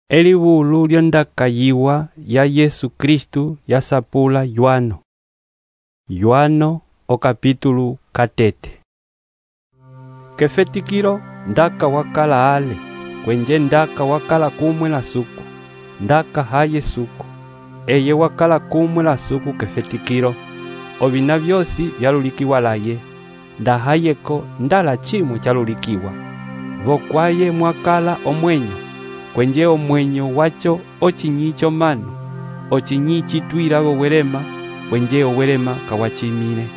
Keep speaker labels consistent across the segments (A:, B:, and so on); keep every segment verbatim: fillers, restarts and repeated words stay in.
A: Eliwulu lyondaka yiwa ya Yesu Kristu yasapula Yohano. Yohano o capítulo katete. Kefetikilo ndaka wakala ale, kwenje ndaka wakala kumwe la suku, ndaka haye suku. Eye wakala kumwe la suku kefetikilo, obina byosi byalulikiwa laye, ndahayeko ndala chimwe chalulikiwa. Vokwaye mwakala omwenyo, kwenje omwenyo wacho ochinyicho manu, ochinyichi twira welema, kwenje owelema kawachimile.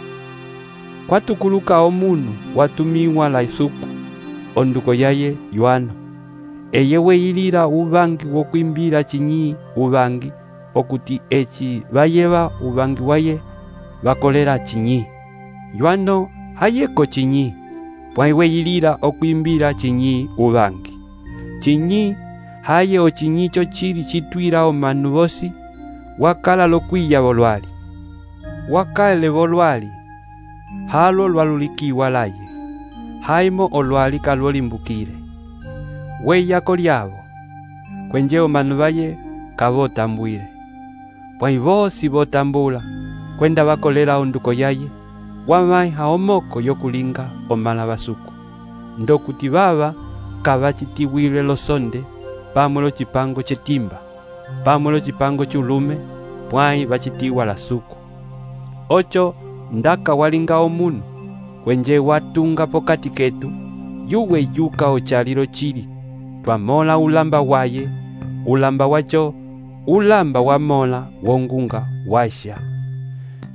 A: Kwatukuluka omunu watumiwa la isuku, onduko yaye Yohano. Eye weyilila ubangi wokwimbila chinyi ubangi, okuti echi bayeba ubangi waye bakolela chinyi. Yohano hayeko chinyi, pwai weyilila okwimbila chinyi ubangi. Chinyi haye ochinyicho chili chitwila omanu bosi, wakala lokwiya bolwali. Wakale bolwali, halo lwalulikiwa laye, haimo olwali kalolimbukile. Weyako lyabo, kwenje omanu baye kabotambwile. Pwai bosi botambula, kwenda bakolela onduko yaye, wamai haomoko yokulinga omala basuku. Ndokuti baba kabachitiwile losonde, pamwe lo chipango chetimba, pamwe lo chipango chulume, pwai bachitiwa la suku. Ocho ndaka walinga omunu, kwenje watunga pokati ketu, yuwe yuka ochalilo chili, twamola ulamba waye, ulamba wacho, ulamba wamola wongunga washa.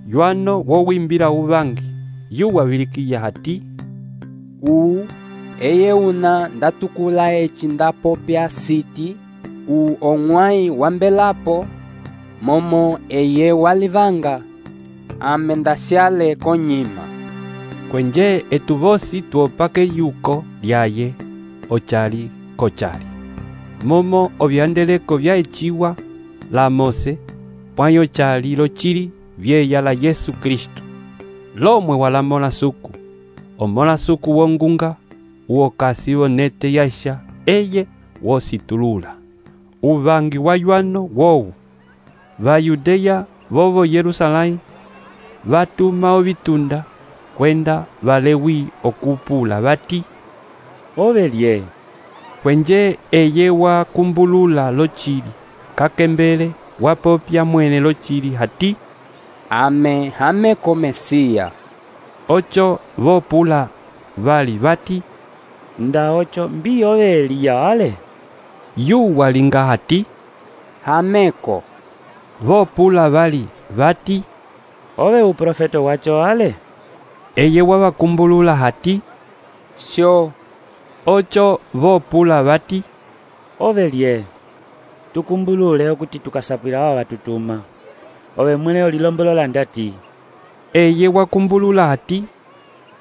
A: Yohano wowimbila ubangi, yuwa wilikiya hati,
B: U eye una ndatukula echi ndapopya siti, u ong'wai wambelapo, momo eye walivanga, ame ndasyale konyima.
A: Kwenje etubosi tuopake yuko lyaye, ochali kochali. Momo obyandeleko byaechiwa la Mose, pwai ochali lo chili byeya la Yesu Kristu. Lomwe walamola suku, omola suku wongunga, uokasi bonete yasha, eye wositulula. Ubangi wa Yohano wowu, va Yudeya bobo Yerusalai, batuma obitunda, kwenda balewi okupula bati,
C: Obelie.
A: Kwenje eye wa kumbulula lo chili, kakembele wapopya mwene lo chili hati,
B: Ame hame komesiya.
A: Ocho vopula bali bati,
C: Nda ocho mbi obelia ale.
A: yu walinga hati,
B: Hameko.
A: vopula bali bati,
C: Obe uprofeto wacho ale.
A: eye wabakumbulula hati,
B: Sho.
A: ocho vopula bati,
C: Obelie. Tukumbulule okuti tukasapwila wa batutuma. Obe mwene olilombolola ndati.
A: eye wakumbulula hati,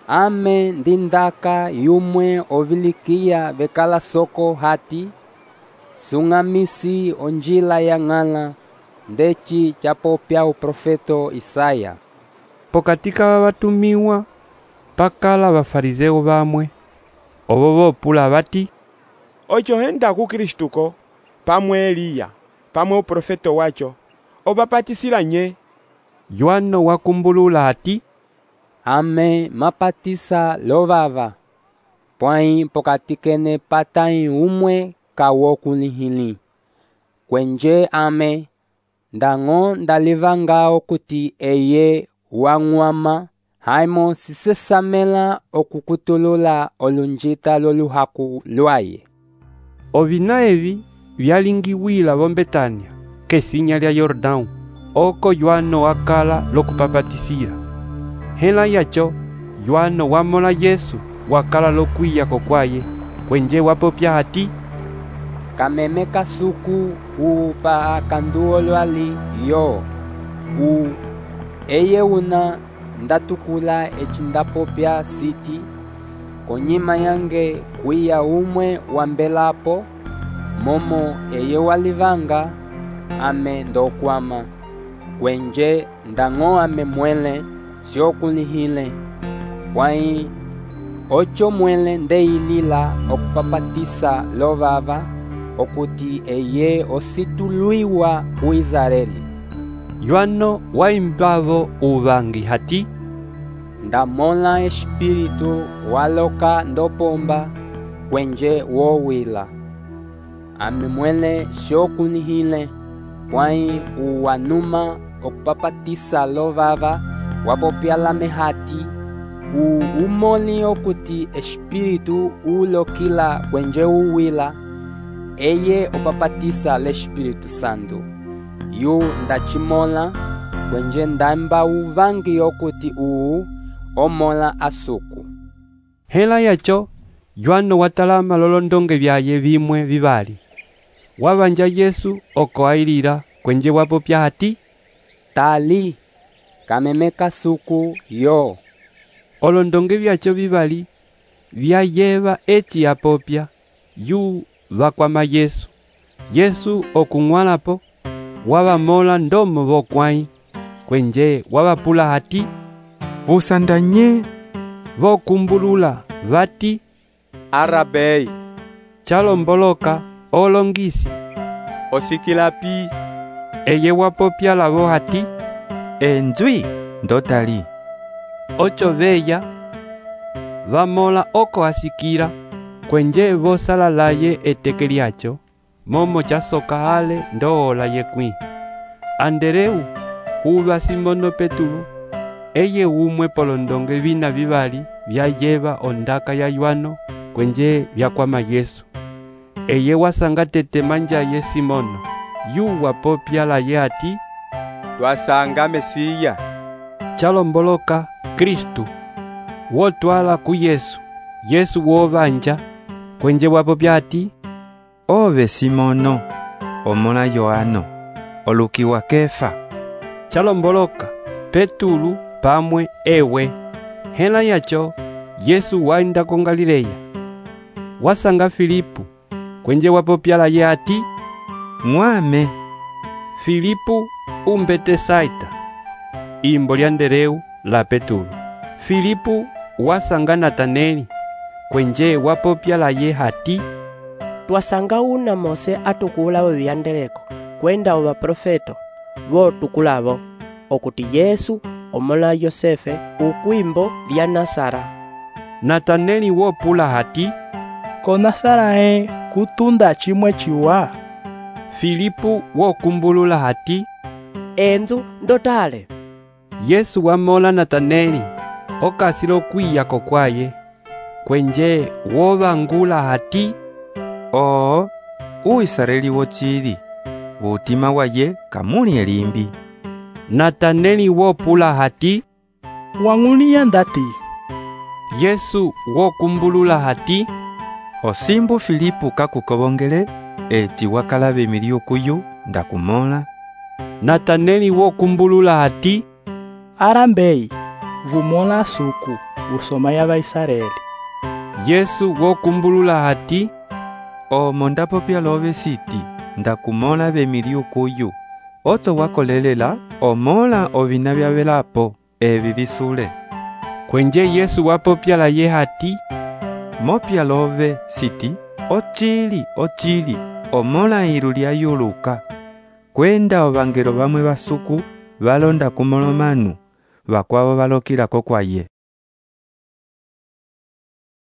B: Ame ndindaka yumwe ovilikiya bekala soko hati, sungamisi onjila ya ng'ala, ndechi chapopya uprofeto Isaya.
A: pokatika babatumiwa, pakala bafarizeo bamwe, obo vopula bati,
D: Ocho henda ku Kristuko, pamwe Eliya, pamwe uprofeto wacho, obapatisila nye.
A: Yohano wakumbulula hati,
B: Ame mapatisa lovava, pwai pokatikene patai umwe kawokulihili. Kwenje ame, ndango ndalivanga okuti eye wang'wama, haimo sisesamela okukutulula olunjita loluhaku lwaye.
A: ovina evi byalingiwila bombetania, kesinya lya Yordão, oko Yohano wakala lokupapatisila. Hela yacho, Yohano wamola Yesu wakala lokwiya kokwaye, kwenje wapopya hati,
B: Kameme kasuku upa akanduo lwali yo. U eye una ndatukula echi ndapopya siti, konyima yange kwiya umwe wambelapo, momo eye walivanga, ame ndokwama. Kwenje ndango ame mwele siokulihile, pwai ocho mwele ndeilila okupapatisa lovava, okuti eye osituluiwa ku Israeli.
A: Yohano waimbavo uvangi hati,
B: ndamõla espírito waloka ndopomba kwenje wowila. Ame mwele xokunihile pwãyi uwanuma okupapatisa lovava wapopyalame hati u umoli okuti espírito ulokila kwenje uwila, eye opapatisa l'Espírito Santo. Yu ndacimola kwenje ndamba uvangi okuti uu omola asuku.
A: hela yacho Yohano watalama lolondonge vyaye vimwe vivali. Wavanja Yesu oko ailila kwenje wapopya hati,
B: tali kamemeka suku yo.
A: olondonge vyacho vivali vyayeva eci yapopya yu vakwama Yesu. Yesu okung'walapo wavamola ndomo vokwãyi kwenje wavapula hati,
D: Vusandanye.
A: vokumbulula vati,
D: Arabei.
A: chalomboloka olongisi.
D: Osikilapi.
A: Eye wapopya lavo hati,
E: Enzwi ndotali.
A: ocho veya vamola oko asikila kwenje vosalalaye eteke lyacho momo chasoka ale ndoola yekwĩ. Andereu huva Simono Petulu eye umwe polondonge vina vivali vyayeva ondaka ya Yohano kwenje vyakwama Yesu. Eye wasanga tete manja ye Simono yu wapopya laye hati,
D: Twasanga Mesiya.
A: chalomboloka Kristu wotwala ku Yesu. Yesu wovanja kwenje wapopya hati,
E: Ove Simono, omola Yohano, olukiwa Kefa.
A: chalomboloka Petulu pamwe ewe. hela yacho Yesu wainda ko Galileya. Wasanga Filipu kwenje wapopya laye hati,
E: Mwame.
A: Filipu umbete Saita, imbo lya ndereu la Petulu. Filipu wasanga Nataneli kwenje wapopya laye hati,
F: twasanga una Mose atukula weviyandeleko kwenda ova profeto votukulavo okuti Yesu omola Yosefe ukwimbo lya Nasara.
A: Nataneli wopula hati,
G: ko Nasarae kutunda chimwe chiwa.
A: Filipu wokumbulula hati,
F: enzu ndotale.
A: Yesu wamola Nataneli okasilo kwiyako kwaye kwenje wovangula hati,
E: Oo, uisraeli wochili, vutima waye kamuli elimbi.
A: Nataneli wopula hati,
G: Wang'ulia ndati.
A: Yesu wokumbulula hati,
E: Osimbu Filipu kakukobongele eci wakala vemilio kuyu ndakumola.
A: Nataneli wokumbulula hati,
G: Arambei. Vumola suku. Usoma ya Vaisraeli.
A: Yesu wokumbulula hati,
E: Omo ndapopya love siti ndakumola vemilio kuyu. Oto wakolelela omola ovina vyavelapo evi visule.
A: kwenje Yesu wapopya laye hati,
E: Mopya love siti ochili ochili omola ilu lya yuluka. Kwenda ovangelo vamwe vasuku valonda kumolomanu vakwavo valokilako kwaye.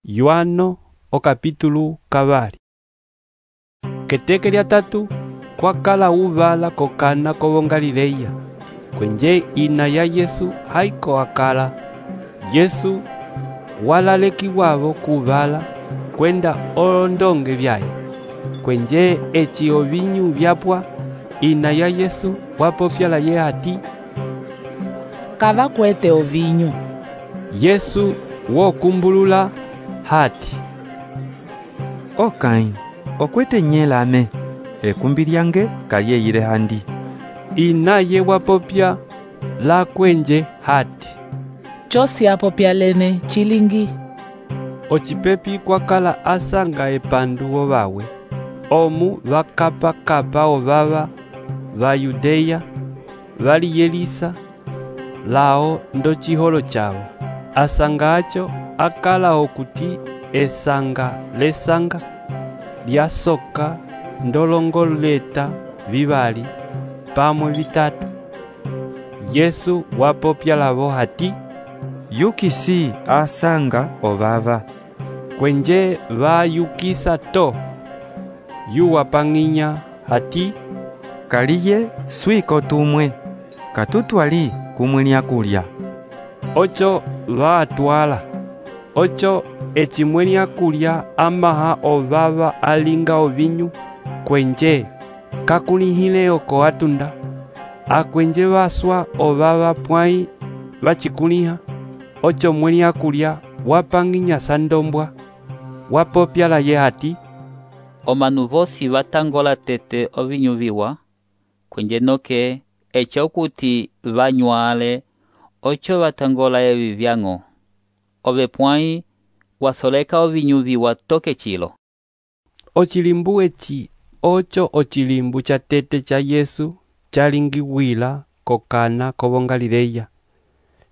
A: Yohano okapitulu kavali. Keteke lya tatu kwakala uvala kokana ko Galileya kwenje ina ya Yesu haiko akala. Yesu walalekiwavo kuvala kwenda olondonge vyaye kwenje eci ovinyu vyapwa. Ina ya Yesu wapopya laye hati,
H: kava kwete ovinyu.
A: Yesu wokumbulula hati,
E: Okai, okwete nyelame, ekumbi lyange kayeyile handi.
A: Inaye wapopya la kwenje hati,
H: Chosi apopya lene chilingi.
A: ocipepi kwakala asanga epandu ovawe omu vakapa-kapa ovava va Yudeya valiyelisa lao ndo chiholo chavo. Asanga acho akala okuti esanga lesanga lyasoka ndolongoleta vivali pamwe vitatu. Yesu wapopya lavo hati,
E: yukisi asanga ovava.
A: Kwenje vayukisa to. Yuwapang'inya hati,
E: kaliye swiko tumwe, katutwali kumwenia kulya.
A: Ocho vaatwala. Ocho echimwenia kulya amaha ovava alinga ovinyu, kwenje kakulihile oko atunda. Akwenje vaswa ovava pwai vachikuliha. Ocho mwenia kulya wapang'inya sandombwa. Wapopya laye hati,
I: omanu vosi vatangola tete ovinyu viwa, kwenje noke echo kuti vanyuale, ocho vatangola evi vyang'o. Ove pwai wasoleka ovinyu viwa toke chilo.
A: Ochilimbu echi ocho ochilimbu cha tete cha Yesu chalingiwila kokana ko Galileya.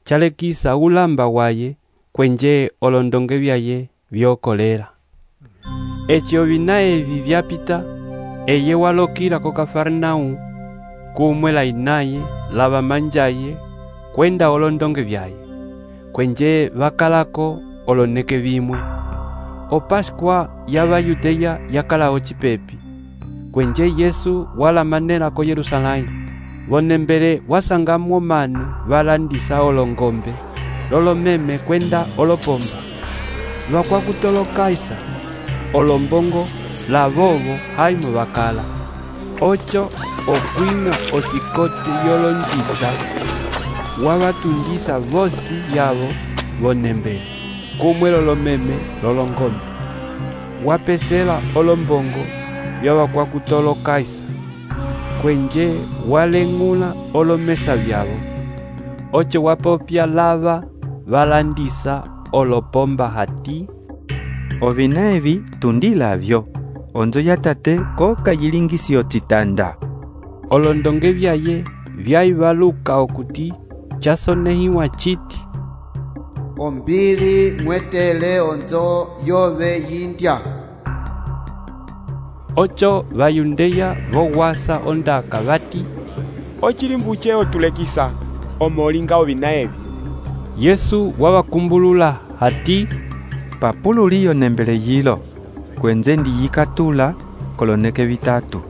A: Chalekisa ulamba waye kwenje olondonge vyaye vyokolera. Echi ovina evi vyapita, eye walokira ko Kafarnau, kumwela inaye lava manjaye kwenda olondonge vyaye. Kwenje vakalako oloneke vimwe. O Pascua ya Bayudeya yakala ochipepi. Kwenje Yesu wala manela ko Yerusalemu. Vonembele wasangamwo manu valandisa olongombe, lolomeme kwenda olopomba. Lwakwa kutolokaisa, olombongo, lavovo haimo vakala. Ocho okwinga osikote yolonjita, wavatundisa vosi yavo vonembele. Kumwe lolomeme lolongombe. Wapesela olombongo vyavakwa kutolokaisa. Kwenje walengula olomesa vyavo. Ocho wapopya lava valandisa olopomba hati,
E: ovina evi tundilavyo, onzo ya tate ko kayilingisio chitanda.
A: Olondonge vyaye vyaivaluka okuti chasonehiwa chiti,
J: ombili mwetele onzo yove yindya.
A: Ocho Bayudeya vowasa ondaka vati,
D: ochilimbu cheo tulekisa omolinga ovina evi.
A: Yesu wawakumbulula hati,
E: papululiyo nembele yilo, kwenze ndiyikatula koloneke vitatu.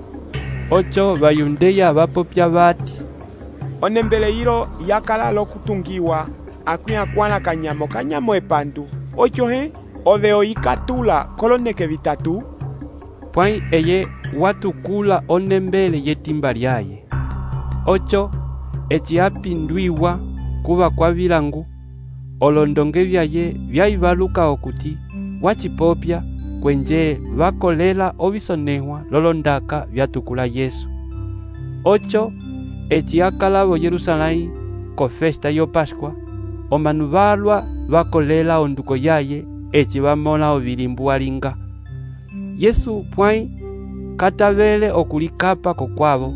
A: Ocho Bayudeya vapopya vati,
D: onembele yilo yakala lokutungiwa akwia kwana kanyamo kanyamo epandu. Ocho he ove oyikatula koloneke vitatu.
A: Pwai eye watukula onembele yetimba lyaye. Ocho echi apindwiwa kuva kwa vilangu. Olondonge vyaye vyaivaluka okuti wachipopya kwenje vakolela ovisonehwa lolondaka vyatukula Yesu. Ocho echi akalavo Yerusalemu ko festa yo Pascua. Omanu valwa vakolela onduko yaye echi vamola ovilimbu alinga. Yesu pwai katavele okulikapa kokwavo.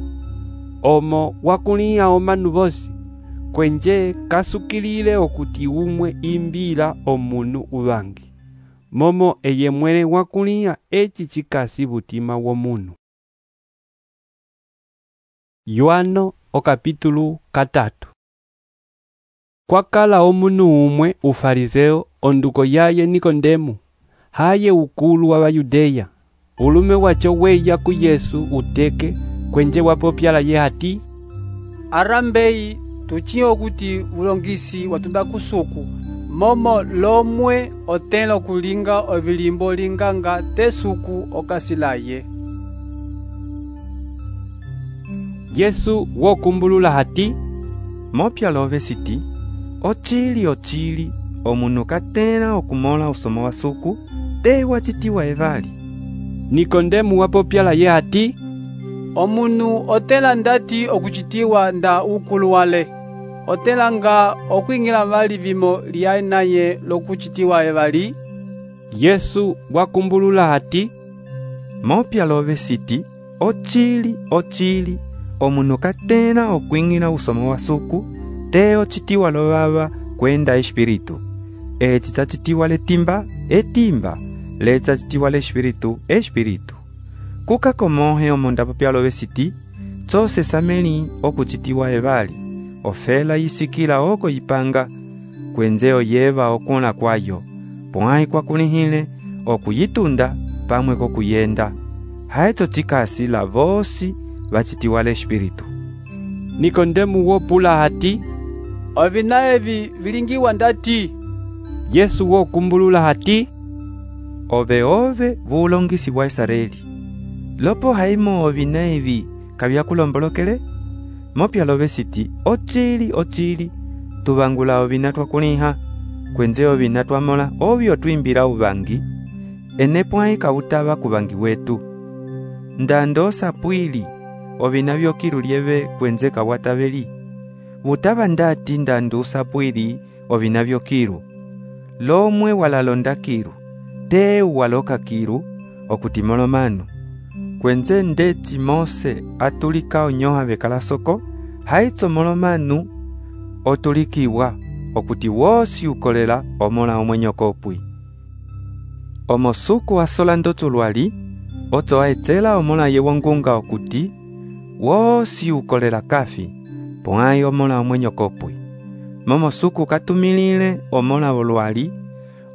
A: Omo wakulia omanu vosi, kwenje kasukilile okuti umwe imbila omunu uvangi. Momo eye mwele wakulia echi chikasi butima womunu. Yohano o kapitulu katatu. Kwakala omunu umwe ufariseo onduko yaye Nikodemu, haye ukulu wa Bayudeya. Ulume wacho weya ku Yesu uteke kwenje wapopya laye hati,
K: arambeyi tuchiyo kuti ulongisi watunda kusuku momo lomwe otelo kulinga ovilimbo linganga tesuku okasilaye.
A: Yesu wokumbulula hati,
E: mopya love siti, ochili ochili omunu katena okumola usomo wa suku te wachitiwa evali.
A: Nikodemu wapopya laye hati,
K: omunu otela ndati okuchitiwa nda ukulu wale, otela nga okwingila vali vimo lya naye lokuchitiwa evali.
A: Yesu wakumbulula hati,
E: mopya love siti, ochili ochili omunu katena okwingila usomo wa suku te ochitiwa lovava kwenda espiritu. Echi chachitiwa letimba etimba, lecha chitiwa le espiritu espiritu. Kuka komohe omonda popyalo vesiti, tsose sameli okuchitiwa evali, ofela yisikila oko yipanga, kwenze oyeva okuna kwayo, pwai kwa kunihile, okuyitunda, pamwe kokuyenda. Haeto chikasi la vosi vachitiwale espiritu.
A: Nikodemu wopula hati,
K: ovina evi vilingiwa ndati?
A: Yesu wokumbulula hati,
E: ove ove vulongisi wa Israeli. Lopo haimo ovina evi kavyakulombolokele? Mopyalo vesiti, ochili ochili, tuvangula ovina twakuniha, kwenze ovina twamola ovyo twimbira uvangi, enepwai kautava kuvangi wetu. Ndando sapwili, ovina vyokilu lieve kwenze kawataveli. Utava ndati ndando sapwili, ovina vyokilu. Lomwe walalonda kiru, te waloka kiru, okutimolo manu. Kwenze ndeti Mose atulika onyoha vekala soko, haitso molomanu otulikiwa, okuti wosi ukolela omola omwenyo kopwi. Omosuku asola ndoto lwali, oto aetzela omola yewongunga okuti, wosi ukolela kafi, pwai omola omwenyo kopwi. Momosuku katumilile omola olwali,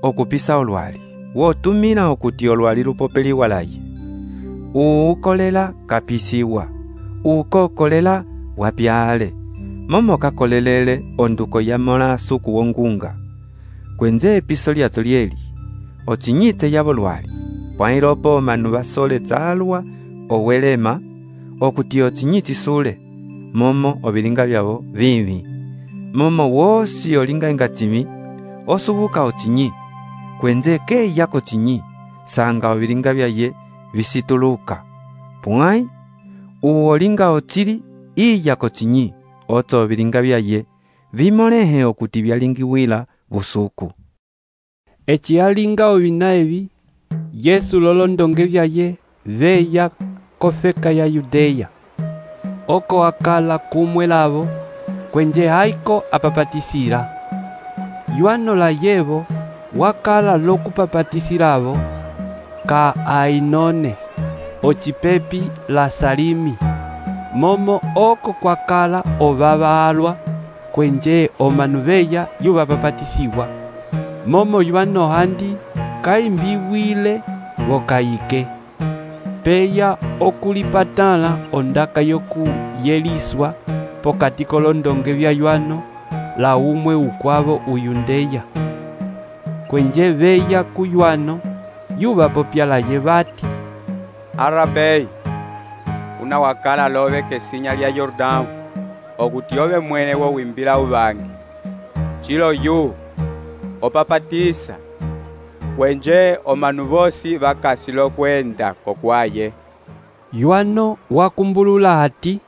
E: okupisa olwali, wotumila okuti olwali lupopeli walaye. Uukolela kapisiwa, uukokolela wapyale, momo kakolelele onduko ya mola suku wongunga. Kwenze episo lyato lieli, ochinyite yabo lwali, pwailopo manu basole tsalwa owelema, okuti ochinyiti sule, momo obilinga byabo vivi. Momo wosi olinga ingatimi, osubuka ochinyi, kwenze ke yako chinyi, sanga obilinga byaye visituluka. Pwai, uolinga ochili, iya kochinyi, oto obilinga byaye, vimolehe okuti byalingiwila busuku.
A: Echi alinga ovina evi, Yesu lolondonge byaye, veya kofeka ya Yudeya. Oko akala kumwe lavo, kwenje haiko apapatisira. Yuano la yevo, wakala lokupapatisiravo, ka Ainone, ochipepi la Salimi. Momo oko kwakala ovava alwa, kwenje omanuveya yuvapapatisiwa. Momo yuano handi, kaimbiwile wokaike. Peya okulipatala ondaka yoku yeliswa, pokati kolondonge vya yuano, la umwe ukwavo uyundeya. Kwenje veya kuyuano, yuva popyala yevati,
D: Arabei, una wakala love kesinya lya Yordão, okuti ove mwene wo wimbila uvangi. Chilo yu, opapatisa, kwenje omanu vosi vakasilo kwenda kokwaye.
A: Yuano wakumbulula hati,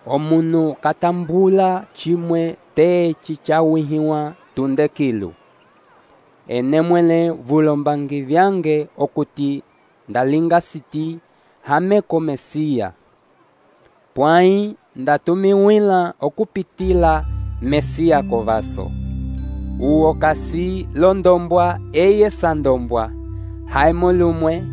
B: omunu katambula chimwe te chichawihiwa tundekilu. Enemwele vulombangi vyange okuti ndalinga siti hameko Mesia. Pwai ndatumiwila okupitila Mesia kovaso. Uo kasi londombwa eye sandombwa, haimolumwe,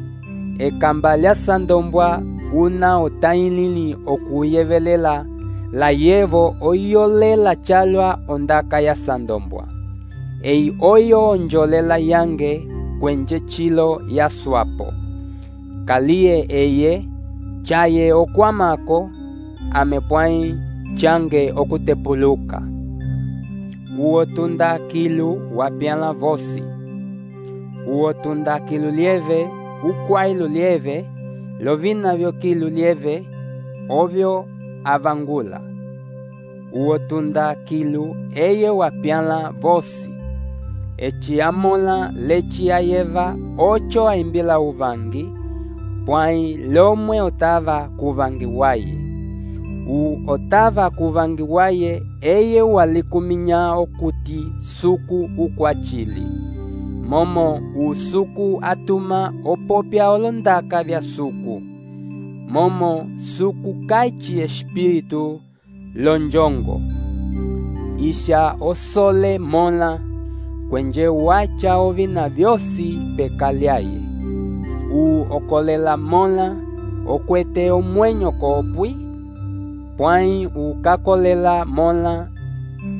B: ekambalya sandombwa una otainili okuyevelela, la yevo oyolela chalwa ondaka ya sandombwa. Ei oyo onjolela yange kwenje chilo ya swapo. Kalie eye, chaye okwamako, amepwai change okutepuluka. Uo tunda kilu wapiana vosi. Uo tunda kilu lieve, ukwailu lieve, lovina vyo kilu lieve, ovyo avangula. Uo tunda kilu eye wapiana vosi. Echi amola lechi ayeva ocho aimbila uvangi, pwai lomwe otava kuvangi waye. U otava kuvangi waye eye walikuminya okuti suku ukwachili. Momo usuku atuma opopya olondaka vya suku. Momo suku kaichi espiritu lonjongo. Isha osole mola, kwenje wacha ovina vyosi pekalyaye. U okolela mola, okwete omwenyo kopwi, pwãyi ukakolela mola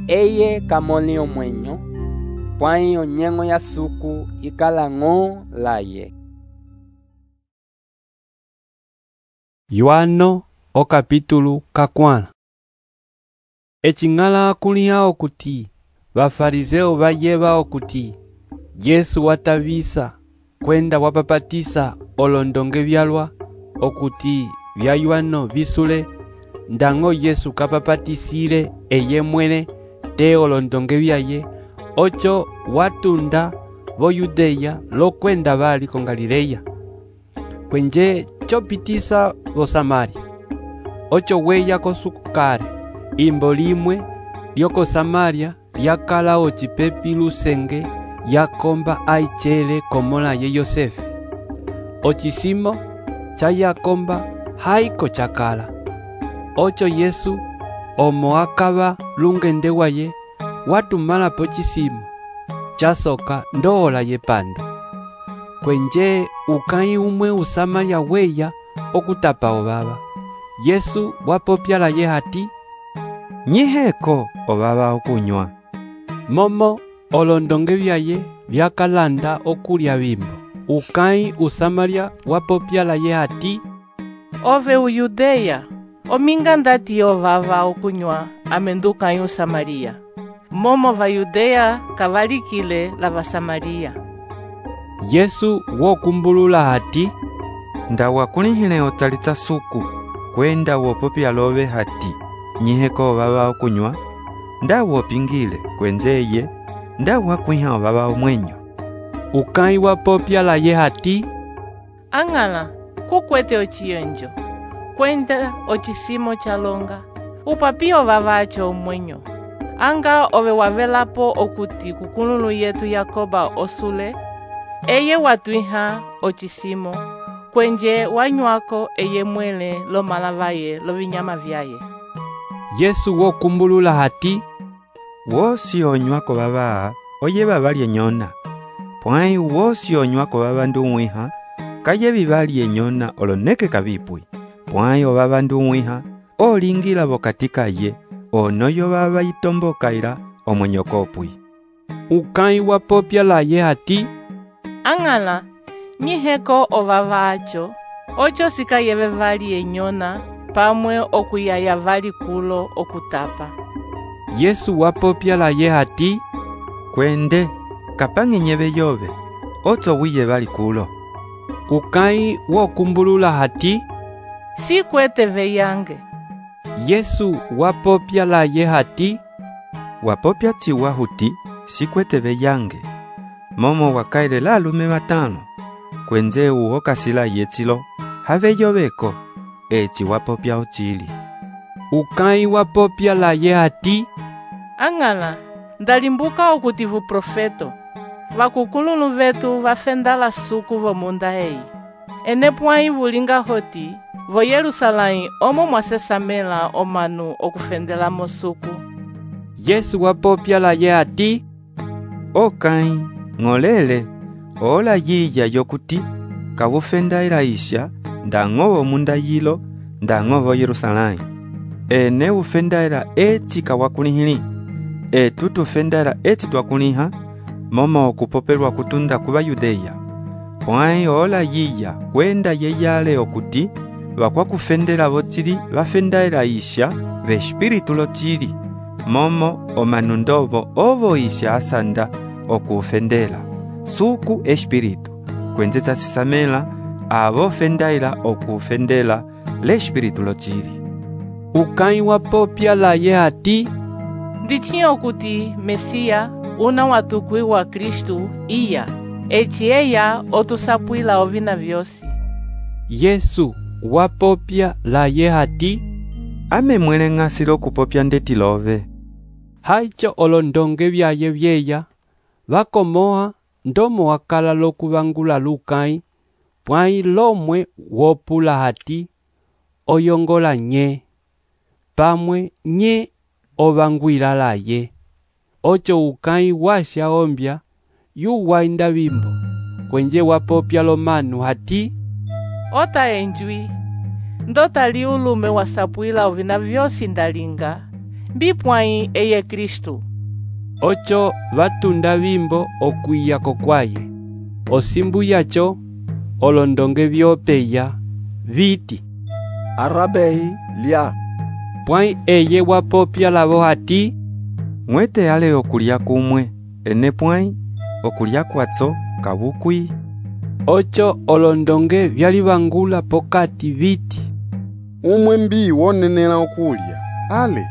B: eye kamoli omwenyo, pwãyi onyengo ya suku ikala ng'o laye.
A: Yohano o capítulo kakwãla. Ecing'ala akuliha okuti bafariseu bayeba okuti Yesu watavisa kwenda wapapatisa olondonge vyalwa okuti vya Yohano visule, ndañgo Yesu kapapatisile eye mwene te olondonge vyaye, ocho watunda vo Yudeya lokwenda bali ko Galileya, kwenje chopitisa vo Samaria. Ocho weya kosuku kale, imbo limwe lyoko Samaria lyakala ocipepi lusenge yakomba aichele komola ye Yosefe. Ocisimo cha yakomba haiko chakala. Ocho Yesu omo akaba lungende waye watumala po cisimo chasoka ndola ye pando. Kwenje ukai umwe usamaria weya okutapa obaba. Yesu wapopyala ye hati,
E: nyiheko obaba okunywa.
A: Momo olondonge vyaye vyakalanda okulya bimbo. Ukai usamaria wapopyala ye hati,
H: ove uyudeya ominga ndati ovava okunywa amenduka yu Samaria. Momo va Yudeya kavalikile la Vasamaria.
A: Yesu wokumbulula hati,
E: ndawakulihile otalitsa suku kwenda wopopya love hati nyiheko obaba okunywa, ndawopingile kwenzeye ndawakwiha obaba omwenyo.
A: Ukai wapopyala ye hati,
H: ang'ala kukwete ochiyonjo kwenda ocisimo chalonga upapi ovava acho omwenyo, anga ove wavelapo okuti kukululu yetu Yakoba osule, eye watwiha ocisimo kwenje wanywako eye mwele lo malavaye lo vinyama vyaye.
A: Yesu wokumbulula hati,
E: wosi onywako baba oye babalye nyona, pwãyi wosi onywako baba nduwiha kaye bibalye nyona oloneke kabipwi, pwãyi obaba nduwiha olingila bokatika ye onoyo baba itombokaila omwenyo kopwi.
A: Ukai wapopyala ye hati,
H: ang'ala nyiheko ovava acho ocho sikayeve vali enyona pamwe okuyaya vali kulo okutapa.
A: Yesu wapopyala ye hati,
E: kwende kapange nyeve yove oto wiye vali kulo.
A: Ukai wokumbulula hati,
H: si kwete veyange.
A: Yesu wapopyala ye hati,
E: wapopya tiwa huti si kwete veyange. Momo wakaile la lume matano kwenze uokasila yetsilo have yoveko eti wapopya ochili.
A: Ukai wapopyala ye hati,
H: ang'ala ndalimbuka okuti vu profeto vakukululu vetu vafendala suku vo munda eyi, ene pwãyi vulinga hoti vo Yerusalém omo mwasesamela omanu okufendelamo suku.
A: Yesu wapopyala ye hati,
E: okai ng'olele ola yiya yokuti kavufendaila isha ndañgo munda yilo ndañgo Yerusalém. Ene ufendaila eti kawakulihili, etu tufendaila eti twakuliha momo okupopelwa kutunda kuba Yudeya. Pwãyi ola yiya kwenda yeyale okuti vakwakufendela votili vafendaila isha ve espiritu lotili, momo omanu ndovo ovo isha asanda okufendela suku espiritu kwenzetsa sisamela avo fendaila okufendela le espiritu lotili.
A: Ukai wapopyala ye hati,
H: ndichi okuti Mesia una watukwi wa Kristu iya eci eya otusapwila ovina vyosi.
A: Yesu wapopyala ye hati,
E: ame mwele ng'asilo kupopya ndeti love.
A: Haicho olondonge vyaye vyeya vakomoa ndomo wakala lokuvangula lukai, pwãyi lomwe wopula hati oyongola nye, pamwe nye ovangwila laye. Ocho ukai washa ombya yu wainda bimbo kwenje wapopya lomanu hati,
H: ota enjwi ndotali ulume wasapwila ovina vyosi ndalinga, mbipwãyi eye Kristu.
A: Ocho vatunda vimbo okwiya kokwaye. Osimbu yacho olondonge vyopeya viti,
L: Arabei lya.
A: pwãyi eye wapopya lavo hati,
E: mwete ale okulya kumwe, ene pwãyi okulya kwatso kabukwi.
A: Ocho olondonge vyalivangula pokati viti,
L: Umwe mbi wonenela okulya, ale.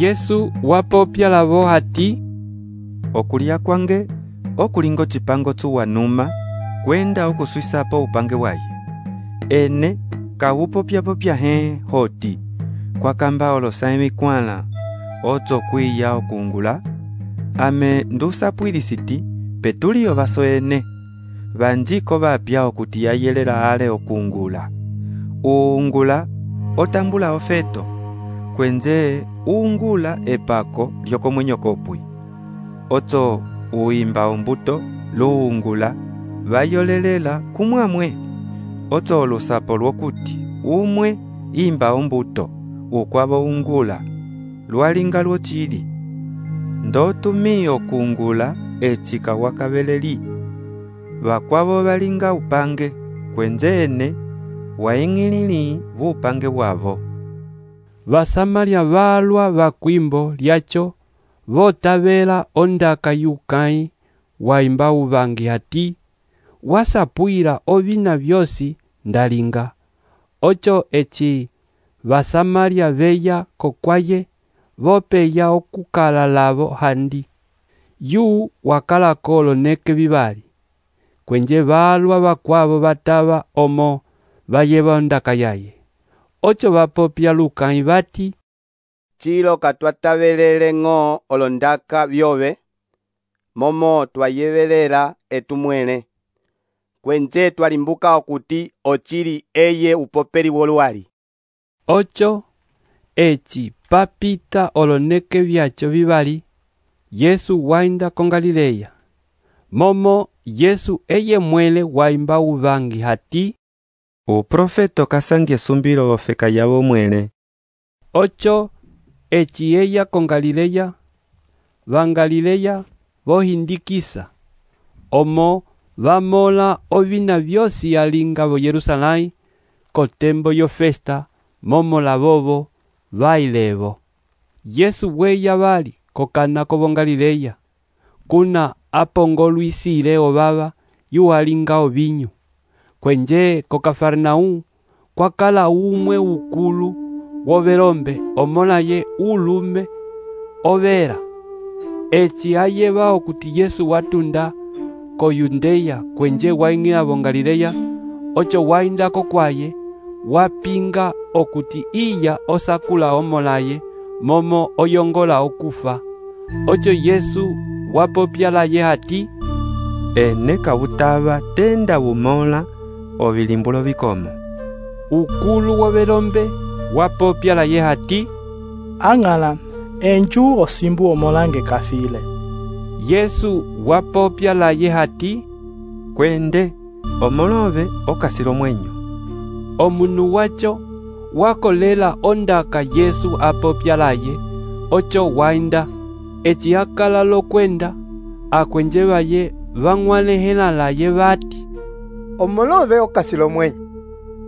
A: Yesu wapopya lavo hati,
E: okulya kwange okulingo chipango tsuwanuma kwenda okuswisapo upange waye. Ene kawupopya-popya he hoti kwakamba olosa emikwala otso kwiya okungula, ame ndusapwilisiti petuliyo vaso ene vanjiko vapya okuti yayelela ale okungula. Uungula otambula ofeto kwenje uungula epako lyokomwenyo kopwi. Otso uimba ombuto luungula vayolelela kumwamwe. Otso olusapo lwokuti umwe imba ombuto ukwavo ungula lwalinga lwochili. Ndotumi okungula echika wakabeleli vakwavo valinga upange kwenje ene waing'ilili vupange bwavo.
A: Vasamaria valwa vakwimbo lyacho votavela ondaka yukai waimba uvangi hati, wasapwila ovina vyosi ndalinga. Ocho echi Vasamaria veya kokwaye vopeya okukala lavo handi. Yu wakala kolo neke vivali. Kwenje valwa vakwavo vatava omo vayeva ondaka yaye. Ocho vapopya lukai vati,
J: Chilo katwatavelele ng'o olondaka vyove, momo twayevelela etumwene. Kwenje twalimbuka okuti ochili eye upopeli wolwali.
A: Ocho echi papita oloneke vyacho vivali, Yesu wainda ko Galileya. Momo Yesu eye mwele waimba uvangi hati,
E: uprofeto kasangie sumbilo ofeka yavo mwele.
A: Ocho echi eya ko Galileya, vangalileya vohindikisa, omo vamola ovina vyosi yalinga vo Yerusalai, kotembo yo festa, momo lavovo vailevo. Yesu weya vali kokana ko Galileya, kuna apongoluisile ovava yuwalinga ovinyu. Kwenje ko Kafarnaum kwakala umwe ukulu wovelombe omolaye ulume overa. Echi ayeva okuti Yesu watunda ko Yudea kwenje waing'ila vo Galileya. Ocho wainda kokwaye wapinga okuti iya osakula omolaye momo oyongola okufa. Ocho Yesu wapopya laye hati,
E: ene kawutava tenda bumola ovilimbulo vikomo.
A: Ukulu wovelombe wapopya laye hati,
G: ang'ala enju osimbu omolange kafile.
A: Yesu wapopya laye hati,
E: kwende omolove okasilo mwenyo.
A: Omunu wacho wakolela ondaka Yesu apopya laye. Ocho wainda echi akala lokwenda akwenje vaye vang'walehela laye vati,
L: omolove okasilo mwenyo.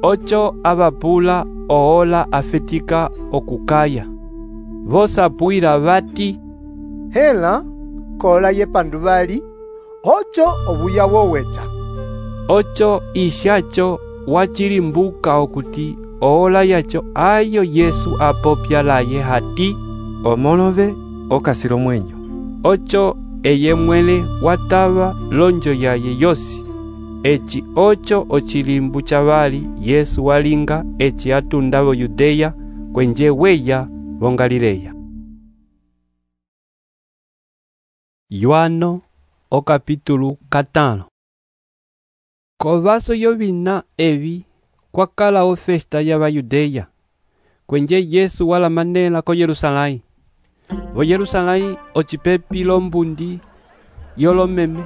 A: Ocho avapula oola afetika okukaya. Vosapwila vati,
L: hela kola ye pandu vali, ocho obuya wowecha.
A: Ocho ishacho wachilimbuka okuti oola yacho ayo Yesu apopya laye hati,
E: omolove okasilo mwenyo.
A: Ocho eye mwele watava lonjo yaye yosi. Echi ocho ochilimbu chavali Yesu walinga echi atunda vo Yudea kwenje weya vo Galileya. Yohano o capítulo katano. Kovaso yovina evi kwakala o festa ya va Yudea, kwenje Yesu wala manela ko Yerusalai. Vo Yerusalai ochipepi lombundi yolomeme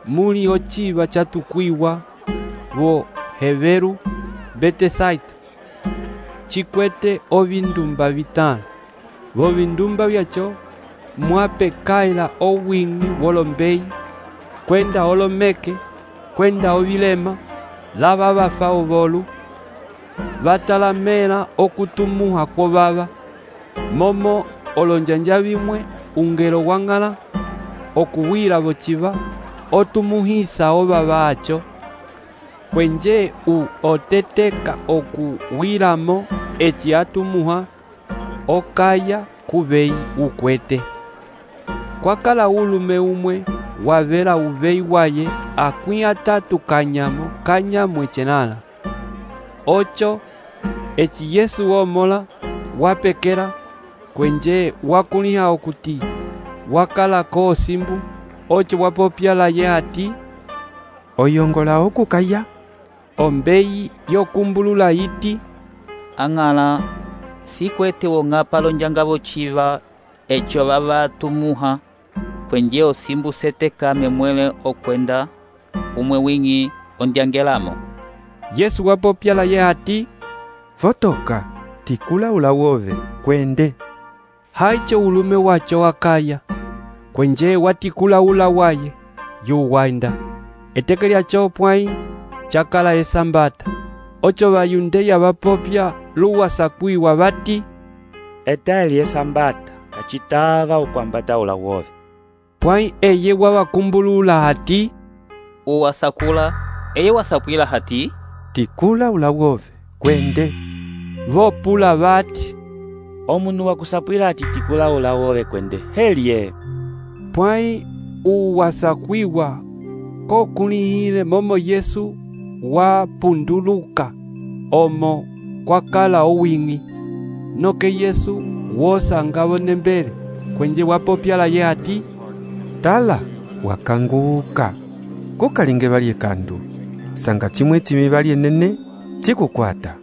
A: muli ochiva chatukwiwa vo Heveru Betesaita, chikwete ovindumba vitano. Vo vindumba vyacho mwapekaila owingi wolombeyi, kwenda olomeke, kwenda ovilema, lava vafa ovolu, vatalamela okutumuha kwovava, momo olonjanja vimwe ungelo wang'ala okuwila vociva otumuhisa ovava acho, kwenje u oteteka okuwilamo eci atumuha okaya kuveyi ukwete. Kwakala ulume umwe wavela uveyi waye akwi atatu kanyamo kanyamo echenala. Ocho eci Yesu womola wapekela kwenje wakuliha okuti wakala ko osimbu. Ocho wapopyala ye ati,
E: oyongola okukaya.
A: Ombeyi yokumbulula iti,
I: ang'ala sikwete wong'apa lonjanga vociva echo vavatumuha, kwenje osimbu seteka memwele okwenda umwe wingi ondyangelamo.
A: Yesu wapopyala ye ati,
E: votoka tikula ulawove kwende.
A: Haicho ulume wacho wakaya, kwenje watikula ula waye yuwainda. Eteke lyacho pwai chakala esambata. Ocho vayundeya vapopya luwasakwiwa vati,
C: etali esambata kachitava ukwambata ulawove.
A: Pwai eye wawakumbulula hati,
I: uwasakula eye wasapwila hati,
E: tikula ulawove kwende.
A: Vopula vati,
C: omunu wakusapwila ati tikula ulawove kwende helye.
A: Pwai uwasakwiwa kokulihile momo Yesu wapunduluka omo kwakala owingi. Noke Yesu wosangavo nembele kwenje wapopyala ye ati,
E: tala wakanguka kukalinge valye kandu sanga chimwe chimi valye nene chikukwata.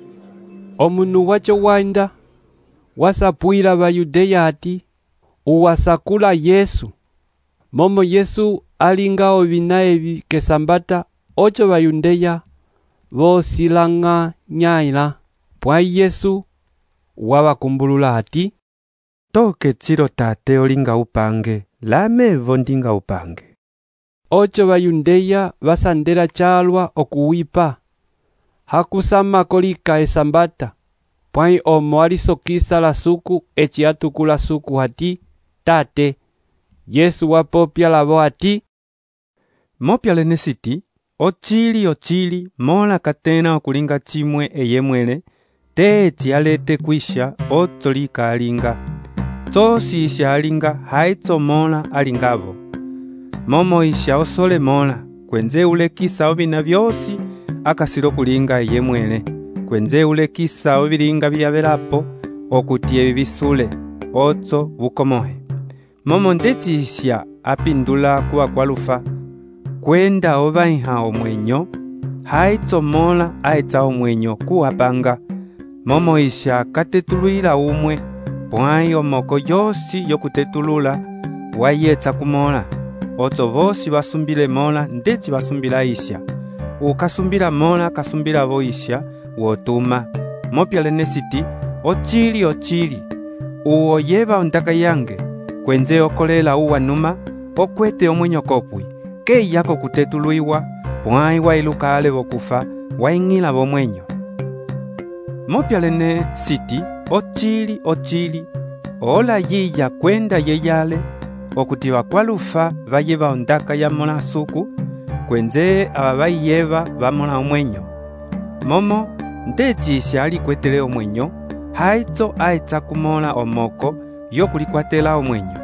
A: Omunu wacho wainda wasapwila Vayudeya ati, uwasakula Yesu. Momo Yesu alinga ovina evi kesambata. Ocho Vayudeya vosilanga nyaila. Pwai Yesu wawakumbulula ati,
E: toke chiro tate olinga upange, lame vondinga upange.
A: Ocho Vayudeya vasandela chalwa okuwipa. Hakusama kolika esambata. Pwai omo alisokisa la suku eci atukula suku hati, tate. Yesu wapopya lavo ati,
E: mopyale nesiti, ochili ochili mola katena okulinga chimwe eyemwele, te eci alete kwisha otolika alinga. Tosi isha alinga haitso mola alingavo. Momo isha osole mola, kwenze ulekisa ovina vyosi akasilo kulinga eyemwele. Kwenze ulekisa ovilinga vyavelapo okuti evi visule, otso vukomohe. Momo ndeti isha apindula kuwa kwalufa, kwenda ovaiha omwenyo, haitso mola aitsa omwenyo kuwapanga. Momo isha katetuluila umwe, pwai omoko yosi yokutetulula wayetsa kumola. Otso vosi vasumbile mola ndeti vasumbila isha. Ukasumbila mola kasumbila vo isha wotuma. Mopyale nesiti, ochili ochili uwo yeva ondaka yange, kwenze okolela uwanuma okwete omwenyo kopwi, kei yako kutetuluiwa, pwai wailuka ale vokufa waing'ila vomwenyo. Mopyale nesiti, ochili ochili ola yiya kwenda yeyale okuti vakwalufa vayeva ondaka ya mola suku, kwenze aba vayeva vamola omwenyo. Momo ndeti isha alikwetele omwenyo, haitso aitsa kumola omoko yokulikwatela omwenyo.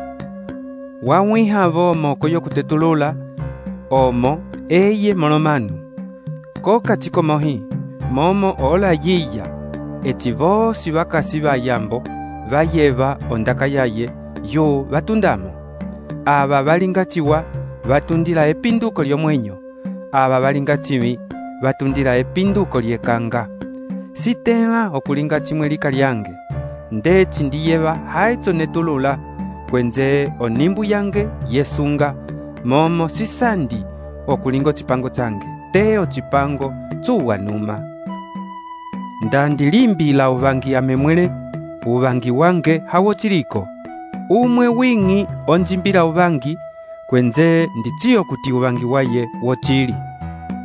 E: Wawiha vo omoko yokutetulula omo eye molomanu. Koka chikomohi momo ola yiya eti vosi vakasi vayambo vayeva ondaka yaye yo vatundamo. Aba valingatiwa vatundila epinduko lyomwenyo, aba valingatiwi vatundila epinduko lyekanga. Sitela okulinga chimwe lika lyange, ndeti ndiyeva haitso netulula, kwenze onimbu yange yesunga, momo sisandi okulinga chipango change, te ochipango tsuwanuma. ndandilimbila uvangi amemwele uvangi wange hawo chiliko. Umwe wing'i onjimbila uvangi, kwenze nditiyo kuti uvangi waye wochili.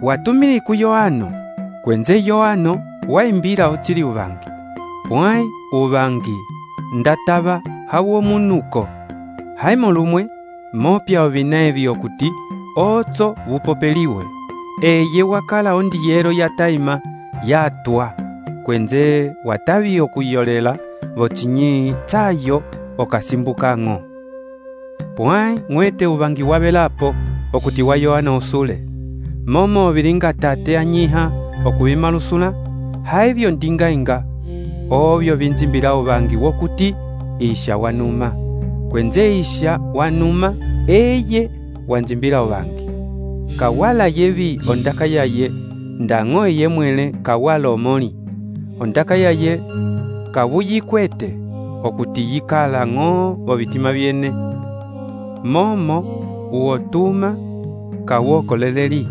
E: Watumili ku Yohano, kwenze Yohano waimbila ochili uvangi. Pwai uvangi ndatava hawo munuko. Haimo lumwe mopya ovinevyo kuti otso vupopeliwe. Eye wakala ondiyero ya taima yatwa, kwenze watavi okuyolela vochinyi tsayo okasimbukang'o. Pwai ng'wete uvangi wavelapo okuti wa Yohana usule. Momo vilinga tate anyiha okuvimalusula, haivyo ndingainga ovyo vinzimbila uvangi wokuti isha wanuma. Kwenze isha wanuma eye wanzimbila uvangi. Kawala yevi ondaka yaye ndang'o eye mwele kawala omoli. Ondaka yaye kavuyikwete okuti yikala ng'o ovitima vyene. Momo uotuma kawokoleleli.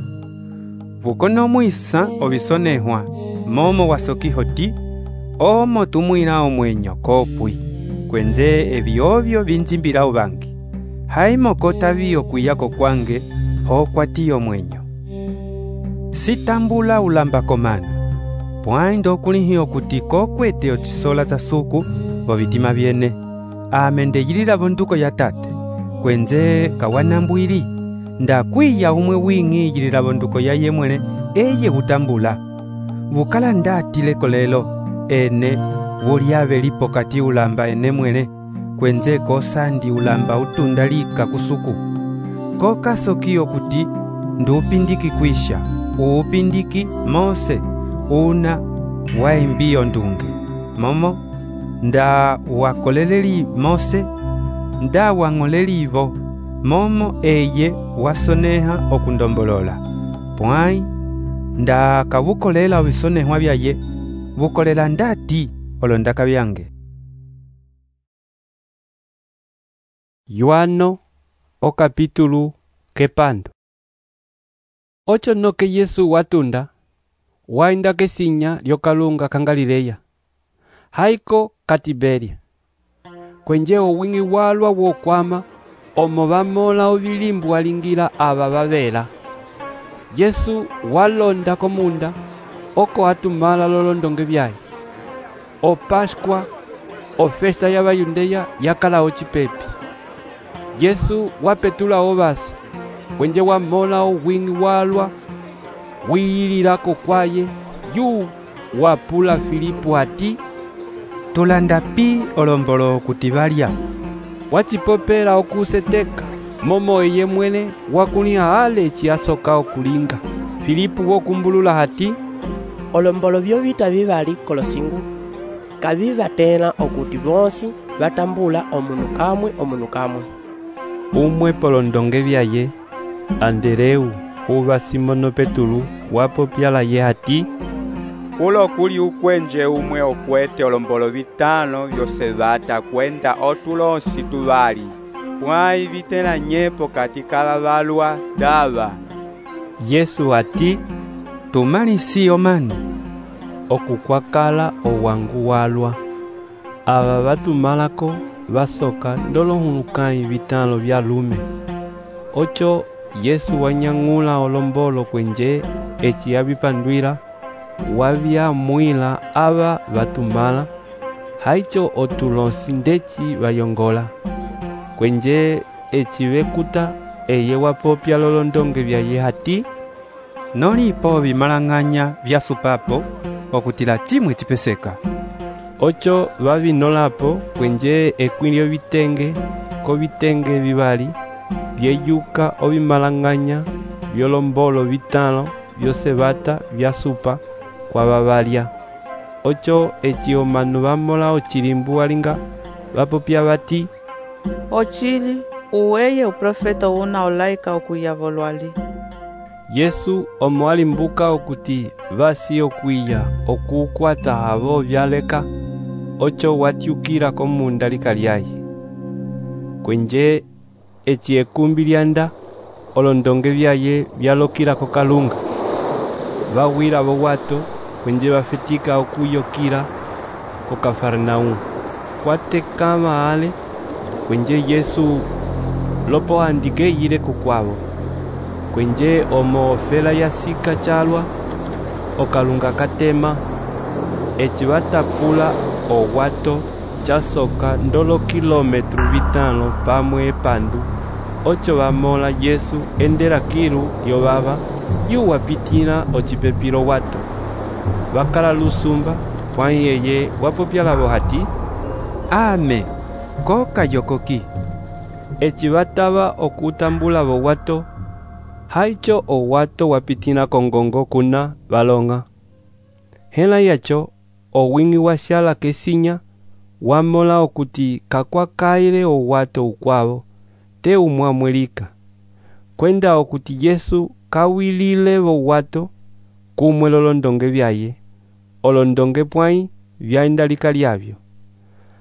E: Vukono mwisa ovisonehwa momo wasokihoti omo tumwila omwenyo kopwi. Kwenze evyovyo vinzimbila uvangi. Haimo kotavi okwiyako kwange ho kwatiyo mwenyo. Sitambula ulamba komano. Pwai ndokulihi okuti kokwete ochisola za suku vovitima vyene. Amende yilila vonduko ya tate. Kwenze kawanambwili. Ndakwiya umwe wing'i yilila vonduko ya yemwele eye vutambula. Vukala ndatile kolelo ene vulyave lipo kati ulamba ene mwele. Kwenze kosandi ulamba utundalika kusuku. Kokasokiyo kuti ndupindiki kwisha. Uupindiki Mose una waimbiyo ndunge. Momo nda wakoleleli Mose nda wang'oleli ivo. Momo eye wasoneha okundombolola. Pwai nda kavukolela ovisonehwa vyaye vukolela ndati olondaka vyange.
A: Yohano o capítulo kepando. Ocho noke Yesu watunda wainda kesinya lyokalunga ka Galileya. Haiko ka Tiberia. Kwenje owing'i walwa wokwama omo vamola ovilimbu walingila ava vavela. Yesu walonda komunda oko atumala lolondonge vyaye. O Pascua o festa ya vayundeya yakala ochipepi. Yesu wapetula ovaso kwenje wamola owing'i walwa wiyililako kwaye yu wapula Filipu ati,
E: tulanda pi olombolo kuti valya.
A: Wachipopela okuseteka momo eye mwene wakuliha ale chiasoka okulinga. Filipu wokumbulula hati,
F: olombolo vyo vita vivali kolosingu kaviva tena okuti vonsi vatambula omunu kamwe omunu kamwe.
A: Umwe polondonge vyaye Andereu uva Simono Petulu wapopyala ye hati,
D: ulo kuli ukwenje umwe okwete olombolo vitano vyose vata kwenda otulonsi tuvali. Pwai vitela nyepo katika vavalwa dava.
A: Yesu ati,
E: tumalisi omanu
A: okukwakala owangu walwa. Ava vatumalako vasoka ndolohulukai vitalo vya lume. Ocho Yesu wanyang'ula olombolo kwenje echi yavipandwila wavya mwila ava vatumala. Haicho otulonsi ndechi vayongola. Kwenje echi vekuta eye wapopya lolondonge vyaye hati,
E: nolipo vimalang'anya vyasupapo okutila chimwe chipeseka.
A: Ocho vavinolapo kwenje ekwilyo vitenge ko vitenge vivali vyeyuka ovimalang'anya vyolombolo vitalo vyose vata vyasupa kwa vavalya. Ocho echi omanu vamola ochilimbu walinga vapopya vati,
M: ochili uweye uprofeta una olaika okuyavolwali.
A: Yesu omo alimbuka okuti vasi okwiya okukwata havo vyaleka. Ocho watyukila komunda likalyaye. Kwenje echi ekumbi lyanda olondonge vyaye vyalokila kokalunga. Vawila vowato kwenje bafetika okuyokira ko Kafarnaum. Kwatekama ale kwenje Yesu lopo andike yile kukwabo. Kwenje omo ofela yasika chalwa okalunga katema eci batapula owato chasoka ndolo kilometru bitano pamwe epandu ocho bamola Yesu endera kilu lyobaba yuwapitina ocipepilo wato bakala lusumba kwa yeye wapopya labo hati
E: ame koka yokoki
A: eci bataba okutambula bo wato haicho owato wapitina kongongo kuna balonga hela yacho owingi washala kesinya wamola okuti kakwa kaile owato ukwabo te umwamwelika kwenda okuti Yesu kawilile bo wato kumwe lolondonge byaye olondonge pwai byaindalika lyabyo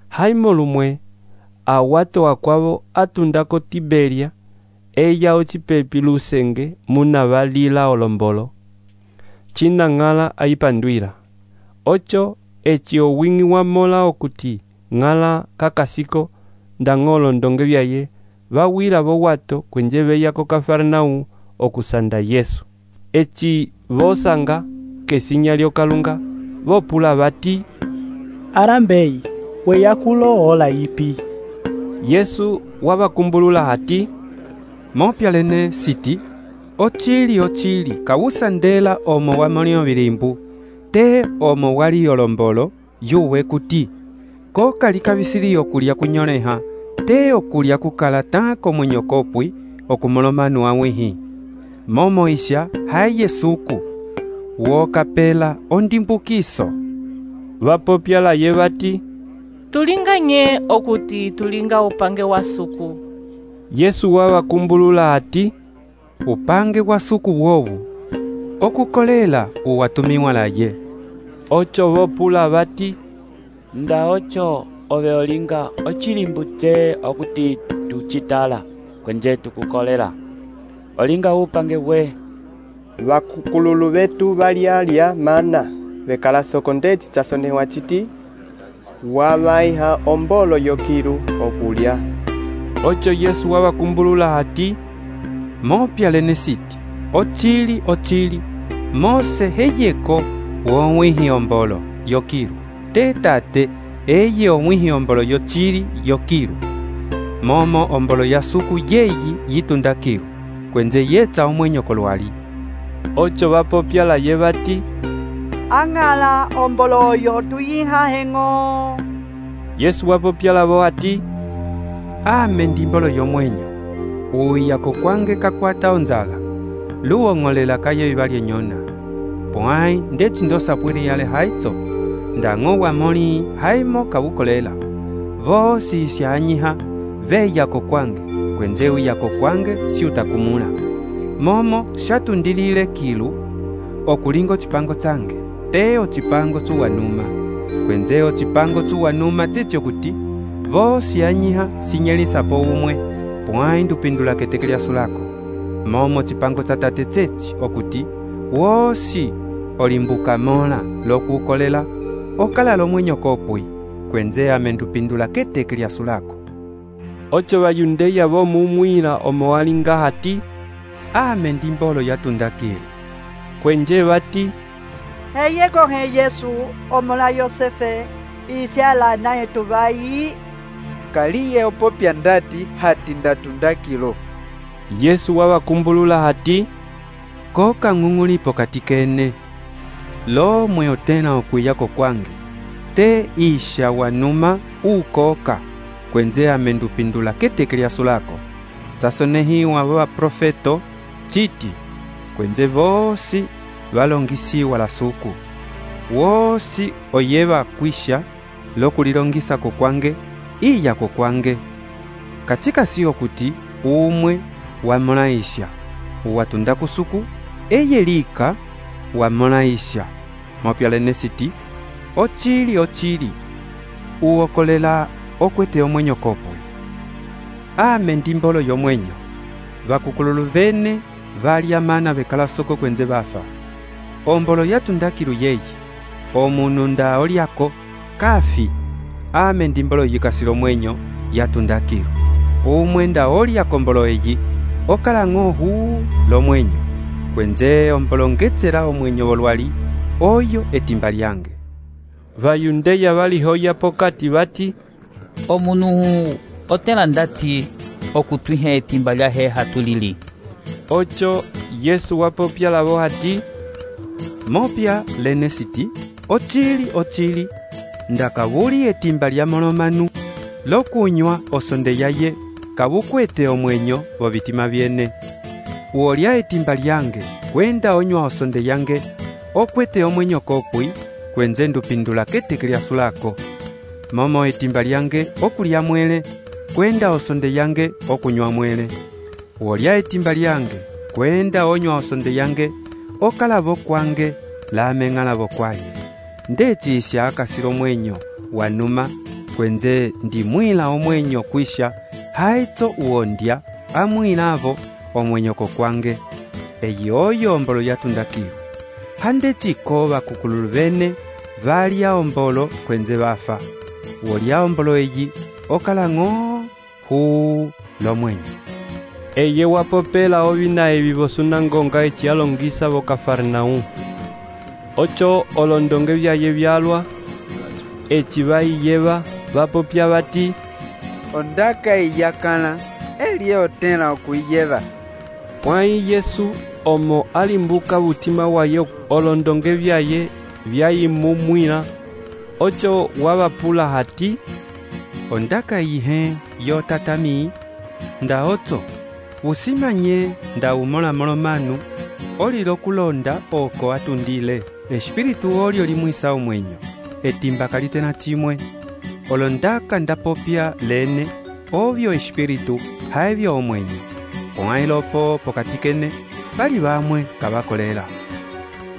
A: haimo lumwe awato akwabo atundako Tiberia eya ocipepi lusenge muna balila olombolo china ngala aipanduira ocho eci owingi wamola okuti ngala kakasiko ndangolo ndonge byaye bawira bo wato kwenje beya ko Kafarnaum okusanda Yesu eci bosanga kesinya lyokalunga bopula bati
G: arambei weyakulo ola ipi
A: Yesu wabakumbulula hati
E: mopyalene siti ochili ochili kawusandela omo wamolio bilimbu te omo wali olombolo yuwe kuti ko kali kabisili okulya kunyoleha te okulya kukala tako mwenyokopwi okumolomanu awihi momo isha haye suku wokapela ondimbukiso
A: bapopyala ye bati
H: tulinganye okuti tulinga upange wa suku
A: Yesu wabakumbulula ati
E: upange wa suku wowu okukolela uwatumiwa laye
A: ocho bopula bati
C: nda ocho ove olinga ochilimbutse okuti tuchitala kwenje tukukolela olinga upange we
N: bakukululu betu balialya mana bekala soko ndeti chasonewa chiti wabaiha ombolo yokiru okulya
A: ocho Yesu wabakumbulula hati
E: mopyalene siti ochili ochili mose heyeko womwihi ombolo yokiru tetate eye omwihi ombolo yochili yokiru momo ombolo ya suku yeyi yitundakiru kwenze yetsa omwenyo kolwali
A: ocho bapopyala ye bati
O: angala ombolo oyo tuyiha hengo
A: Yesu wapopyala bo ati
E: ame ndimbolo yomwenyo uyako kwange kakwata onzala luwong'olela kaye bibalye nyona pwai ndeci ndosapwili yale haitso ndang'o wamoli haimo kabukolela vosi isyanyiha veyako kwange kwenze uyako kwange si utakumula momo shatundilile kilu okulingo chipango tsange teo chipango tsuwanuma kwenzeo chipango tsuwanuma tsityo kuti vosi yanyiha sinyelisapo umwe pwai ndupindula keteke lyasu lako momo chipango tsa tate tsetsi okuti wosi olimbuka mola lokukolela okala lomwenyo kopwi kwenze ame ndupindula keteke lyasu lako
A: ocho bayundeya bomumwila omo walinga hati
E: ame ndimbolo yatundakile
A: kwenje bati
O: heyeko he Yesu omola Yosefe isyala naye tubayi
P: kaliye opopya ndati hati ndatundakilo
A: Yesu wabakumbulula hati
E: koka ng'ung'ulipo katikene lo mweo tena okwiyako kwange te isha wanuma ukoka kwenze ame ndupindula keteke lyasu lako tsasonehiwa baba profeto chiti kwenze vosi balongisiwa la suku wosi oyeba kwisha lokulilongisa ko kwange iya ko kwange katika siyo kuti umwe wamonaisha watunda kusuku eyelika wamonaisha mopyalene siti ochili ochili uokolela okwete omwenyo kopwe ame ndimbolo yomwenyo bakukululu bene valya mana bekala soko kwenze bafa ombolo yatundakilu yeyi omunu nda olyako kafi ame ndimbolo yikasilo mwenyo yatundakilo. Umwe nda olyako mbolo eyi okala ng'ohu lomwenyo, kwenze ombolongetsela omwenyo wolwali oyo etimba lyange.
A: Vayundeya valihoya pokati bati,
I: omunu otela ndati okutwiha etimba lyahe hatulili.
A: Ocho Yesu wapopya lavo hati,
E: mopya lene siti ochili ochili ndakabuli etimba lya molomanu lokunywa osonde yaye kabukwete omwenyo bobitima byene. Uolya etimba lyange kwenda onywa osonde yange okwete omwenyo kokwi, kwenze ndupindula keteke lyasulako. Momo etimba lyange okulya mwele kwenda osonde yange okunywa mwele. Uolya etimba lyange kwenda onywa osonde yange okalabo kwange lameng'alabo kwaye. Ndechisya akasilo mwenyo wanuma, kwenze ndimwila omwenyo kwisha haitso uondya amwilavo omwenyo kokwange. Eyi oyo ombolo yatundakilo. Handetsiko bakukululu bene valya ombolo kwenze bafa. Uolya ombolo eyi okala ng'o hu lomwenyo.
A: Eye wapopela ovina evi vosunangonga eci alongisa vo Kafarnaum. Ocho olondonge vyaye vyalwa eci vaiyeva vapopya bati,
P: ondaka iyakala elye otela okuyeva.
A: Pwai Yesu omo alimbuka butima waye olondonge vyaye vyayimumwila. Ocho wabapula hati,
E: ondaka ihe yo tatami nda otso usimanye nda umola molomanu olilo kulonda oko atundile. Espiritu olyo limwisa omwenyo etimba kalitena chimwe. Olondaka ndapopya lene obyo espiritu haebyo omwenyo. Pwailopo pokatikene bali bamwe kabakolela.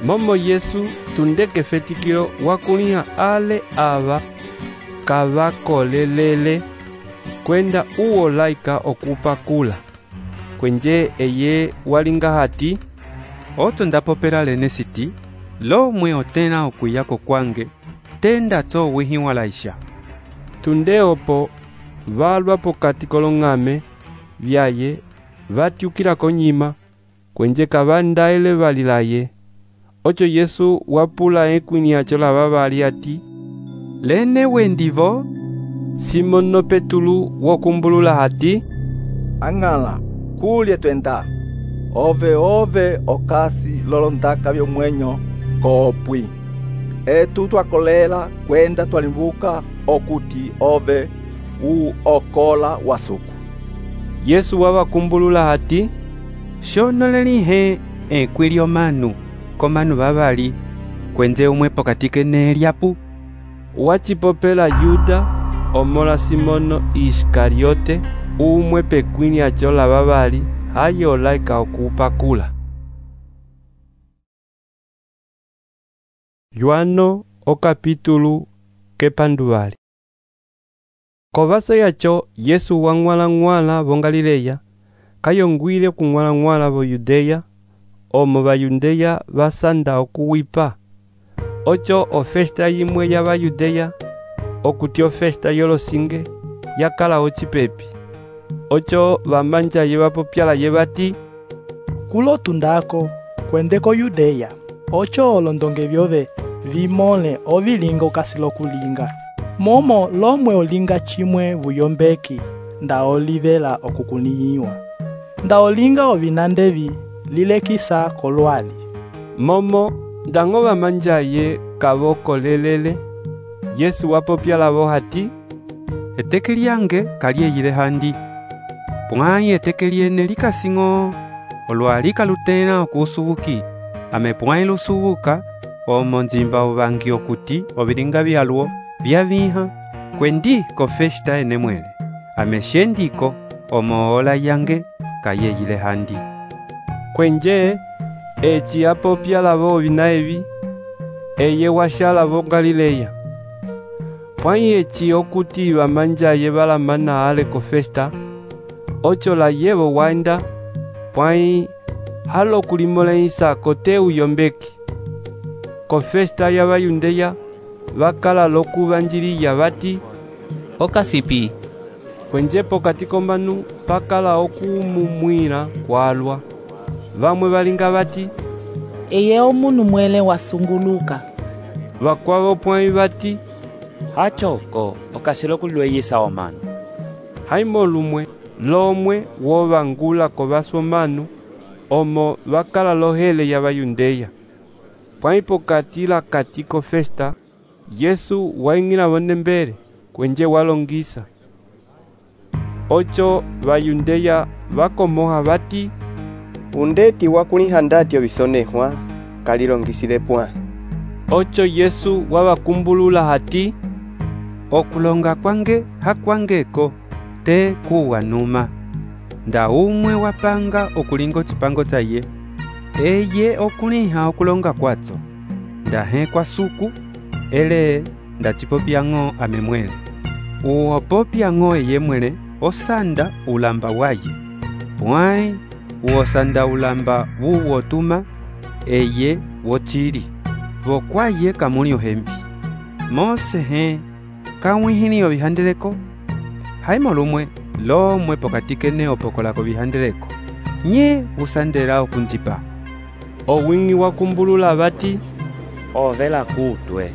A: Momo Yesu tundeke fetikilo wakuliha ale aba kabakolelele kwenda uwo laika okupakula. Kwenje eye walinga hati,
E: oto ndapopela lene siti lomwe otena okuyako kwange tenda tso wihiwa laisha.
A: Tundeopo valwa pokati kolong'ame vyaye vatyukila konyima, kwenje kabandaele valilaye. Ocho Yesu wapula ekwini acho lava bali ati,
E: lene wendivo?
A: Simono Petulu wokumbulula hati,
Q: ang'ala kulye twenda ove ove okasi lolondaka byomwenyo kopwi. Etu twakolela kwenda twalimbuka okuti ove u okola wasuku.
A: Yesu wabakumbulula hati,
E: shonolelihe ekwilyo manu komanu babali kwenze umwe pokatike nelyapu.
A: Wachipopela Yuda omola Simono Iskariote umwe pekwini acho la babali haye olaika okupakula. Yohano o capítulo kepanduvali. Kovaso yacho Yesu wang'wala-ng'wala vo Galileya, kayongwile kung'wala-ng'wala vo Yudeya, omo Bayudeya basanda okuwipa. Ocho ofesta yimwe ya Bayudeya, okuti ofesta yolosinge, yakala ocipepi. Ocho bamanja ye bapopyala ye bati,
G: kulo tundako kwendeko Yudeya. Ocho olondonge byove vimole ovilinga okasilo kulinga. Momo lomwe olinga chimwe buyombeki nda olivela okukuniyiwa. Nda olinga ovinandevi lilekisa kolwali.
A: Momo ndango bamanja ye kaboko lelele. Yesu wapopyala bo hati,
E: eteke lyange kalyeyile handi. Pwai eteke lyene likasing'o olwalika lutena okusubuki. Ame pwai lusubuka omo nzimba ubangi okuti obilinga byalwo byaviha kwendi ko festa ene mwele. Ame shendiko omo ola yange kayeyile handi.
A: Kwenje eci apopyala bo binaevi eye washala bo Galileya. Pwai eci okuti bamanja ye balamana ale ko festa. Ocho la yebo waenda pwai halo kulimole isa kote uyombeki. ko festa ya Bayundeya vakala lokuvanjiliya vati,
I: okasipi.
A: Kwenje pokati komanu pakala okumumwila kwalwa. Vamwe valinga vati,
R: eye omunu mwele wasunguluka.
A: Vakwavo pwai vati,
C: hachoko okasilo kulweyisa omanu.
A: Haimo lumwe lomwe wovangula ko vasomanu omo vakala lohele ya Bayundeya. Pwai pokati la kati ko festa, Yesu waingila vonembele kwenje walongisa. Ocho Bayundeya vakomoha vati,
N: undeti wakuliha ndati ovisonehwa kalilongisile pwa.
A: Ocho Yesu wavakumbulula hati,
E: okulonga kwange hakwangeko te kuwanuma. Nda umwe wapanga okulinga chipango chaye, eye okuliha okulonga kwatso. Nda he kwa suku, ele nda chipopyang'o amemwele. Uopopyang'o eye mwele osanda ulamba waye. Pwai uosanda ulamba wuwotuma eye wochili. Vokwaye kamuli ohembi. Mose he kawihini ovihandeleko. Haimo lumwe lomwe pokati kene opokolako vihandeleko. Nye usandela okunjipa.
A: Owingi wakumbulula vati,
C: ovela kutwe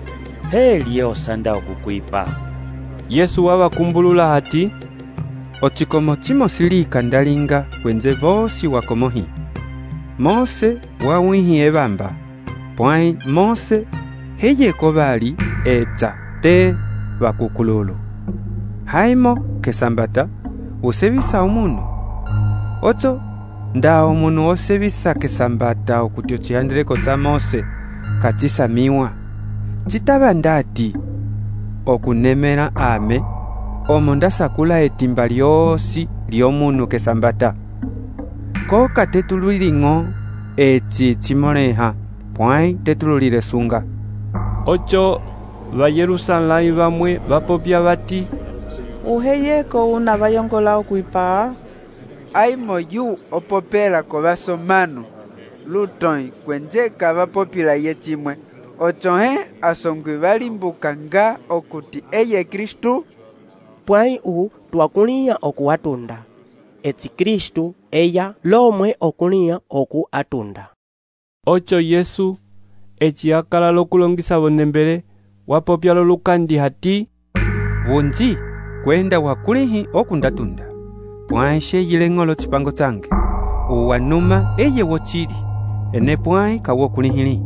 C: heliye osanda okukwipa.
A: Yesu wavakumbulula hati,
E: ochikomo chimo silika ndalinga kwenze vosi wakomohi. Mose wawihi evamba. Pwai Mose heye kobali eta te vakukululu. Haimo kesambata usevisa omunu. Ocho nda omunu osevisa kesambata okutyo chihandeleko cha Mose katisa miwa. Chitaba ndati okunemera ame omo ndasakula etimba lyosi lyomunu kesambata. Ko katetululing'o echi chimoleha pwai tetululile sunga.
A: Ocho va Yerusalai vamwe vapopya vati,
M: uheyeko una vayongola okwipa.
P: Aimo yu opopela ko vasomanu lutoi kwenjeka vapopila ye chimwe. Ocho he asongwi valimbuka nga okuti eye Kristu.
F: Pwai u twakuliya okuwatunda. Eti Kristu eya lomwe okuliya oku atunda.
A: Ocho Yesu echi akala lokulongisa vonembele wapopya lolukandi hati,
E: wunji kwenda wakulihi okundatunda. Pwai sheyile ng'olo chipango change. Uwanuma eye wochili. Ene pwai kawokulihili.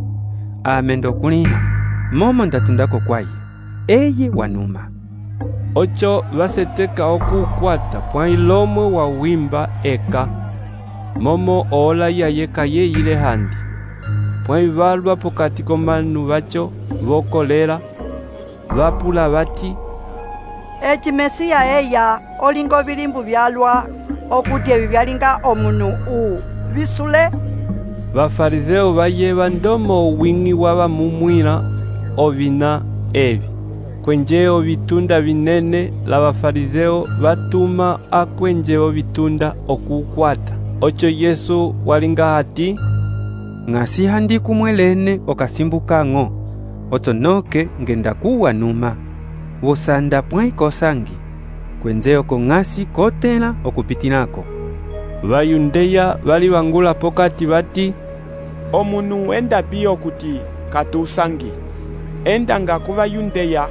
E: Amendo kuliha. Momo ndatundako kwaye. Eye wanuma.
A: Ocho vaseteka okukwata pwai lomwe wa wimba eka. Momo ola ya yeka ye ile handi. Pwai valwa pokati komanu vacho vokolela. Vapula vati,
O: eci Mesiya eya olingo vilimbu vyalwa okuti evi vyalinga omunu u visule.
A: Vafarizeo vayeva ndomo uwingi wavamumwila ovina evi. Kwenje ovitunda vinene la vafarizeo vatuma akwenje ovitunda okukwata. Ocho Yesu walinga hati,
E: ngasi handi kumwelene okasimbukang'o. Ocho noke ngenda kuwa numa. Vosanda pwai kosangi. Kwenze oko ngasi kotela okupitinako.
A: Bayundeya vali vangula pokati vati,
D: omunu enda pio kuti katusangi. Enda nga kuva Yundeya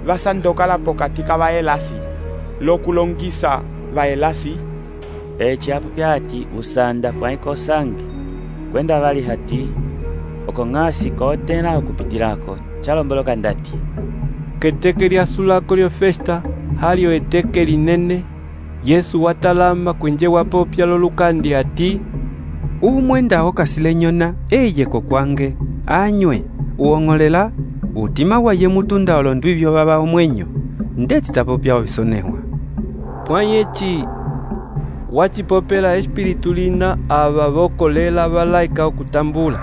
D: vasandokala pokati kavaelasi lokulongisa vaelasi.
C: Echi apo pyati usanda pwai kosangi. Kwenda vali hati oko ngasi kotela okupitilako chalomboloka ndati.
A: Keteke lya sulako lyo festa halio eteke linene. Yesu watalama kwenje wapopya lolukandi hati,
E: umwenda okasile nyona eye kokwange anywe uong'olela utima waye mutunda olondu ivyo baba omwenyo ndeti tapopya ovisonehwa.
A: Pwayechi wachipopela espiritu lina ava vokolela valaika okutambula.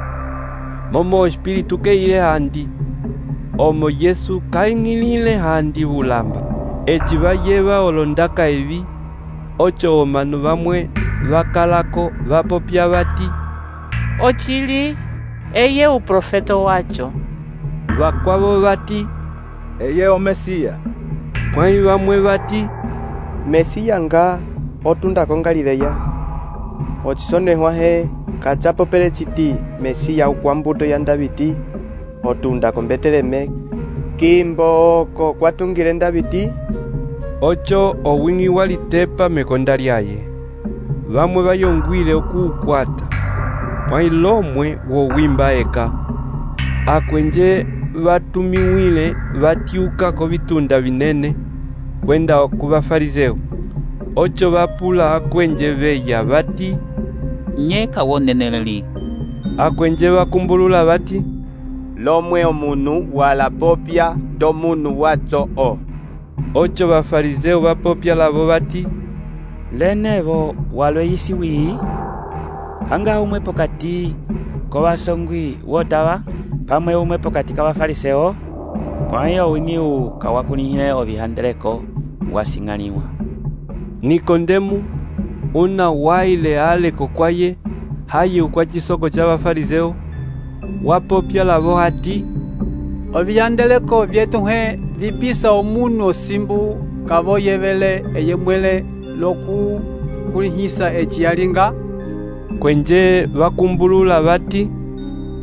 A: Momo espiritu keile handi. Omo Yesu kaingilile handi ulamba. Echi vayeva olondaka evi. Ocho omanu vamwe vakalako vapopya vati,
H: ochili eye uprofeto wacho.
A: Vakwavo vati,
Q: eye o Mesiya.
A: Pwãyi vamwe vati,
N: Mesiya nga otundako Galileya. Ocisonehwa he kacapopele citi Mesiya ukwa mbuto ya Davidi otundako Beteleme, kimbo oko kwatungile Davidi.
A: Ocho owing'i walitepa mekonda lyaye. Vamwe vayongwile okuukwata. Pwãyi lomwe wowimba eka. Akwenje vatumiwile vatiuka kovitunda vinene kwenda ku Bafarizeu. Ocho vapula akwenje veya vati,
I: nye kawoneneleli.
A: Akwenje vakumbulula vati,
J: lomwe omunu wala popya ndo munu wacho o.
A: Ocho Bafarizeu vapopya lavo vati,
C: lenevo walweyisi wii hanga umwe pokati ko vasongwi wotava pamwe umwe pokati ka Bafariseo. Pwãyi owing'iu kawakulihile ovihandeleko wasing'aniwa.
A: Nikodemu una waile aleko kwaye hayi ukwa cisoko ca Bafarizeu wapopya lavo hati,
K: ovihandeleko vyetu he vipisa omunu osimbu kavoyevele eye mwele loku kulihisa eci yalinga.
A: Kwenje vakumbulula vati,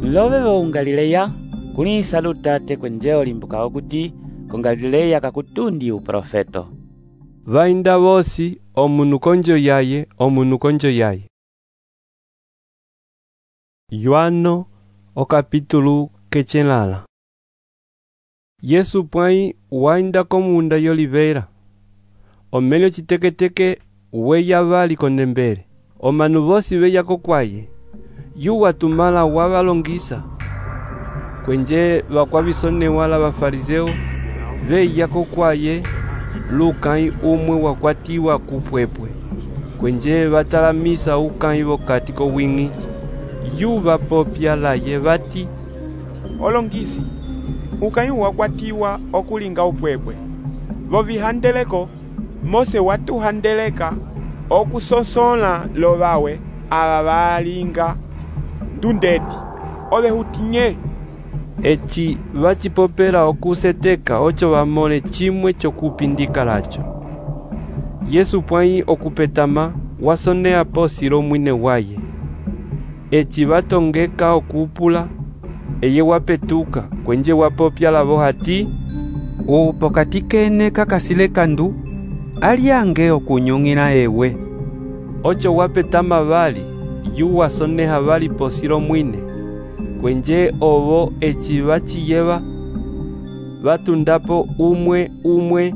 C: love vo Galileya kulihisa lutate kwenje olimbuka okuti ko Galileya kakutundi uprofeto.
A: Vainda vosi omunu konjo yaye omunu konjo yaye. Yohano o capítulo quechelala. Yesu pwãyi wainda komunda y'oliveira. Omelyo citeketeke weya vali kondembele. Omanu vosi veya kokwaye. Yu watumala wavalongisa. Kwenje vakwavisonewa la Bafarizeu veya kokwaye lukãyi umwe wakwatiwa kupwepwe. Kwenje vatalamisa ukãyi vokati kowing'i. Yu vapopya laye vati,
D: olongisi, ukãyi wakwatiwa okulinga upwepwe. Vovihandeleko Mose watuhandeleka okusosola lovawe ava valinga ndundeti ovehutinye.
A: Eci vacipopela okuseteka ocho vamole cimwe cokupindika lacho. Yesu pwãyi okupetama wasonea posi lomwine waye. Eci vatongeka okupula, eye wapetuka kwenje wapopya lavo hati,
E: upokati kene kakasile kandu aliange okunyung'ila ewe.
A: Ocho wapetama vali, yu wasoneha vali posi lomwine. Kwenje ovo eci vaciyeva vatundapo umwe umwe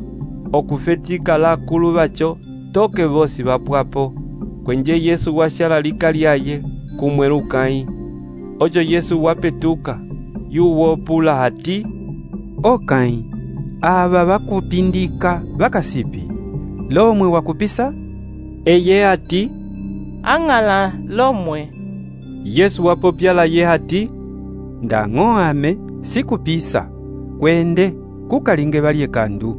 A: okufetika lakulu vacho toke vosi vapwapo. Kwenje Yesu washala lika lyaye kumwe lukãyi. Ocho Yesu wapetuka yu wopula hati,
E: okãyi ava vakupindika vakasipi lomwe wakupisa?
A: Eye hati,
H: ang'ala lomwe.
A: Yesu wapopya laye hati,
E: ndang'o ame sikupisa kwende kukalinge valye kandu.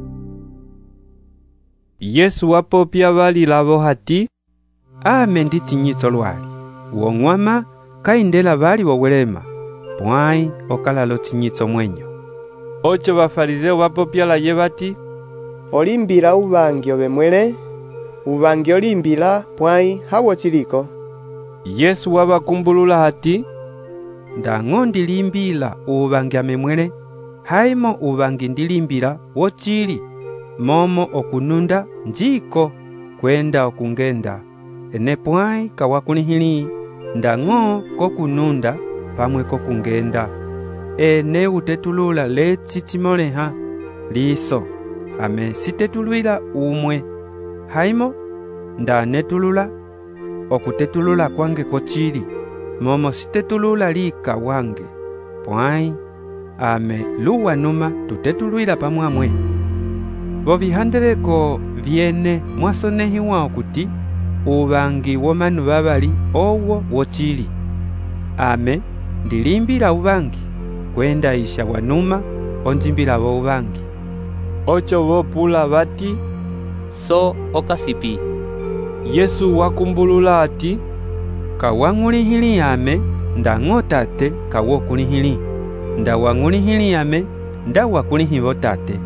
A: Yesu wapopya vali lavo hati,
E: ame ndi cinyitso lwali wong'wama kaindela vali wowelema pwãyi okalalo cinyitso mwenyo.
A: Ocho Bafarizeu vapopya laye vati,
N: olimbila uvangi ovemwele, uvangi olimbila pwãyi hawo ciliko.
A: Yesu wavakumbulula hati,
E: ndang'o ndilimbila uvangi amemwele, haimo uvangi ndilimbila wocili momo okununda njiko kwenda okungenda. Ene pwãyi kawakulihili ndang'o kokununda pamwe kokungenda. Ene utetulula leci cimoleha liso ame sitetulwila umwe, haimo ndanetulula okutetulula kwange kocili momo sitetulula lika wange pwãyi ame luwanuma tutetulwila pamwamwe. Vovihandeleko vyene mwasonehiwa okuti uvangi womanu vavali owo wocili. Ame ndilimbila uvangi kwenda isha wanuma onjimbila vo uvangi.
A: Ocho vopula vati,
I: so okasipi.
A: Yesu wakumbulula ati,
E: kawang'ulihili ame ndang'o tate kawokulihili. ndawang'ulihiliyame ndawakulihivo tate.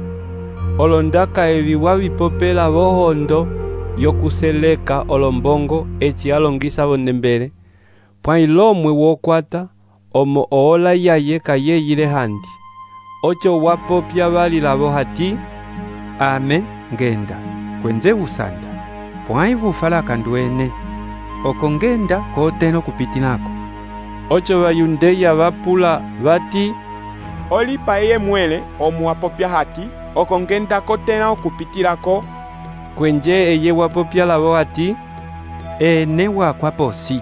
A: Olondaka evi wavipopela vohondo yokuseleka olombongo eci alongisa vonembele, pwai lomwe wokwata omo oola yaye kayeyile handi. Ocho wapopya valilavo hati,
E: ame ngenda kwenze usanda pwai vufala kanduene oko ngenda koteno kupitilako.
A: Ocho Bayundeya vapula vati,
D: olipa eye mwele omu wapopya hati oko ngenda kotena okupitilako.
A: Kwenje eye wapopya lavo hati,
E: ene wakwa posi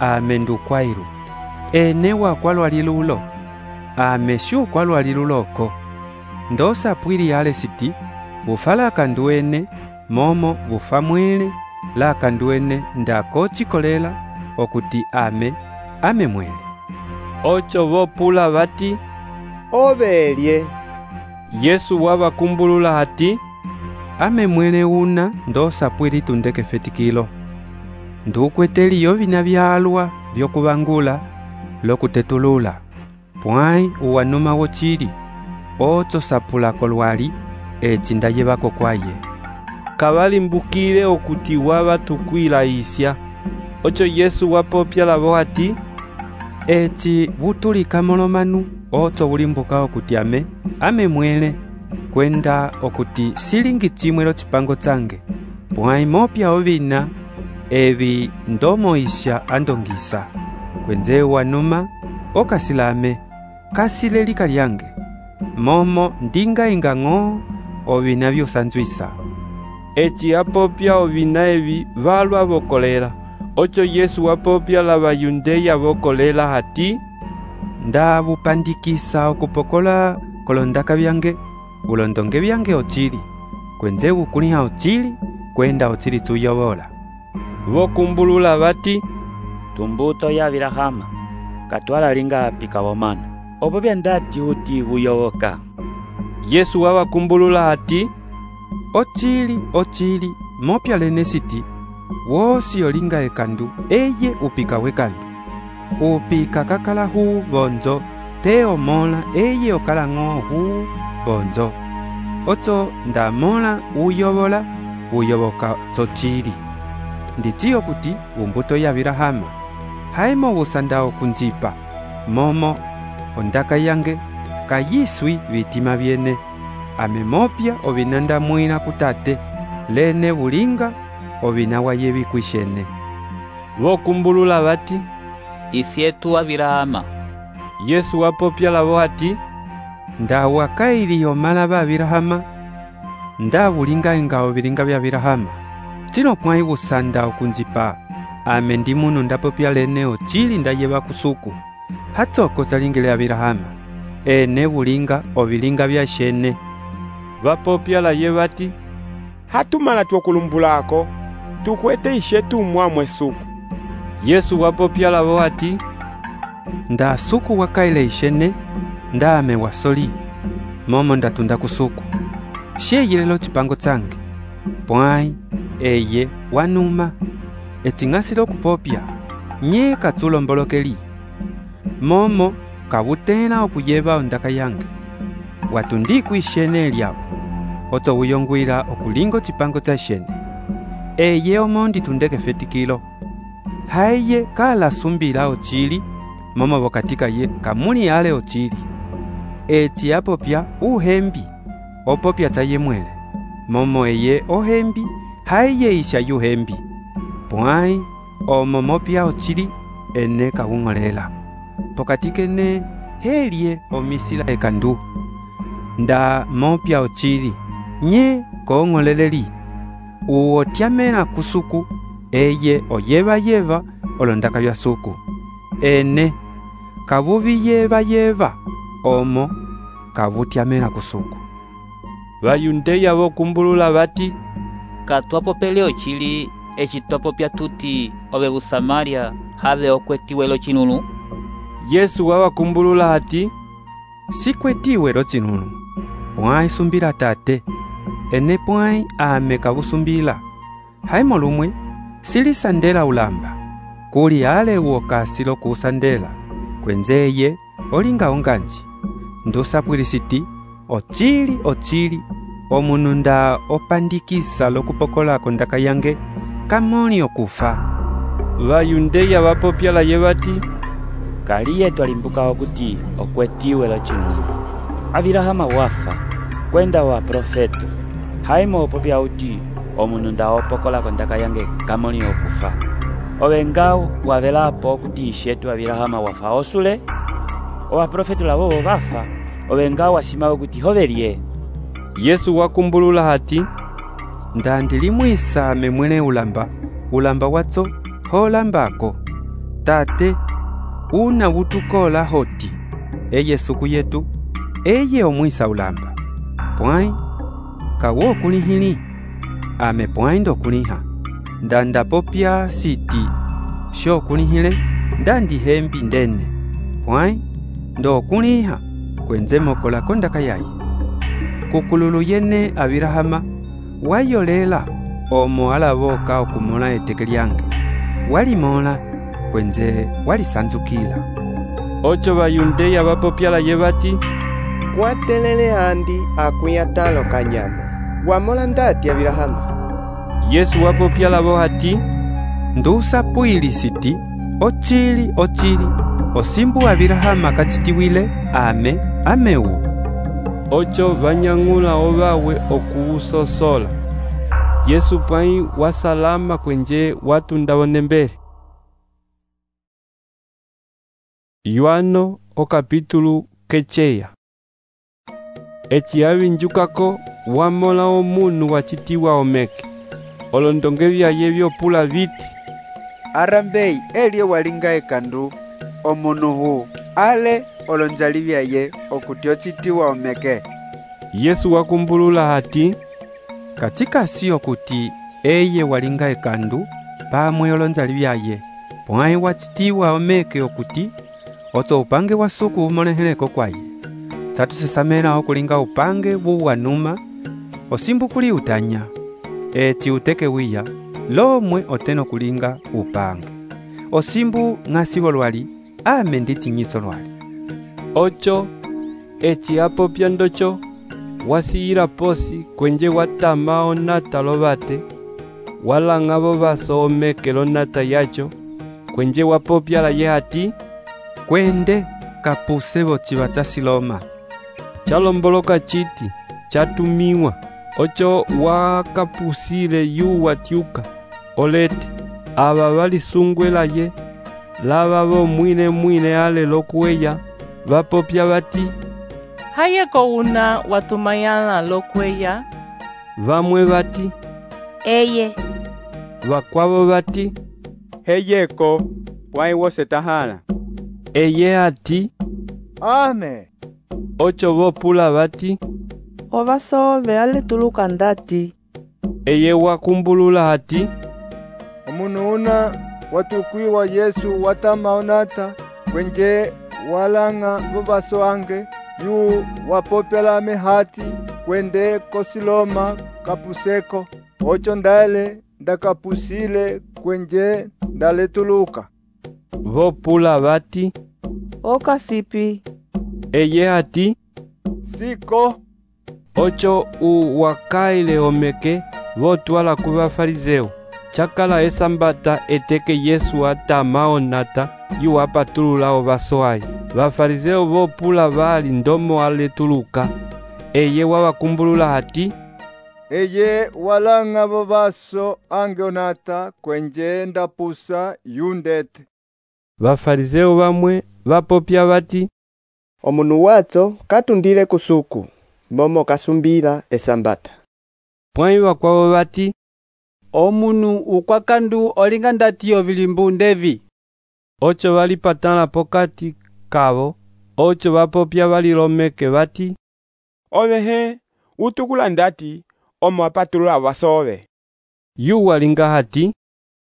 E: ame ndukwairu, ene wakwa lwalilulo ame syukwa lwaliluloko. Ndosa pwili ale siti vufala kanduene momo vufa mwele la kanduene ndakocikolela okuti ame ame mwele.
A: Ocho vopula vati,
N: ovelye.
A: Yesu wavakumbulula hati,
E: ame mwele una ndosa pwili tundeke fetikilo. Ndukweteliyo vina vyalwa vyokuvangula lokutetulula, pwai uwanuma wochili ocho sapulako lwali eci ndayevako kwaye.
A: Kavalimbukile okuti wavatukwila isya. Ocho Yesu wapopya lavo hati,
E: eci vutulika molomanu ocho vulimbuka okuti ame ame mwele kwenda okuti silingi chimwelo chipango change, pwai mopya ovina evi ndomoisha andongisa. Kwenze wanuma okasilame kasile lika lyange momo ndinga ingang'o ovina vyusanzwisa.
A: Eci apopya ovina evi valwa vokolela. Ocho Yesu wapopya la Bayundeya vokolela hati,
E: ndavupandikisa okupokola kolondaka vyange ulondonge vyange ochili, kwenze ukuliha ochili kwenda ochili tuyovola.
A: Vokumbulula vati,
C: tumbuto ya Abilahama katwala linga apika vomano opo byandati uti vuyovoka.
A: Yesu wavakumbulula hati,
E: ochili ochili mopya lene siti wosi yolinga ekandu eye upika wekandu upika kakala huu bonzo teo mola eye okala ng'o huu bonzo. Ocho ndamola uyovola uyovoka chochili. Nditiyo kuti umbuto ya Abilahama haimo busandao kunjipa momo ondaka yange kayiswi vitima vyene ame mopya ovinanda mwina kutate lene bulinga ovina wayevi kwishene.
A: Vokumbulula vati,
I: isyetu Abilahama.
A: Yesu wapopya lavo hati,
E: ndawakailiyo mala ba Abilahama ndabulinga ingao bilinga bya Abilahama tino pwai busanda okunjipa ame ndi munu ndapopya lene ochili ndayeva kusuku hatsoko zalingile Abilahama ene bulinga obilinga bya shene.
A: Vapopya la ye vati,
D: hatumala twokulumbulako tukwete ishetu mwamwe suku.
A: Yesu wapopya lavo hati,
E: nda suku wakaile ishene ndame wasoli momo ndatunda kusuku sheyilelo chipango change pwai eye wanuma etingasilo kupopya nye katsulombolokeli momo kabutena okuyeva ondaka yange watundiku ishene lyabo oto uyongwila okulingo chipango cha shene eye omondi tundeke fetikilo haye kala sumbila ochili momo bokatika ye kamuli ale ochili eti apopya uhembi opopya taye mwele momo eye ohembi haye isha yuhembi pwai omo mopya ochili ene kawungolela pokatike ne helie omisila ekandu nda mopya ochili nye kongoleleli uotyamena kusuku eye oyeva yeva olondaka bya suku ene kabubi yeva yeva omo kabutyamena kusuku.
A: Bayundeya vokumbulula vati,
I: katwapopele ochili echitwapopya tuti ove busamaria have okwetiwelo chinunu.
A: Yesu wavakumbulula hati,
E: sikwetiwelo chinunu pwai sumbila tate ene pwai ame kabusumbila haimo lumwe silisandela ulamba kuli ale uokasilo kusandela kwenzeye olinga onganji ndusapwilisiti ochili ochili omunu nda opandikisa lokupokolako ndaka yange kamoni okufa.
A: Vayundeya vapopyalaye vati,
C: kaliye twalimbukawo kuti okwetiwe locinu Abilahama wafa kwenda wa profeto haimo opopya uti omunu nda opokolako ndaka yange kamoni okufa. Ovengawo wavelapo kuti ishetu Abilahama wafa osule owa profeto lavovo vafa ovengawo wasimawe kuti hovelie.
A: Yesu wakumbulula hati,
E: ndandilimwisa memwene ulamba ulamba watso holambako tate una wutukola hoti eye suku yetu eye omwisa ulamba pwai kawo kulihili ame pwai ndo kuliha ndanda popya siti sho kulihile ndandi hembi ndene pwai ndo kuliha kwenze mokola kondaka yayi kukululu yene Abilahama wayolela omo alavoka okumola eteke lyange walimola kwenze walisanzukila.
A: Ocho vayundeya vapopyalaye vati,
N: kwatelele andi akuyatalo kanyama wamola ndati Abilahama.
A: Yesu wapopyalavo hati,
E: ndusapwilisiti ochili ochili osimbu Abilahama kachitiwile ame ameu.
A: Ocho vanyang'ula ovawe okuusosola. Yesu pwai wasalama kwenje watu ndawone mbele. Yohano o capítulo kecheya. Eci avinjukako wamola omunu wachitiwa omeke. Olondonge vyaye vyopula viti.
P: Arambei elio walinga ekandu omunu hu ale olonjali vyaye okuti ochitiwa omeke.
A: Yesu wakumbulula hati,
E: katika siyo kuti eye walinga ekandu pamwe olonjali vyaye pwai wachitiwa omeke okuti oto upange wasuku umoleheleko kwaye chatusisamela okulinga upange wuwanuma osimbu kuli utanya eti uteke wiya lomwe oteno kulinga upange osimbu ng'asibo lwali ame ndi chinyitso lwali.
A: Ocho eci apopya ndocho wasiyila posi kwenje watama onata lovate walang'avo vaso omeke lonata yacho kwenje wapopyalaye hati,
E: kwende kapuse vochiva cha Siloma.
A: Chalomboloka chiti chatumiwa. Ocho wakapusile yu watyuka olete ava valisungwelaye lava vo mwine mwine ale lokueya vapopya vati,
H: hayeko una watumayana lokweya.
A: Vamwe vati,
M: eye.
A: Vakwavo vati,
D: heyeko pwai wose tahala.
A: Eye ati,
L: ame.
A: Ocho vopula vati,
M: ovasove ale tuluka ndati.
A: Eye wakumbulula hati,
L: omunu una watukwiwa Yesu watama onata kwenje walanga vovaso ange yu wapopela mehati kwende kosiloma kapuseko. Ocho ndale ndakapusile kwenje ndaletuluka.
A: Vopula vati,
M: okasipi.
A: Eye hati,
L: siko.
A: Ocho u wakaile omeke votwala kuva farizeo. Chakala esambata eteke Yesu atama onata yu apatulula ovasoai. Vafarizeo vopula vali ndomo aletuluka. Eye wawakumbulula hati,
L: eye walanga vovaso ange onata kwenje ndapusa yundete.
A: Vafarizeo vamwe vapopya vati,
N: omunu watso katundile kusuku momo kasumbila esambata.
A: Pwai vakwavo vati,
K: omunu ukwakandu olinga ndatiyo vilimbu ndevi.
A: Ocho valipatana pokati kavo. Ocho vapopya valilomeke vati,
D: ovehe utukula ndati omo apatulula vasove.
A: Yu walinga hati,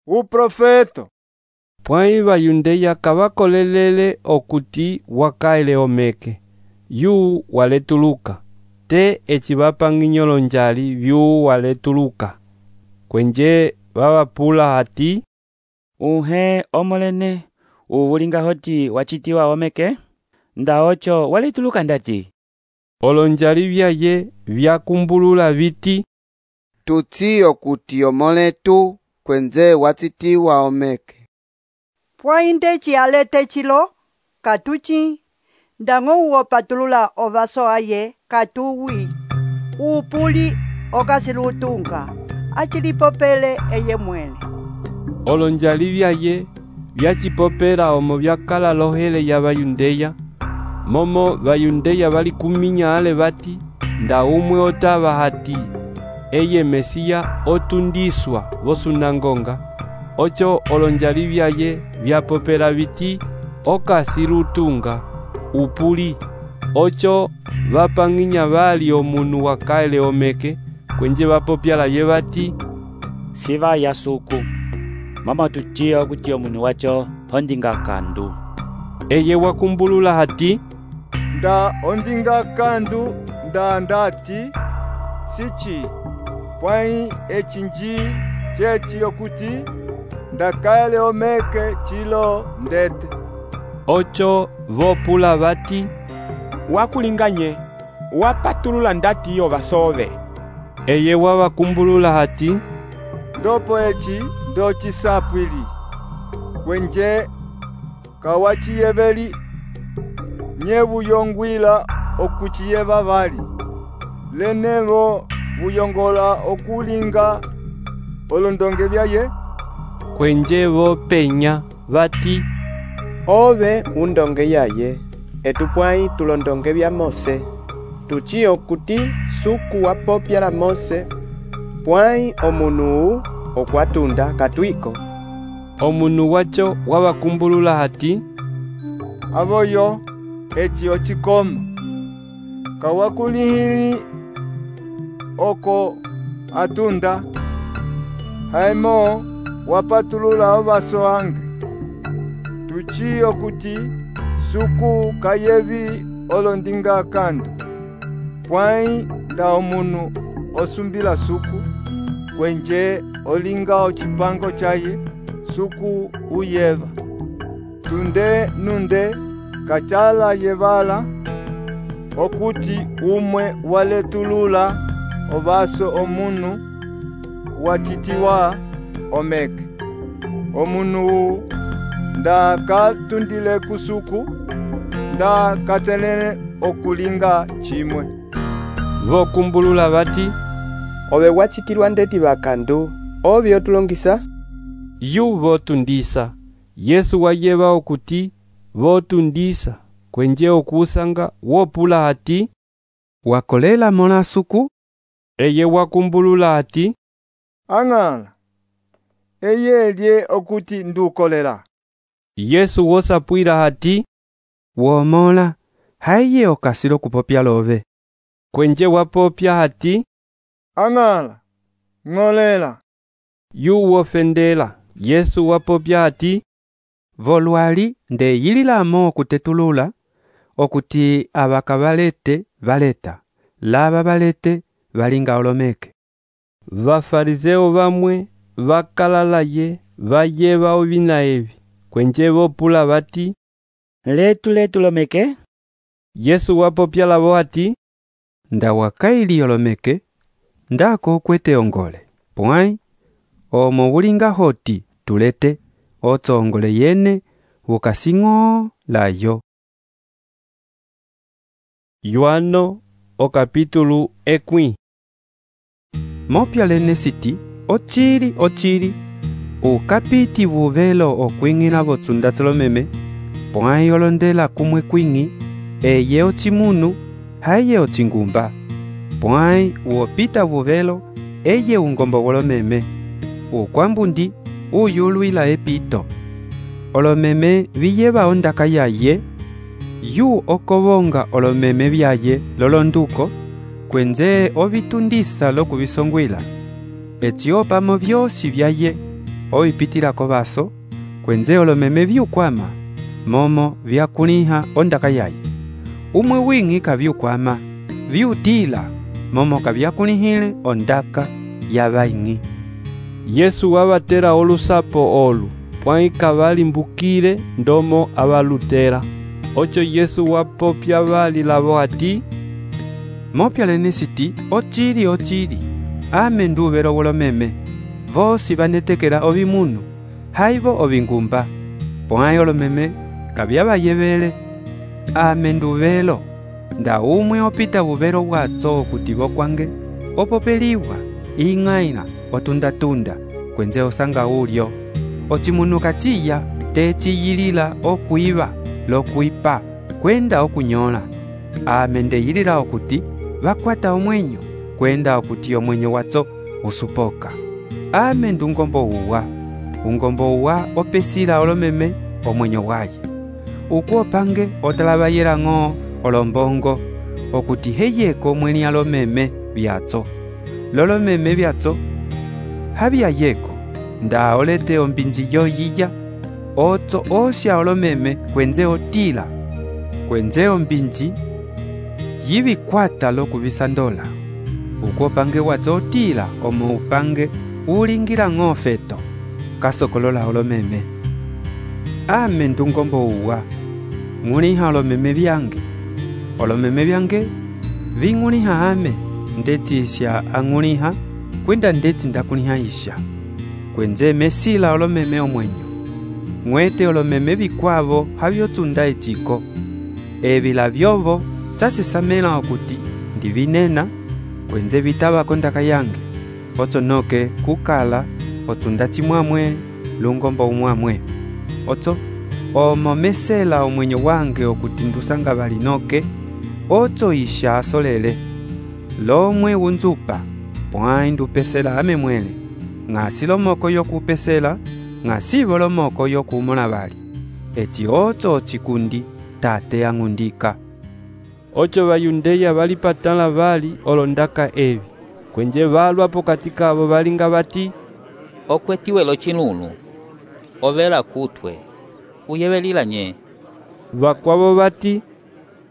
L: uprofeto.
A: Pwai vayundeya kavakolelele okuti wakaile omeke. Yu waletuluka. Te eci vapang'inyolo njali vyu waletuluka. Kwenje vavapula hati,
C: uhe omolene uwulinga hoti wachitiwa omeke. nda ocho walituluka ndati.
A: Olonjali vyaye vyakumbulula viti,
J: tutsiyo kuti omoletu kwenze watsitiwa omeke.
O: Pwainde chialete chilo katuchi ndango uopatulula ovaso aye katuwi upuli okasilutunga achilipopele eye mwene.
A: Olonjali vyaye vyachipopela omo vyakala lohele ya Bayundeya, momo Bayundeya bali kuminya ale bati nda umwe otava hati eye Mesiya otundiswa vosunangonga. Ocho olonjali vyaye vyapopela biti okasilutunga upuli. Ocho vapanginya bali omunu wakaele omeke kwenje bapopyala ye bati,
C: siva ya suku mama tuchiyo kuti omunu wacho ondinga kandu.
A: Eye wakumbulula hati,
Q: nda ondinga kandu nda ndati sichi pwai echinji chechi yokuti ndakaele omeke chilo ndete.
A: Ocho vopula bati,
D: wakulinganye wapatulula ndati yo vasove.
A: Eye wawakumbulula hati,
Q: ndopo echi ndo chisapwili kwenje kawachiyeveli nye vuyongwila okuchiyeva vali lenevo vuyongola okulinga olondonge vyaye.
A: Kwenje vopenya bati,
N: ove undonge yaye etupwai tulondonge vya Mose tuchiyo kuti suku wapopyala Mose pwai omunu okwatunda katwiko.
A: Omunu wacho wawakumbulula hati,
Q: avoyo eci ochikoma kawakulihili oko atunda haimo wapatulula ovaso ange tuchiyo kuti suku kayevi olondinga kandu pwai nda omunu osumbila suku kwenje olinga ochipango chaye suku uyeva tunde nunde kachala yevala okuti umwe waletulula ovaso omunu wachitiwa omeke. Omunu nda katundile kusuku nda katelele okulinga chimwe.
A: Vokumbulula bati,
N: ove wachitilwa ndeti vakandu ovi otulongisa.
A: Yu votundisa. Yesu wayeva okuti votundisa kwenje okusanga wopula hati,
E: wakolela mola suku.
A: Eye wakumbulula hati,
Q: ang'ala eye elye okuti ndukolela.
A: Yesu wosapwila hati,
E: womola haiye okasilo kupopya love.
A: Kwenje wapopya hati,
Q: ang'ala ng'olela.
A: Yu wofendela. Yesu wapopya hati,
E: volwali nde yililamo okutetulula okuti abaka balete baleta laba balete balinga olomeke.
A: Vafarizeo vamwe vakalalaye vayeva ovina evi kwenje vopula bati,
C: letu letu lomeke.
A: Yesu wapopya lavo hati,
E: nda wakaili olomeke ndako okwete ongole pwai omo bulinga hoti tulete otsongole yene ukasingo layo.
A: Yohano o capítulo ekwi.
E: Mopya lene siti ochili ochili ukapiti vuvelo okwingina votsundatselo meme pwai olondela kumwe kwingi eye ochimunu haye ochingumba pwai uopita vuvelo eye ungombo wolomeme ukwambundi uyulwila epito olomeme viyeva ondaka yaye yu okobonga olomeme vyaye lolonduko kwenze ovitundisa lokuvisongwila etiopamo vyosi vyaye ovipitilako vaso kwenze olomeme vyukwama momo vyakuliha ondaka yaye umwe wingi kavyukwama vyutila momo kavyakulihile ondaka yavaingi.
A: Yesu wabatera olusapo olu pwai kavalimbukile ndomo abalutera Ocho Yesu wapopya vali lavo ati,
E: mopya lene siti ochili ochili ame nduvelo wolomeme vosi vanetekela ovimunu haivo ovingumba pwãyi olomeme kavyavayevele ame nduvelo nda umwe opita vuvelo bwatso okuti vokwange opopeliwa ing'aina otunda-tunda kwenze osanga ulyo ocimunu kaciya teciyilila okwiva lokwipa kwenda okunyola ame ndeyilila okuti vakwata omwenyo kwenda okuti omwenyo watso usupoka ame ndungombo uwa ungombo uwa opesila olomeme omwenyo waye ukuopange otalabayela ng'o olombongo okuti heyeko mweni alomeme byatso lolomeme byatso habyayeko nda olete ombinji yoyiya otso osya olomeme kwenze otila kwenze ombinji yibikwata lokubisandola ukuopange watso otila omo upange ulingila ng'ofeto kasokolola olomeme ame ndungombo uwa ng'uliha olomeme byange olomeme byange bing'uliha ame ndetsisya ang'uliha kwenda ndetsi ndakuliha isha kwenze mesila olomeme omwenyo ng'wete olomeme bikwavo habyotsunda etsiko ebila byovo tsasisamela okuti ndivinena kwenze bitaba kondaka yange otso noke kukala otsunda tsimwamwe lungombo umwamwe otso omo mesela omwenyo wange okuti ndusanga balinoke otso isha asolele lomwe unzupa pwãyi ndupesela ame mwele ng'asi lomoko yokupesela ng'asi volomoko yokumona bali eci otso ocikundi tate ang'undika.
A: Ocho bayundeya balipatala bali olondaka ebi kwenje balwa pokati kabo balinga bati,
I: okwetiwe lochinunu ovela kutwe uyebelila nye
A: bakwabo bati,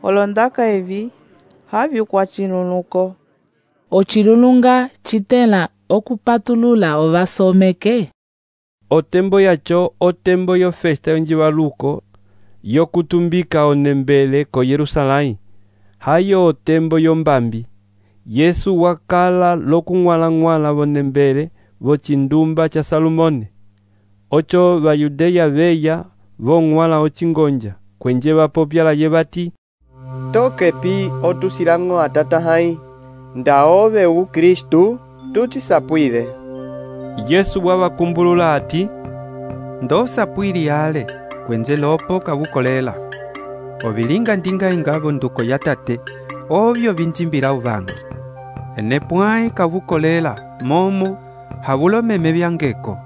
M: olondaka evi havyo kwa chinunuko
R: ochilununga chitela okupatulula ovasomeke
A: otembo yacho otembo yo festa yonjibaluko yokutumbika onembele ko Yerusalai hayo otembo yombambi Yesu wakala lokung'wala-ng'wala vonembele vochindumba cha Salomone ocho bayudeya beya vong'wala ochingonja kwenje bapopyala ye bati,
J: tokepi otusilang'o atata hai ndaove u Kristu tuchisapwile.
A: Yesu wabakumbulula ati,
E: ndosapwili ale kwenze lopo kabukolela obilinga ndinga ingabo nduko ya tate obyo binzimbila ubangi ene pwãyi kabukolela momo habulomeme byangeko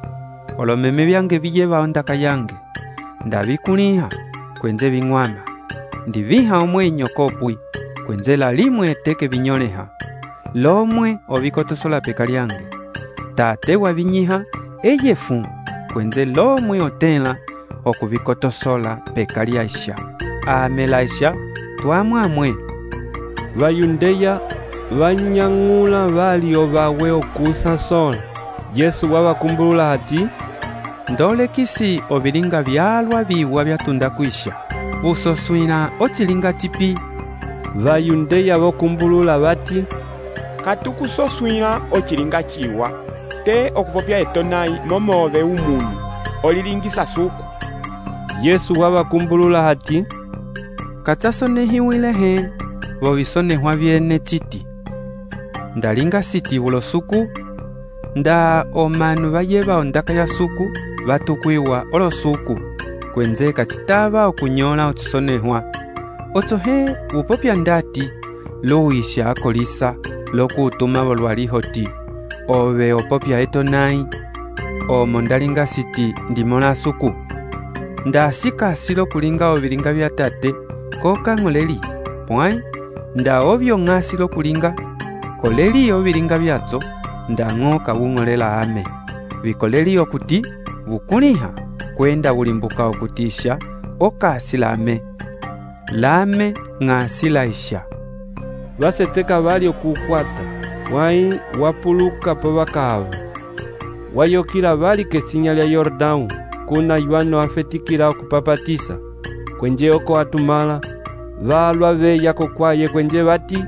E: olomeme byange biyeba ondaka yange ndabikuliha kwenze bing'wama ndiviha omwenyo kopwi kwenze lalimwe teke binyoleha lomwe obikotosola peka lyange tate wabinyiha eyefu kwenze lomwe otela okubikotosola peka lyasha amelaisha twamwamwe
A: bayundeya banyang'ula bali obawe okusa sola Yesu wabakumbulula ati, ndolekisi obilinga byalwa biwa byatunda kwisha busoswina ochilinga chipi bayundeya bokumbulula bati,
S: katukusoswina ochilinga chiwa te okupopya etonai momove umunu olilingisa suku.
A: Yesu wabakumbulula ati,
E: katsasonehiwilehe bobisonehwa byene chiti ndalinga siti bulo suku nda omanu bayeba ondaka ya suku batukwiwa olosuku kwenze kachitaba okunyola ochisonehwa otsohe upopya ndati luisha akolisa lokutuma bolwalihoti obe opopya etonai omo ndalinga siti ndimola suku ndasika silo kulinga obilinga bya tate koka ng'oleli pwãyi nda obyo ng'asilo kulinga koleli obilinga byatso ndang'o kabung'olela ame bikoleli okuti bukuliha kwenda bulimbuka okutisha okasi lame lame ng'asi laisha
A: baseteka bali okukwata pwãyi wapuluka po bakabo wayokila bali kesinya lya Yordão kuna Yohano afetikila okupapatisa kwenje oko atumala valwa veya kokwaye kwenje vati,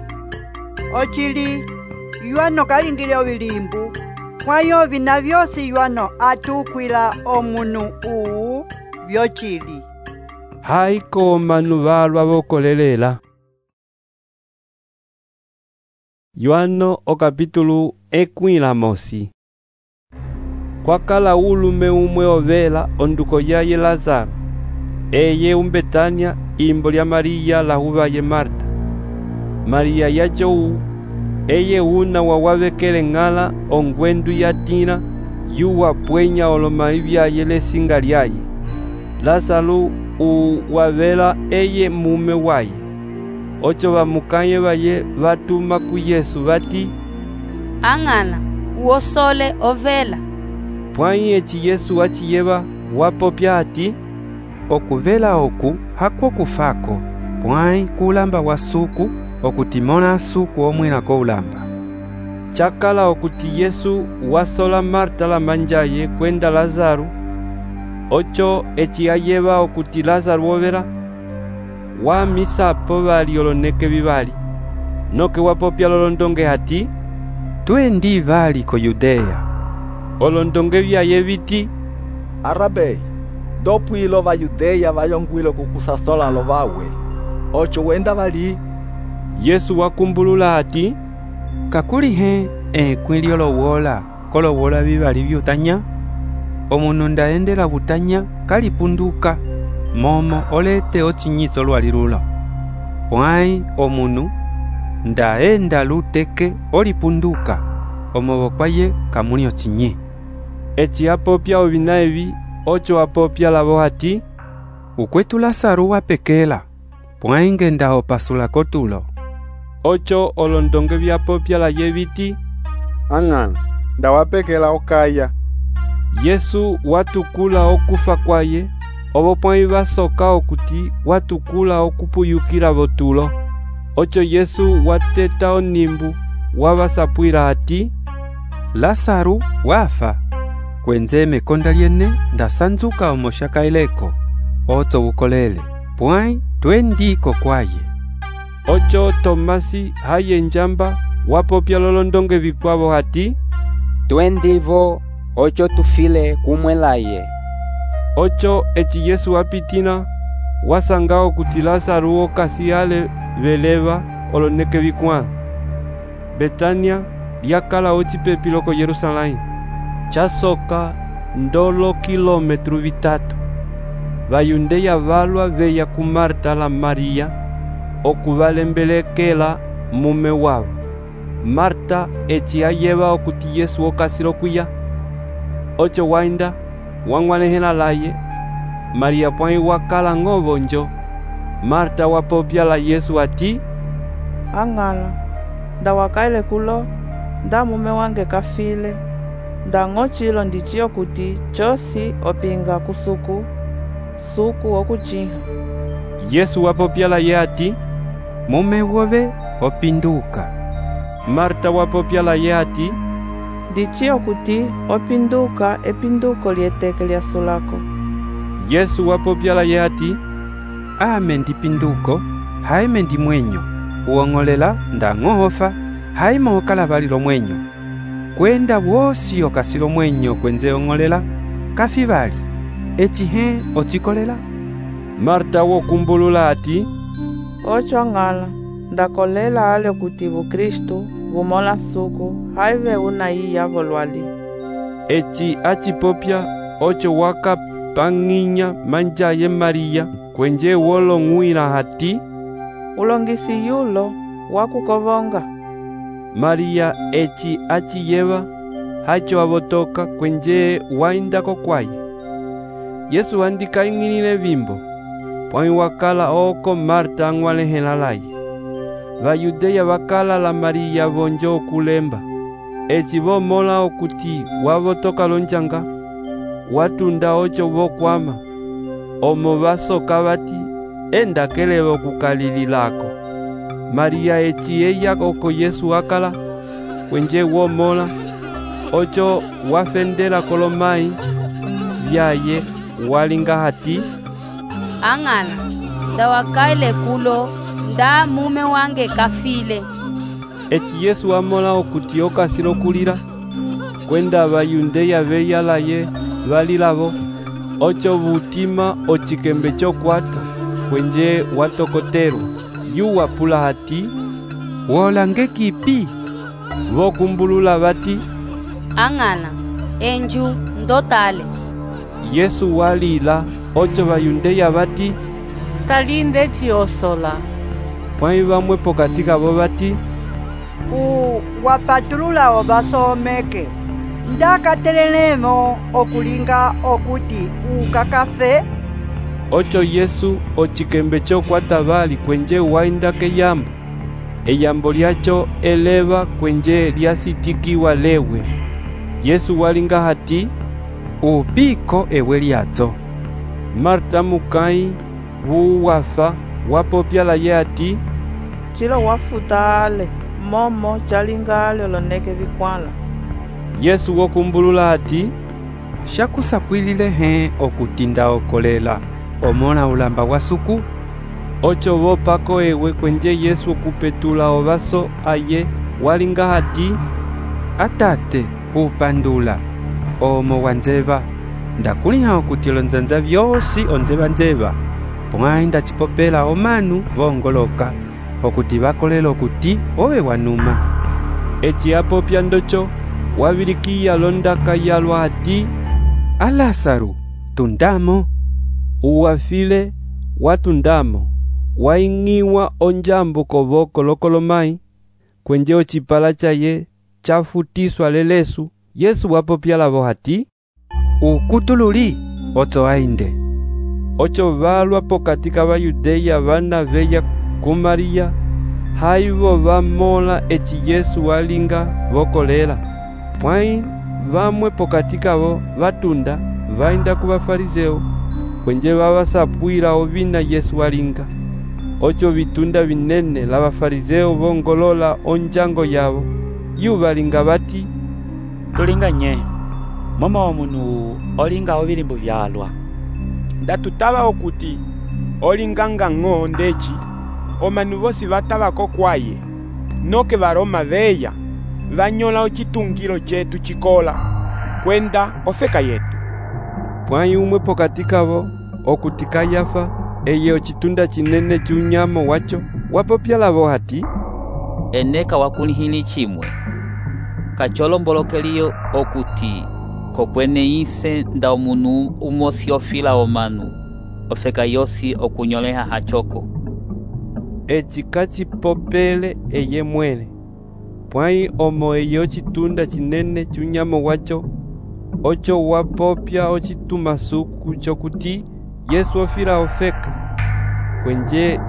O: ocili yuano kalingile ovilimbu kwayo vina vyosi yuano atukwila omunu uu vyocili.
A: haiko omanu valwa vokolelela. Yohano o capítulo ekwila mosi. Kwakala ulume umwe ovela onduko yaye Lazaro, eye umbetania imbo lya Maria la huvaye Marta. Maria yacho eye una wawavekele ng'ala ongwendu yatina yuwa pwenya olomai vyaye lesinga lyaye. Lazaro uwavela eye mume waye. Ocho vamukaye vaye vatuma ku Yesu vati,
T: ang'ala uosole ovela.
A: Pwai eci Yesu achiyeva wapopya ati,
E: okuvela oku hakwo kufako, pwai kulamba wa suku okutimona suku omwina ko ulamba.
A: Chakala okuti Yesu wasola Marta la manjaye kwenda Lazaro. Ocho eci ayeva okuti Lazaro overa wa misapo vali oloneke vivali, noke wapopya lolondonge hati,
E: twendi vali ko Yudea.
A: Olondonge vyaye viti,
U: Arabe, dopwilo va Yudea vayongwilo kukusasola lo vawe, ocho wenda vali.
A: Yesu wakumbulula hati,
E: kakulihe ekwilyo lowola kolowola vivali vyutanya, omunu ndaendela butanya kalipunduka momo olete ochinyiso lwalilulo. Pwai omunu ndaenda luteke olipunduka omobo kwaye kamuni ochinyi.
A: Eci apopya ovina evi, ocho apopya lavo hati,
E: ukwetu Lazaro wapekela, pwai ngenda opasula kotulo.
A: Ocho olondonge vyapopya la yeviti,
U: ang'ana ndawapekela okaya.
A: Yesu watukula okufa kwaye, obo pwai vasoka okuti watukula okupuyukila votulo. Ocho Yesu wateta onimbu wavasapwila hati,
E: Lazaro wafa, kwenze mekonda lyene ndasanzuka omoshaka ileko, oto ukolele, pwai twendiko kwaye.
A: Ocho Tomasi haye njamba wapopya lolondonge vikwavo hati,
B: twendivo ocho tufile kumwelaye.
A: Ocho eci Yesu wapitina wasangao kuti Lazaro okasi ale veleva oloneke vikwala. Betania lyakala ocipepi loko Yerusalém, chasoka ndolo kilometru vitatu. Vayundeya valwa veya ku Marta la Maria okuvalembelekela mume wavo. Marta eci ayeva okuti Yesu okasilo kuya. Ocho wainda wang'walehela laye. Maria pwai wakala ng'ovonjo. Marta wapopya la Yesu ati,
M: ang'ala ndawakaile kulo nda mume wange kafile, ndang'ochilo ndichiyo kuti chosi opinga kusuku suku okuchiha.
A: Yesu wapopya la ye ati,
E: mume wove opinduka.
A: Marta wapopya la ye ati,
M: ndichiyo kuti opinduka epinduko lieteke lya sulako.
A: Yesu wapopya la ye ati,
E: ame ndipinduko haime ndi mwenyo, uong'olela ndang'ohofa haima okala valilo mwenyo, kwenda wosi okasilo mwenyo kwenze ong'olela kafi vali, eci he ocikolela.
A: Marta wokumbulula ati,
M: ocho ang'ala ndakolela ale kuti Bukristu vumola suku haive una iya volwali.
A: Eci acipopya ocho waka pang'inya manjaye Maria kwenje wolong'wila hati,
M: ulongisi yulo wakukovonga.
A: Maria eci achiyeva hacho avotoka kwenje waindako kwaye. Yesu wandika ing'ilile vimbo, pwai wakala oko Marta ang'walehela laye. Vayudeya vakala la Maria vonjo okulemba. Eci vomola okuti wavotoka lonjanga, watunda ocho vokwama. Omo vasoka vati, enda keleva okukalililako. Maria eci eya oko Yesu akala, kwenje womola, ocho wafendela kolomai vyaye walinga hati,
T: ang'ala nda wakaile kulo, nda mume wange kafile.
A: Eci Yesu wamola okuti okasila okulila, kwenda Bayundeya beyalaye balilavo, ocho butima ochikembe chokwata, kwenje watokotelwa. Yu wapula hati,
E: wolange kipi?
A: Vokumbulula bati,
T: ang'ala, enju ndotale.
A: Yesu walila, ocho Bayundeya bati,
H: talinde chiosola.
A: Pwai bamwe pokati kabo bati,
O: u wapatulula obasomeke, ndakatelelemo okulinga okuti ukakafe.
A: Ocho Yesu ochikembe chokwata bali kwenje wainda keyambo. Eyambo lyacho eleva kwenje lyasitikiwa lewe. Yesu walinga hati,
E: upiko ewe lyato.
A: Marta mukai wuwafa wapopya la ye hati,
M: chilo wafutale momo chalingale oloneke vikwala.
A: Yesu wokumbulula hati,
E: shakusapwilile he okutinda okolela omona ulamba wa suku.
A: Ocho vopako ewe kwenje Yesu okupetula ovaso aye walinga hati,
E: atate upandula omo wanzeva ndakuliha okuti olonzanza vyosi onzeva nzeva pwai ndachipopela omanu vongoloka okuti bakolela okuti owe wanuma.
A: Eci apopya ndocho wabilikiya londaka yalwa hati,
E: a Lázaro tundamo.
A: Uwafile watundamo, waing'iwa onjambo kovoko lokolomai, kwenje ochipala chaye chafutiswa lelesu. Yesu wapopya lavo hati,
E: ukutululi oto ainde.
A: Ocho valwa pokati ka Bayudeya bana veya ku Maria, haivo vamola eci Yesu walinga vokolela. Pwai vamwe pokati kavo vatunda vainda ku bafarizeo, kwenje babasapwila ovina Yesu walinga. Ocho vitunda vinene la bafarizeo vongolola onjango yavo, yu balinga bati,
C: tulinganye momo omunu olinga ovilimbu vyalwa.
S: Ndatutava okuti olinganga ng'o ndeci omanu vosi vatavako kwaye, noke varoma veya vanyola ochitungilo chetu chikola kwenda ofeka yetu.
A: Pwai umwe pokati kavo okuti Kayafa, eye ochitunda chinene chunyamo wacho, wapopya lavo hati,
I: eneka wakunihili chimwe kacholombolokelio okuti kokwene ise nda omunu umosi ofila omanu ofeka yosi okunyoleha hachoko.
A: Eci kachipopele eye mwele, pwai omo eye ochitunda chinene chunyamo wacho, ocho wapopya ochitumasuku chokuti Yesu ofila ofeka, kwenje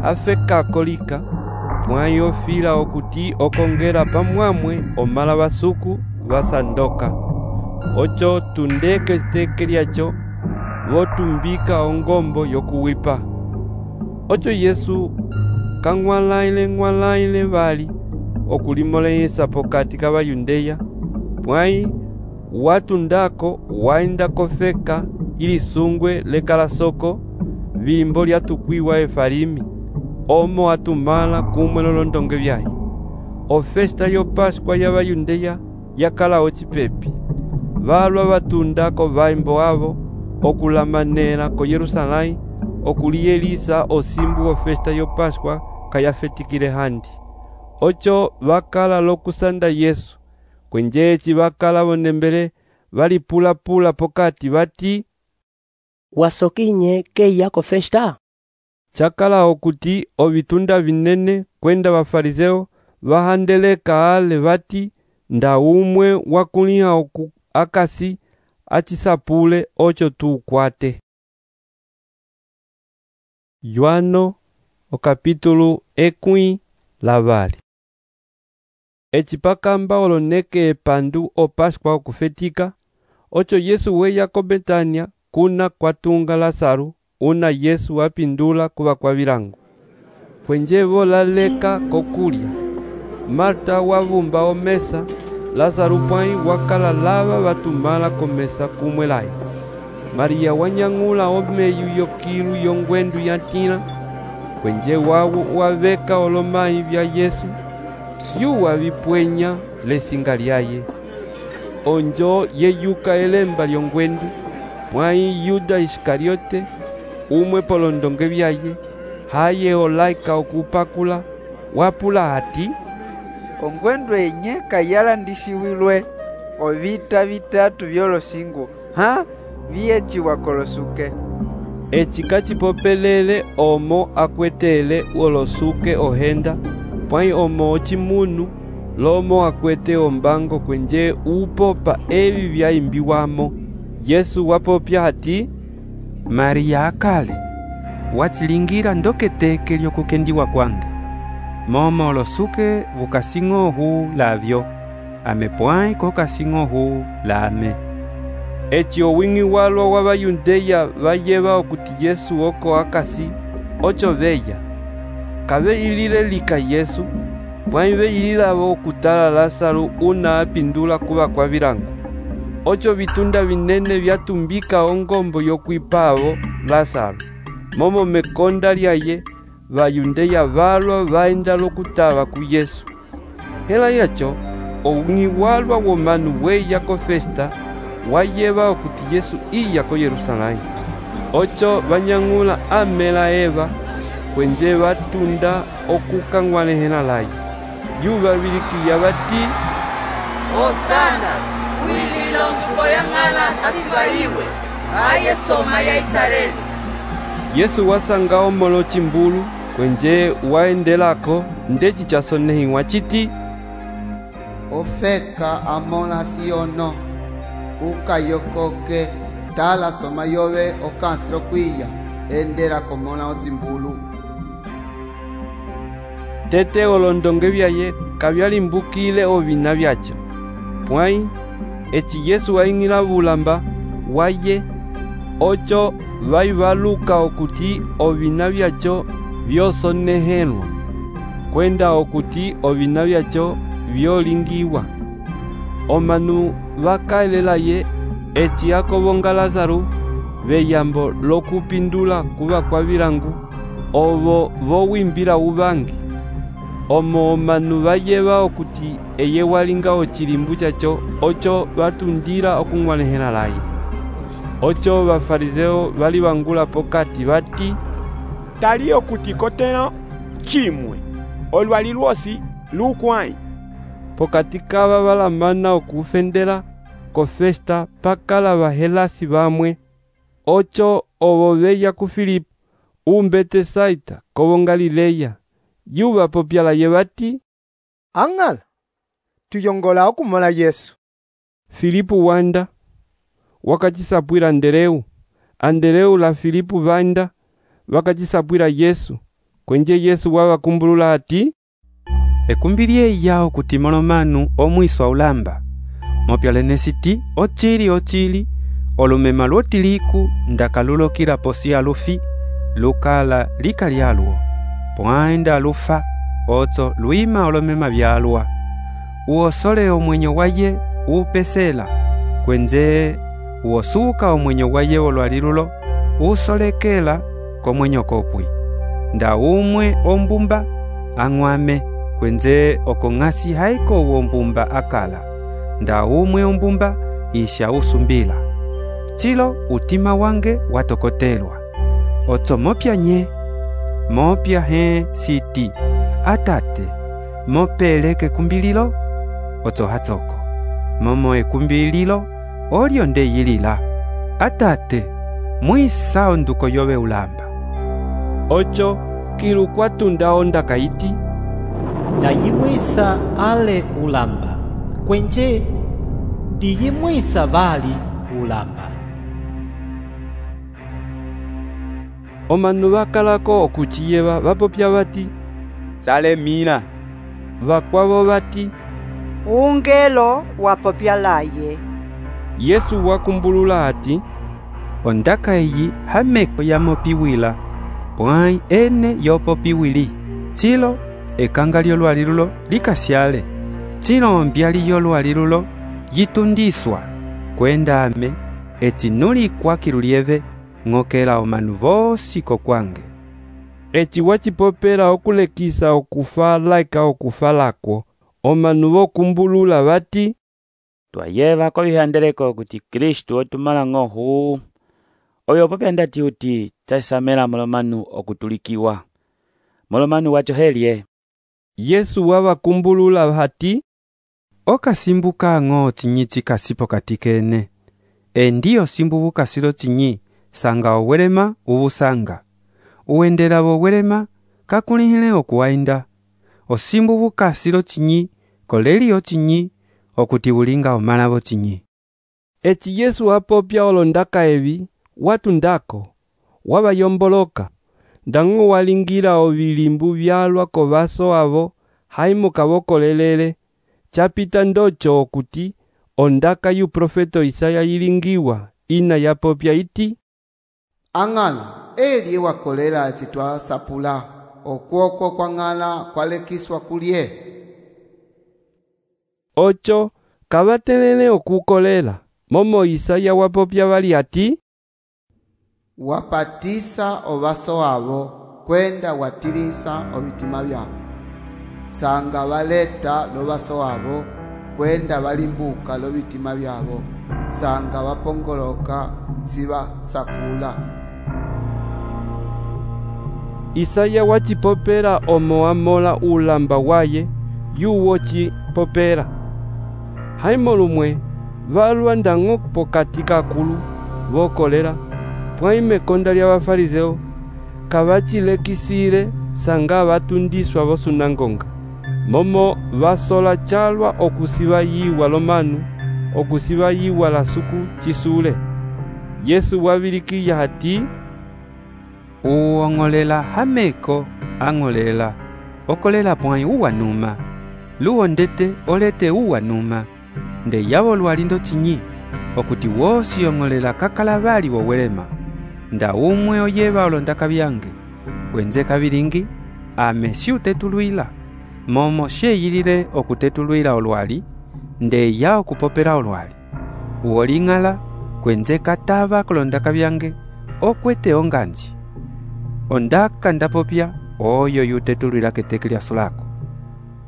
A: afeka akolika, pwai ofila okuti okongela pamwamwe omala basuku basandoka. Ocho tundeke teke lyacho votumbika ongombo yokuwipa. Ocho Yesu kang'walaile ng'walaile bali okulimoleyesa pokati ka Bayundeya, pwai watundako wainda kofeka ili sungwe lekala soko vimbo lyatukwiwa efalimi, omo atumala kumwe lolondonge byaye. Ofesta yo Pascua ya Bayundeya yakala ocipepi, balwa batundako vaimbo avo okulamanela ko Yerusalai okuliyelisa osimbu ofesta yo Pascua kayafetikile handi. Ocho bakala lokusanda Yesu, kwenje eci bakala bonembele balipula-pula pokati bati,
F: wasokinye keya ko festa.
A: Chakala okuti ovitunda vinene kwenda bafarizeo bahandeleka ale bati, nda umwe wakuliha oku akasi achisapule ocho tukwate. Yohano o capítulo ekwi lavali. Echipakamba oloneke epandu o Pascua okufetika, ocho Yesu weya ko Betania kuna kwatunga Lázaro, una Yesu wapindula kuba kwa vilango. Kwenje volaleka kokulya, Marta wavumba omesa, Lázaro pwai wakala lava batumala komesa kumwelayo. Maria wanyang'ula omeyu yokilu yongwendu yatila, kwenje wawo waveka olomayi vya Yesu, yuwa vipwenya lesinga lyaye. Onjo yeyuka elemba lyongwendu, mwai Yuda Iskariote, umwe polondonge vyaye, haye olaika okupakula, wapula ati,
P: ongwendu enye kayalandisiwilwe ovita vitatu vyolosingo, ha viyechiwa kolosuke.
A: Eci kacipopelele omo akwetele olosuke ohenda, pwai omo ocimunu, lomo akwete ombango kwenje upopa evi vyaimbiwamo. Yesu wapopya ati,
E: Maria akale, wachilingira ndoketeke lyokukendiwa kwange. Momo olosuke vukasing'ohu lavyo, ame pwai kokasing'ohu lame.
A: Eci owing'i walwa wa Bayundeya vayeva okuti Yesu oko akasi, ocho veya. Kave ilile lika Yesu, pwai veililavo okutala Lazaro una apindula kuva kwa virango. Ocho vitunda vinene vyatumbika ongombo yokwipavo Lazaro. Momo mekonda lyaye, Bayundeya valwa vaenda lokutava ku Yesu. Hela yacho, owing'i walwa womanu weya ko festa, wayeva okuti Yesu iya ko Yerusalemu. Ocho vanyang'ula amela eva, kwenje vatunda okukang'walehela laye. Yuva vilikiya vati,
G: Hosana, wililo nduko yang'ala asibaliwe, aye soma ya Israeli.
A: Yesu wasanga omolo chimbulu, kwenje waendelako ndeci chasonehiwa chiti,
V: ofeka amona siono, ukayokoke, tala soma yove okansiro kwiya, endera komona otimbulu.
A: Tete olondonge vyaye kavyalimbukile ovina vyacho. Pwai, eci Yesu waing'ila vulamba waye, ocho vaivaluka okuti ovina vyacho vyosonehelwa, kwenda okuti ovina vyacho vyolingiwa. Omanu vakaelelaye eci akovonga Lazaro, veyambo lokupindula kuva kwa virangu, ovo vowimbila uvangi. Omo omanu vayeva okuti eye walinga ochilimbu chacho, ocho vatundila okung'walehela laye. Ocho bafarizeo bali bangula pokati bati,
S: tali okuti koteno chimwe olwali lwosi lukwai.
A: Pokati kaba balamana okufendela ko festa pakala bahelasi bamwe. Ocho obo beya ku Filipo umbete saita kobo Galileya. Yuba popyala yebati,
L: ang'ala tuyongola okumala Yesu.
A: Filipo wanda wakachisapwira Andereu, Andereu la Filipo vanda wakachisapwira Yesu, kwenje Yesu wabakumbulula ati,
E: ekumbilie yao kuti molomanu omwiswa ulamba, mopyalenesiti ochili ochili, olumema lwotiliku ndakalulokila posi alufi, lukala likalyalwo, pwaenda lufa, oto luima olumema vyalwa, uosole omwenyo waye upesela, kwenze uosuka omwenyo waye olwalilulo, usolekela komwenyo kopwi. Nda umwe ombumba ang'wame, kwenze okong'asi haiko uombumba akala. Nda umwe ombumba isha usumbila. Chilo utima wange watokotelwa. Oto mopya nye, mopya he siti, atate, mopeleke kumbililo, oto hatsoko. Momo ekumbililo, olio nde yilila. Atate, mwisa onduko yobe ulamba.
A: Ocho, kilu kwatunda onda kaiti,
W: ndayimwisa ale ulamba, kwenje ndiyimwisa bali ulamba.
A: Omanu bakalako okuchiyeba bapopya bati,
D: salemina.
A: Bakwabo bati,
O: ungelo wapopya laye.
A: Yesu wakumbulula ati,
E: ondaka eyi hameko yamopiwila, pwai ene yopopiwili. Chilo ekanga lyolwalilulo likasyale. Chilo ombyali yolwalilulo yitundiswa, kwenda ame eci nulikwa kilulieve ng'okela omanu vosi kokwange.
A: Eci wacipopela okulekisa okufa laika okufa lakwo, omanu vokumbulula vati,
C: twayeva ko vihandeleko kuti Kristu otumala ng'ohu oyo popya ndati uti tasamela molomanu okutulikiwa molomanu wacho helye.
A: Yesu wavakumbulula hati,
E: okasimbuka ng'o cinyi cikasipo katikene, endiyo simbubuka silo cinyi sanga owelema ubusanga, uwendela bowelema kakulihile okuwainda, osimbubuka silo cinyi kolelio cinyi okuti ulinga omalabo cinyi.
A: Eci Yesu wapopya olondaka evi watu ndako wabayomboloka ndango walingira ovilimbu vyalwa kovaso avo haimo kavokolelele chapita ndocho okuti ondaka yu profeto Isaya yilingiwa ina yapopya iti,
V: ang'ala eli wakolela citwa sapula okwoko kwa ng'ala kwalekiswa kulye.
A: Ocho kavatelele okukolela momo Isaya wapopya vali ati,
V: wapatisa ovaso avo kwenda watilisa ovitima vyavo, sanga valeta lovaso avo kwenda valimbuka lovitima vyavo, sanga vapongoloka siva sakula.
A: Isaya wacipopela omo wamola ulamba waye yuwo cipopela haimo lumwe valwa ndango pokati kakulu vokolela pwaime konda lya bafarizeo kavacilekisile sanga vatundiswa vosunangonga momo vasola calwa okusiva yiwa lomanu okusiva yiwa la suku cisule. Yesu wavilikiya hati,
E: uong'olela hameko ang'olela okolela pwai uwanuma luondete olete uwanuma nde yavo lwalindo cinyi okuti wosi ong'olela kakalabali wowelema nda umwe oyeva olondaka byange kwenze kabilingi ame si utetulwila momo sheyilile okutetulwila olwali nde ya okupopela olwali uoling'ala kwenze katava kolondaka byange okwete onganji ondaka ndapopya oyo yutetulwila keteke lyaso lako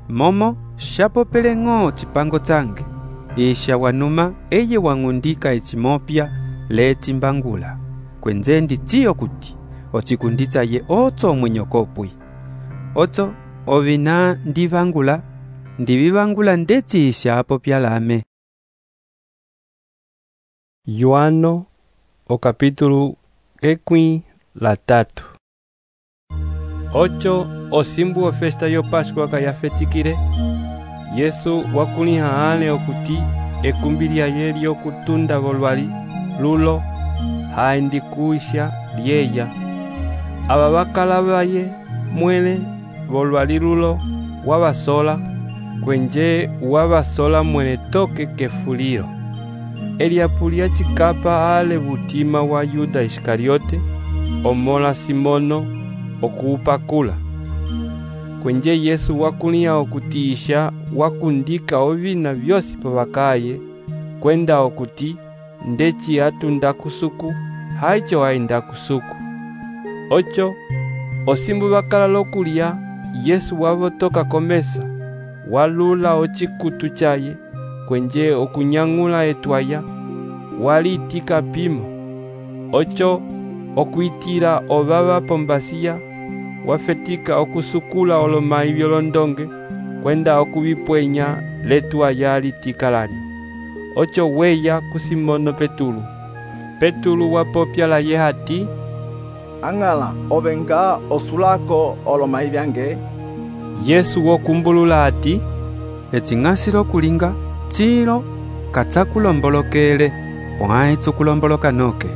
E: momo shapopele ng'o cipango cange isha wanuma eye wang'undika ecimopya lecimbangula kwenze nditiyo kuti ocikunditsa ye otso omwenyokopwi otso ovina ndivangula ndivivangula ndeciisha apopya lame.
A: Yohano o capítulo ekwi la tatu. Ocho osimbu o festa yo Pascua kayafetikire Yesu wakuliha ale okuti ekumbilia yeli okutunda volwali lulo haindikuisha lyeya aba bakalabaye mwele volwali lulo wabasola kwenje wabasola mwele toke kefuliro eliapulia chikapa ale butima wa Yuda Iskariote omola Simono okuupakula kwenje Yesu wakulia okutiisha wakundika ovina vyosi pavakaye kwenda okuti ndeci atunda kusuku haicho hainda kusuku. Ocho osimbu bakala lokulia Yesu wavotoka komesa walula ochikutu chaye kwenje okunyang'ula etwaya walitika pimo. Ocho okuitira obaba pombasiya wafetika okusukula olomai vyolondonge kwenda okubipwenya letwaya litika lali. Ocho weya kusimono Petulu. Petulu wapopya la ye hati,
U: ang'ala ovenga osulako olomai vyange.
A: Yesu wokumbulula hati,
E: ecing'asilo kulinga cilo katsakulombolokele pwai tsukulomboloka noke.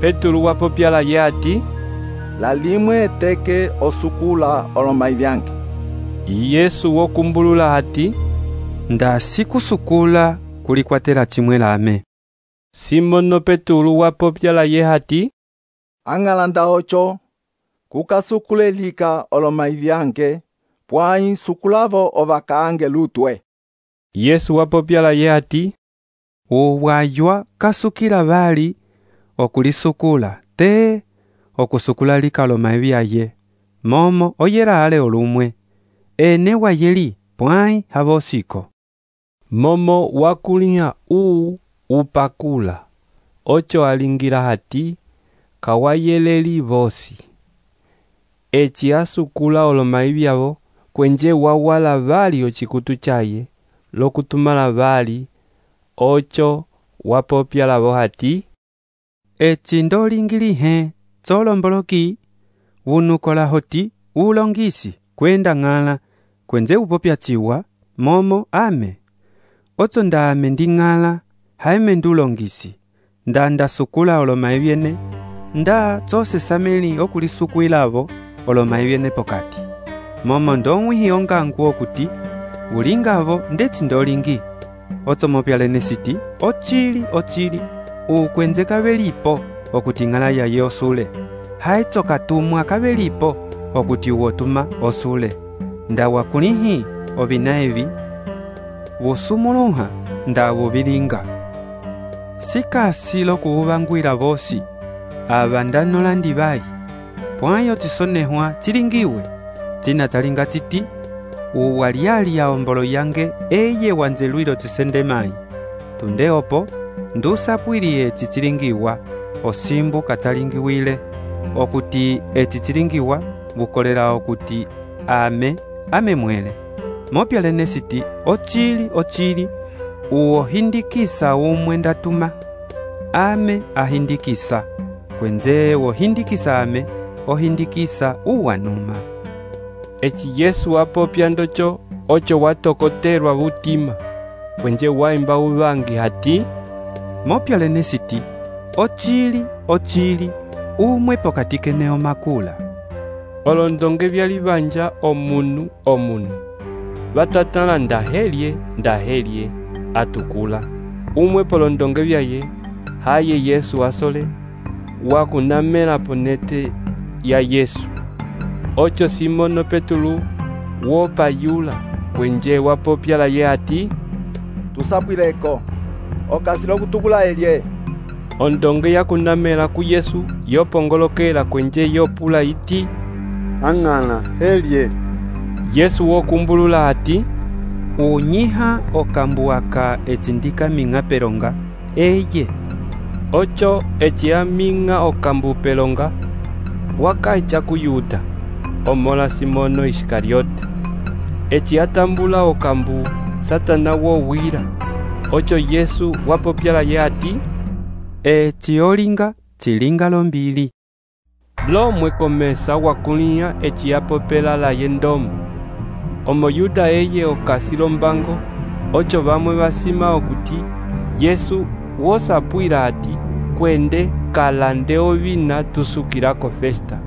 A: Petulu wapopya la ye hati,
U: la limwe teke osukula olomai vyange.
A: Yesu wokumbulula hati,
E: nda sikusukula kulikwatela chimwe lame.
A: Simono Petulu wapopya la ye hati,
U: ang'ala nda ocho kukasukulelika olomai vyange pwai sukulavo ovakange lutwe.
A: Yesu wapopya la ye hati,
E: uwaywa kasukila bali okulisukula te okusukula likalo maibyaye momo oyera ale olumwe ene wayeli pwai habosiko
A: momo wakulia uu upakula ocho alingira hati kawayeleli vosi eci asukula olomaibyabo kwenje wawala bali ochikutu chaye lokutumala bali ocho wapopya labo hati
E: eci ndolingilihe tsolomboloki wunukola hoti ulongisi kwenda ng'ala kwenze upopya chiwa momo ame ocho ndame nding'ala haime ndulongisi nda ndasukula olomaibyene nda tsose sameli okulisukuilavo olomaibyene pokati momo ndongwihi ongangu okuti ulingavo ndeti ndolingi ocho mopyalene siti ochili ochili ukwenze kabelipo okuti ng'ala yaye osule haitso katumwa kabelipo okuti uwotuma osule nda wakulihi ovina evi vusumuluha nda vubilinga sikasi lokuubangwila vosi aba ndanola ndibai pwayo tisonehwa chilingiwe china chalinga chiti uwaliali ya ombolo yange eye wanzelwilo chisende mai tunde opo ndusapwili eci chilingiwa osimbu kachalingiwile okuti eci chilingiwa bukolela okuti ame ame mwele mopyalene siti ochili ochili uo hindikisa umwe ndatuma ame ahindikisa kwenze wo hindikisa ame ohindikisa uwanuma
A: eci Yesu wapopya ndocho ocho watokoterwa butima kwenje waimba ubangi hati
E: mopyalene siti ochili ochili umwe pokati keneo makula
A: olondonge byalibanja omunu omunu batatala ndahelye ndahelye atukula umwe polondonge byaye haye Yesu asole wakunamela ponete ya Yesu ocho Simono Petulu wopayula kwenje wapopya la ye ati
U: tusapwileko okasilo kutukula elye
A: ondonge yakunamela ku Yesu yopongolokela kwenje yopula iti
V: ang'ala helye
A: Yesu wokumbulula ati
E: unyiha okambuaka echindika minga pelonga eye
A: ocho echia minga okambu pelonga wakaicha kuyuda omola Simono Iskariote echia tambula okambu Satana wo wira ocho Yesu wapopyala ye ati
E: eci olinga chilinga lombili
A: lo mwekomesa wakulia eci apopela la yendomo omo Yuda eye okasilo mbango ocho bamwe basima okuti Yesu wosapwila ati kwende kalande ovina tusukilako festa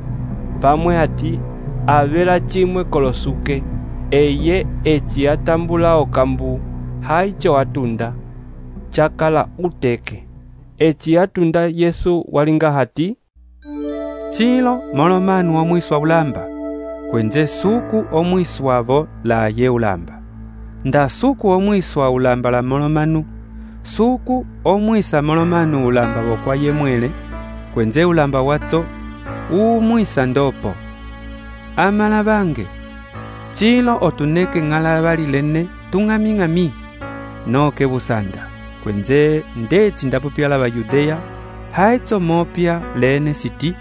A: pamwe ati avela chimwe kolosuke eye eci atambula okambu haicho atunda chakala uteke eci atunda Yesu walinga hati
E: chilo molomanu omwiswa ulamba kwenze suku omwiswavo la ye ulamba nda suku omwiswa ulamba la molomanu suku omwisa molomanu ulamba bokwa ye mwele kwenze ulamba watso umwisa ndopo amala bange chilo otuneke ng'ala balilene tung'ami-ng'ami noke busanda kwenze ndeci ndapopyala bayudeya haitso mopya lene siti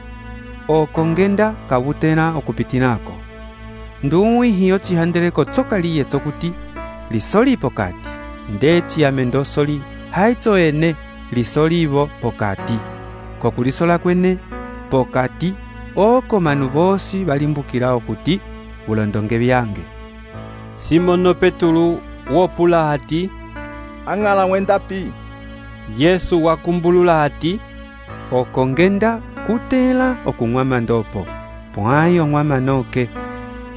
E: okongenda kabutena okupitinako nduwihi ocihandeleko tsokaliye tsokuti lisoli pokati ndeci amendosoli haitso ene lisolivo pokati kokulisola kwene pokati oko manu bosi balimbukila okuti ulondonge byange
A: Simono Petulu wopula hati
U: ang'ala wendapi
A: Yesu wakumbulula hati
E: okongenda kutela okung'wama ndopo pwayo ng'wama noke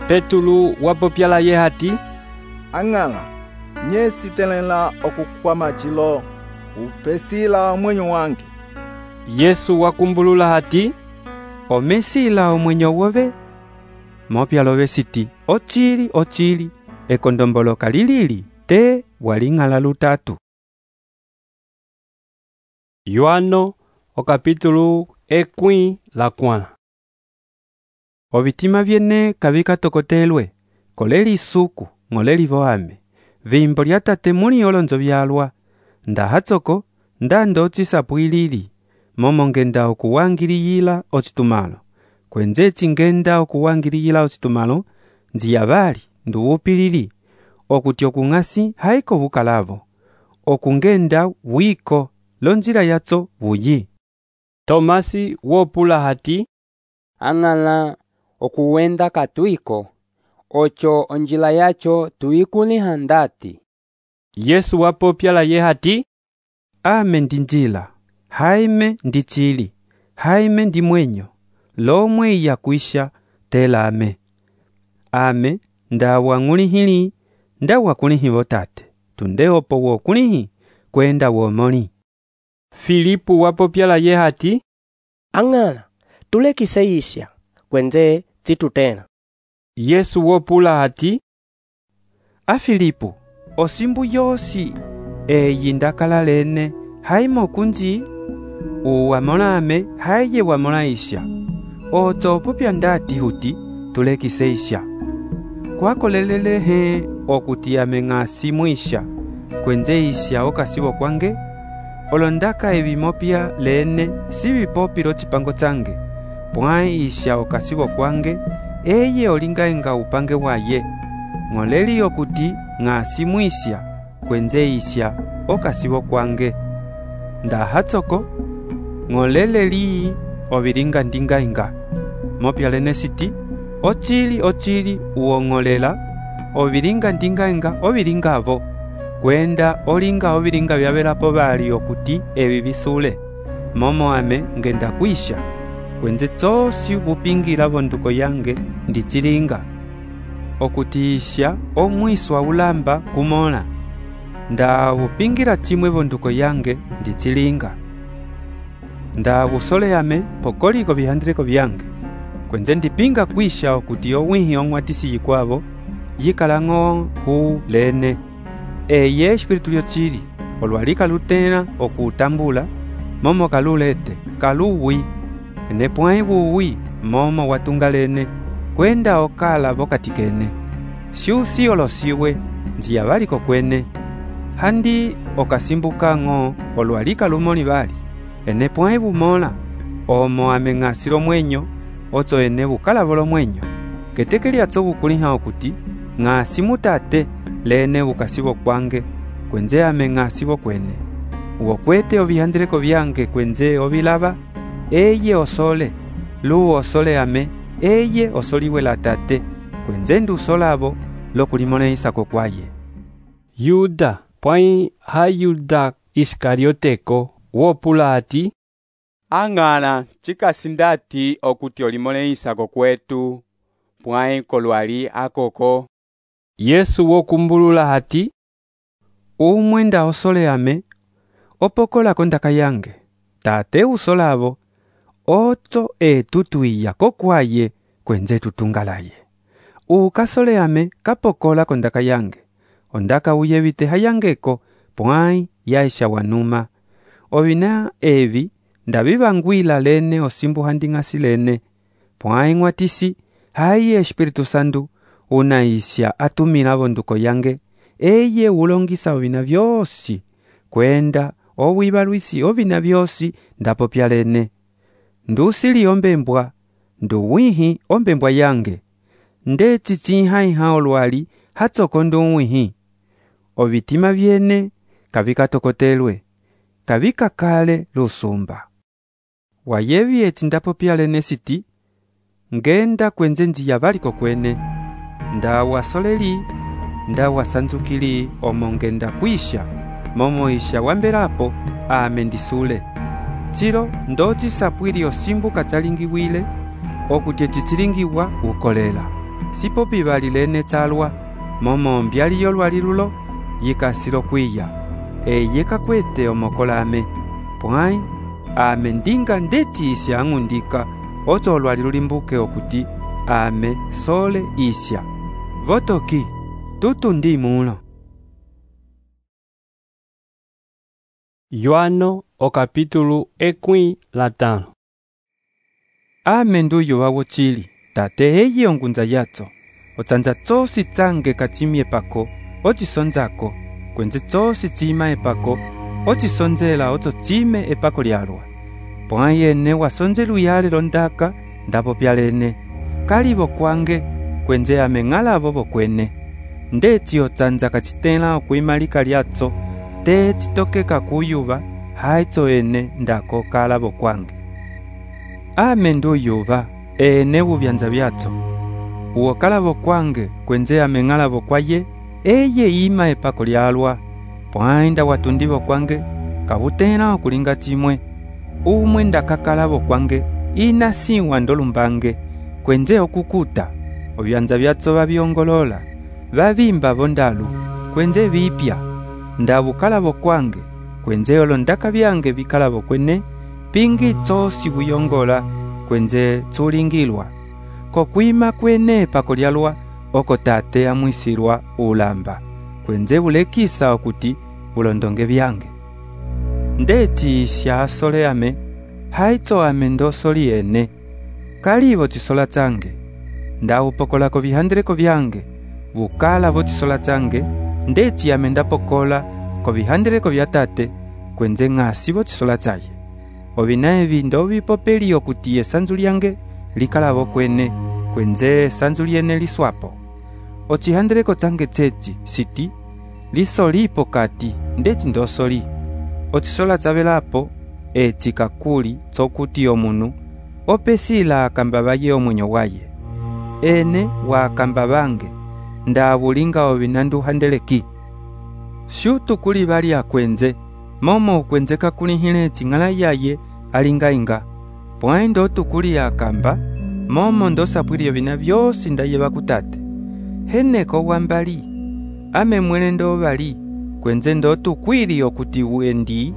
A: Petulu wapopyala ye hati
U: ang'ala nyesi telela okukwama chilo upesila mwenyo wange
A: Yesu wakumbulula hati
E: omesila omwenyo wobe mopyalobe siti ochili ochili ekondomboloka lilili te waling'ala lutatu
A: Yohano okapitulu ekwi la kwana.
E: Ovitima vyene kavikatokotelwe koleli isuku ng'oleli voame vimbo lya tate muli olonzo vyalwa ndahatsoko ndando cisapwilili momo ngenda okuwangiliyila ocitumalo kwenze cingenda okuwangiliyila ocitumalo nziyavali nduwupilili okuti okung'asi haiko vukalavo okungenda wiko lonjila yatso vuyi.
A: Tomasi wopula hati
B: ang'ala okuwenda katuiko ocho onjila yacho tuikuliha ndati.
A: Yesu wapopya la ye hati
E: ame ndi njila haime ndi chili haime ndi mwenyo lomwe iya kuisha tela ame ame ndawa ng'ulihili ndawa kulihi votate tunde opo wo kulihi kwenda womoli.
A: Filipu wapopya la ye hati
F: ang'ala tulekiseisha kwenze zitutena.
A: Yesu wopula hati
E: a Filipu osimbu yosi eyi ndakala lene haimo kunji uwamola ame haye wamola isha oto popya ndati huti tulekiseisha kwakolelele he okuti ame ng'asi mwisha kwenze isha okasibo kwange olondaka evimopya lene si vipopilo cipango change pwai isha okasibo kwange eye olingaenga upange waye ng'oleli okuti ng'asi mwisha kwenze isha okasibo kwange ndahatsoko ng'oleleli ovilinga ndingaenga mopya lene siti ochili ochili uong'olela ovilinga ndingaenga ovilingavo kwenda olinga ovilinga vyavelapo vali okuti evi visule momo ame ngenda kwisha kwenze tsosi vupingila vonduko yange ndicilinga okuti isha omwiswa ulamba kumola ndavupingila chimwe vonduko yange ndicilinga ndavusole ame pokoliko vihandileko vyange kwenze ndipinga kwisha okuti owihi ong'watisi yikwavo yikalang'o hu lene eye espiritu lyocili olwali kalutela okutambula momo kalulete kaluwi ene pwai vuwi momo watunga lene kwenda okala vokati kene siusi olosiwe nziya valiko kwene handi okasimbuka ng'o olwali kalumoli vali ene pwai vumola omo ame ng'asilo mwenyo otso ene vukalavo lomwenyo keteke lyatso vukuliha okuti ng'asi mutate lene vukasivo kwange kwenze ame ng'asivo kwene uokwete ovihandileko vyange kwenze ovilava eye osole lu osole ame eye osoliwe la tate kwenze ndusolavo lokulimoleisako kwaye.
A: Yuda pwai ha Yuda Iskarioteko wopula hati
D: ang'ala cikasindati okuti olimoleisako kwetu pwai kolwali akoko.
A: Yesu wokumbulula hati
E: umwe nda osole ame opokolako ndaka yange tate usolavo otso etutwiya kokwaye kwenze tutungalaye ukasole ame kapokolako ndaka yange ondaka uyevite hayangeko pwai yaisha wanuma ovina evi ndavivangwila lene osimbu handing'asi lene pwai ng'watisi hayi Espiritu Santu unaisha atumila vonduko yange eye ulongisa ovina vyosi kwenda owibalwisi ovina vyosi ndapopya lene ndusili ombembwa nduwihi ombembwa yange ndetsitsihaiha olwali hatsoko nduwihi ovitima vyene kavikatokotelwe kavikakale lusumba wayevi etsi ndapopya lene siti ngenda kwenze nziya valiko kwene ndawasoleli ndawasanzukili omo ngenda kwisha momo isha wambelapo ame ndisule chilo ndocisapwili osimbu katsalingiwile okuti ecitsilingiwa ukolela sipopi vali lene tsalwa momo mbyali yolwali lulo yikasilo kwiya eye kakwete omokola ame pwai ame ndinga ndeti isya ang'undika otso olwali lulimbuke okuti ame sole isya votoki tutu ndi mulo.
A: Yohano o capítulo ekwi latano.
E: Ame nduyo wawo chili, tate eye ongunza yatso. Otsanja tsosi tsange kachimie pako, ochisonzako, kwenze tsosi chima epako, ochisonzela oto chime epako lyalwa. Pwa yene wasonzelu yale londaka, ndapo pyalene. Kalibo kwange, kwenze ameng'ala bobo kwene. Ndeti otsanja kachitela okuimalika lyatso, te chitokeka kuyuba, haitso ene ndako kalabo kwange. Ame nduyuba, ene bubyanza byatso. Uwo kalabo kwange, kwenze ameng'alabo kwaye, eye ima epako lyalwa. Pwainda watundibo kwange, kabutena okulinga chimwe. Umwe ndakakalabo kwange, ina siwa ndolumbange, kwenze okukuta. Obyanza byatso babyongolola, babimba bondalu, kwenze bipya. Ndabukalabo kwange, kwenze olondaka byange bikalabo kwene, pingi tsosi buyongola, kwenze tsulingilwa. Kokwima kwene pako lyalwa, oko tate amwisirwa ulamba, kwenze bulekisa okuti bulondonge byange. Ndeti isya asole ame, haitso ame ndosoli ene. Kalibo chisola tsange, ndaupokolako bihandireko byange, bukala bo chisola tsange, ndeti ame ndapokola ko bihandireko bya tate, kwenze ng'asi bo chisola tsaye. Obinaebi ndobipopeli okuti esanzu lyange likalabo kwene, kwenze esanzu lyene liswapo. Ochihandireko tsange tsechi, siti, lisolipo kati, ndeti ndosoli. Ochisola tsabelapo, echi kakuli tsokuti omunu, opesila akambabaye omwenyo waye. Ene wa akambabange, ndabulinga obinandu handeleki. Shutu kuli bali akwenze, momo ukwenze kakulihile chingala yaye alinga inga. Pwaindo tukuli akamba, momo ndosapwili obina byosi ndaye bakutate. Heneko wambali, ame mwelendo bali, kwenze ndo tukwili okuti uendi,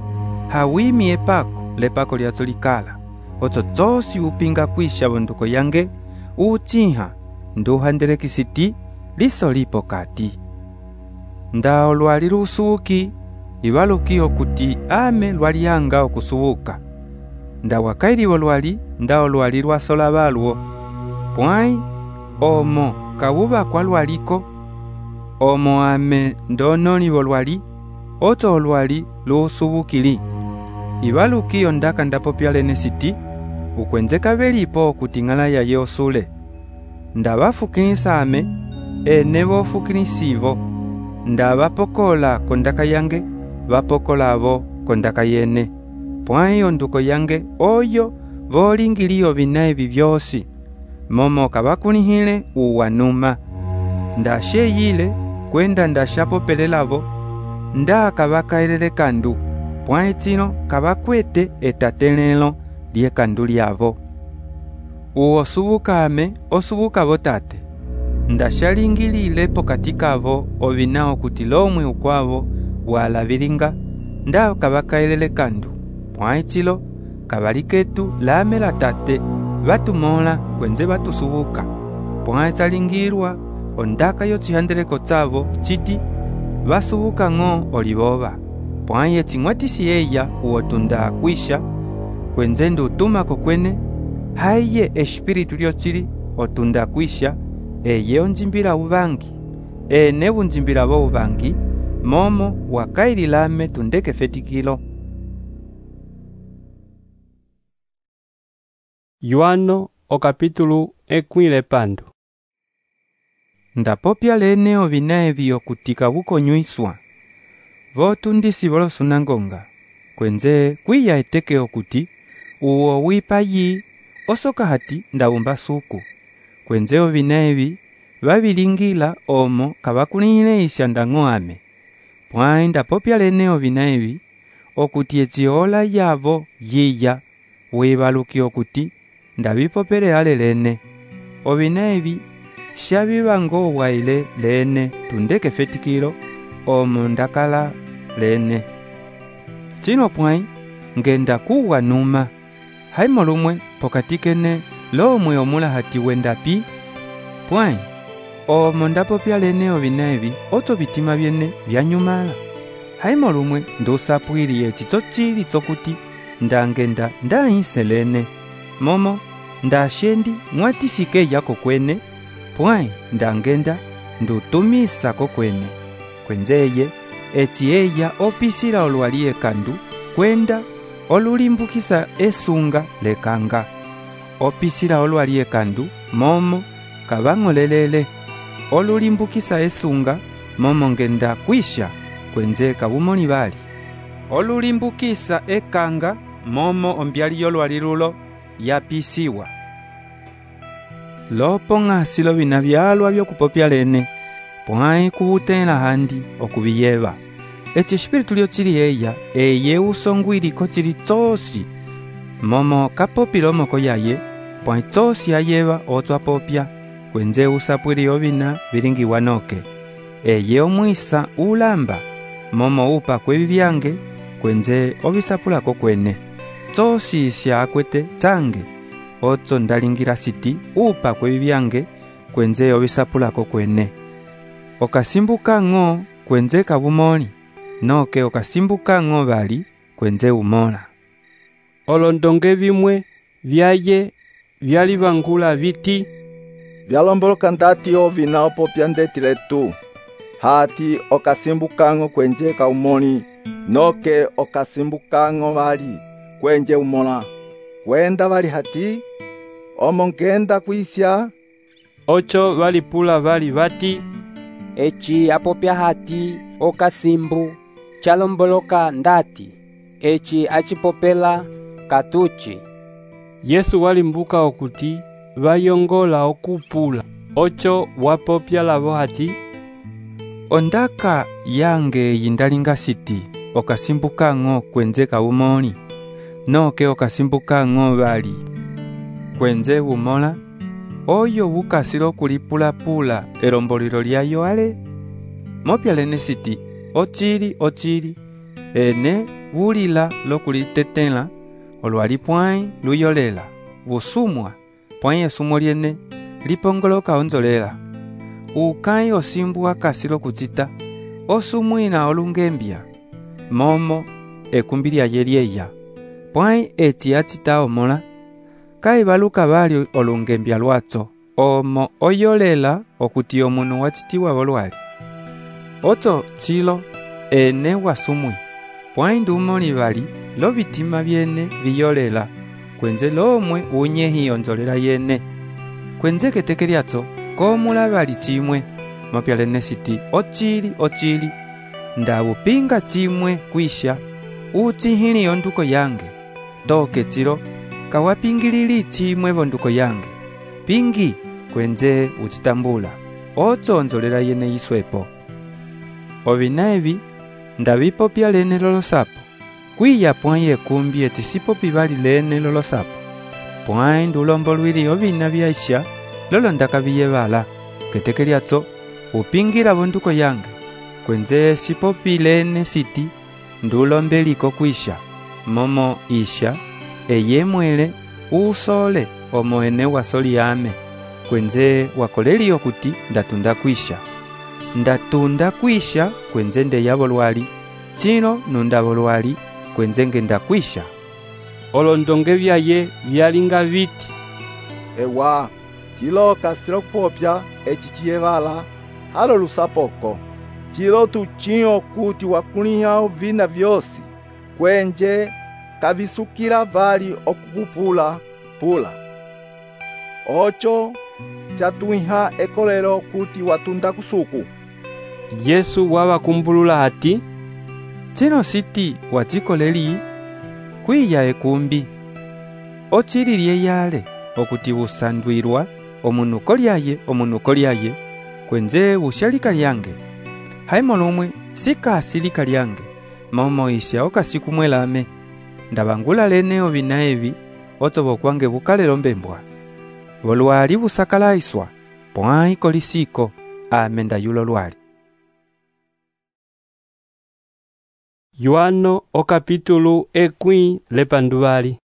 E: hawimi epako, lepako lya zolikala. Oto tsosi upinga kwisha bonduko yange, uchiha, nduhandeleki siti, liso lipo kati. Ndao lwali lusubuki, ibaluki okuti ame lwalianga okusubuka. Ndawakailibo lwali, ndao lwali lwasola balwo. Pwai, omo, kabuba kwa lwaliko. Omo ame ndonolibo lwali, oto lwali lusubukili. Ibaluki ondaka ndapopyalene siti, ukwenze kabelipo okuti ngala yaye osule. Ndabafukisa ame, ene bofukisibo. Ndabapokola kondaka yange, bapokola abo kondaka yene. Pwai onduko yange, oyo, bolingilio binaebi byosi. Momo kabakunihile uwanuma. Ndasheyile, kwenda ndashapopelelabo, nda kabakaelele kandu. Pwai chino kabakwete etatelelo liye kandu lyavo. Uwo subuka ame, osubuka botate. Ndashalingilile pokatika avo obinao kuti lomwe ukwavo wala vilinga, nda kabakaelele kandu. Pwai chilo, kabaliketu lame la tate, batumola kwenze batusubuka. Pwai chalingirwa, ondaka yo chihandeleko tsavo, chiti, basubuka ngo oliboba. Pwai echingwatisi eya uotunda kwisha, kwenze ndu utumako kwene, haiye espiritu lyo chili, otunda kwisha, eye onjimbira ubangi, ene unjimbira bo ubangi, momo wakaili lame tundeke fetikilo.
A: Yohano o capítulo ekwile pandu.
E: Ndapopya lene obinaebi okutika bukonywiswa. Votundisi bolosunangonga, kwenze kwiya eteke okuti, uwo wipayi, osoka hati ndabumba suku. Kwenze obinaebi, babilingila omo kabakunihile isyandango ame. Pwai ndapopya lene obinaebi, okuti etiola yabo yiya, wibaluki okuti, ndabipopele ale lene. Obinaebi, shabibango waile lene tundeke fetikilo, omo ndakala lene. Chino pwai, ngenda kuwa numa. Haimo lumwe pokatikene lomwe omula hati wenda pi. Pwai, omo ndapopya lene obinaebi, oto bitima byene byanyumala. haimo lumwe ndusapwiliye cico cili cokuti ndangenda ndahiselene momo ndashendi mwatisikeya kokwene pwai ndangenda ndutumisa kokwene kwenzeye eci eya opisila olwali ekandu kwenda olulimbukisa esunga lekanga opisila olwali ekandu momo kabang'olelele olulimbukisa esunga momo ngenda kwisha kwenze kabumoni bali olulimbukisa ekanga momo ombyali yolwali lulo yapisiwa lopo ng'asilo bina byalwa byokupopya lene pwai kubutela handi okubiyeba eci espiritu lyo cili eya eye usongwiliko cili cosi momo kapopila omoko yaye pwai cosi ayeba otwapopya kwenze usapwili obina bilingiwa noke eye omwisa ulamba momo upa kwebibyange kwenze obisapulako kwene cosi isya akwete tsange otso ndalingira siti upa kwebibyange kwenze obisapulako kwene okasimbuka ng'o kwenze kabumoli noke okasimbuka ng'o bali kwenze umola
A: olondonge bimwe byaye byali bangula biti
U: vyalomboloka ndati ovina opopya ndetile tu hati okasimbukango kwenje kaumoni noke okasimbukango bali kwenje umola kwenda bali hati omongenda kwisya
A: ocho balipula bali bati
B: eci apopya hati okasimbu chalomboloka ndati eci achipopela katuchi
A: Yesu walimbuka okuti bayongola okupula ocho wapopya labo hati
E: ondaka yange yindalinga siti okasimbuka ng'o kwenze kaumoni noke okasimbuka ng'o bali kwenze umola oyo bukasilo kulipula-pula elombolilo lyayo ale mopya lene siti ochili ochili ene bulila lokulitetela olwali pwai luyolela busumwa pwai esumo lyene lipongoloka onzolela ukai osimbu akasilo kucita osumwina olungembya momo ekumbi lyaye lyeya pwai eci acita omola kaibaluka bali olungembya lwatso omo oyolela okuti omunu wacitiwa bolwali oto chilo ene wasumwi pwai ndumoli bali lo bitima byene biyolela kwenze lomwe unyehi onzolela yene kwenze keteke lyatso komula bali chimwe mopya lene siti ochili ochili ndabupinga chimwe kwisha uchihili onduko yange toke chilo kawapingilili chimwe bonduko yange pingi kwenze uchitambula ocho onzolela yene iswepo obina ebi ndabipopya lene lolosapo kwiya pwai ekumbi etisipopi bali lene lolosapo pwai ndulombo lwili obina byaisha lolo ndakabiyebala keteke lyatso upingira bonduko yange kwenze sipopi lene siti ndulombeliko kwisha momo isha eyemwele usole omo ene wasoli yame kwenze wakoleli okuti ndatunda kwisha ndatunda kwisha kwenze ndeyabo lwali chino nundabo lwali kwenze ngenda kwisha
A: olondonge byaye byalinga biti
U: ewa chilo kasilo kupopya eci chiyebala halo lusapoko chilo tuchinyo kuti wakulinya ovina vyosi kwenje kavisukila vali okukupula pula ocho chatuiha ekolelo kuti watunda kusuku
A: Yesu wabakumbulula hati
E: chino siti wachikoleli kwiya ekumbi ochililye yale okuti busandwirwa omunuko lyaye omunuko lyaye kwenze bushalika lyange haimo lumwe sikasilika lyange momo isya okasikumwelame ndabangula lene obina ebi otobo kwange bukalelo mbembwa bolwali busakalaiswa pwai kolisiko amenda yulo lwali
A: Yohano okapitulu ekwi lepandubali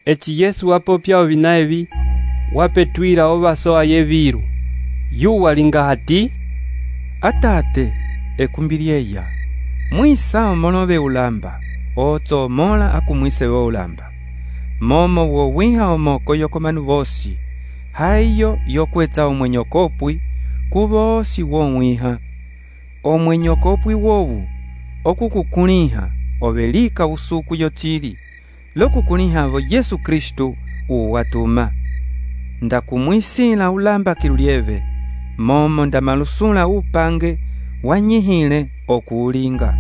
A: eci Yesu wapopya obina ebi wapetwira obaso ayebiru yu walinga hati
E: atate ekumbi lyeya Mwisa omolove ulamba, otso omola akumwise wo ulamba. Momo wo wiha omoko yokomanu vosi, haiyo yokwetsa omwenyokopwi kuvosi wo mwiha. Omwenyokopwi wowu okukukuliha ovelika usuku yochili lokukulihavo Yesu Kristu uwatuma. Ndakumwisila ulamba kilulieve, momo ndamalusula upange wanyihile okuulinga.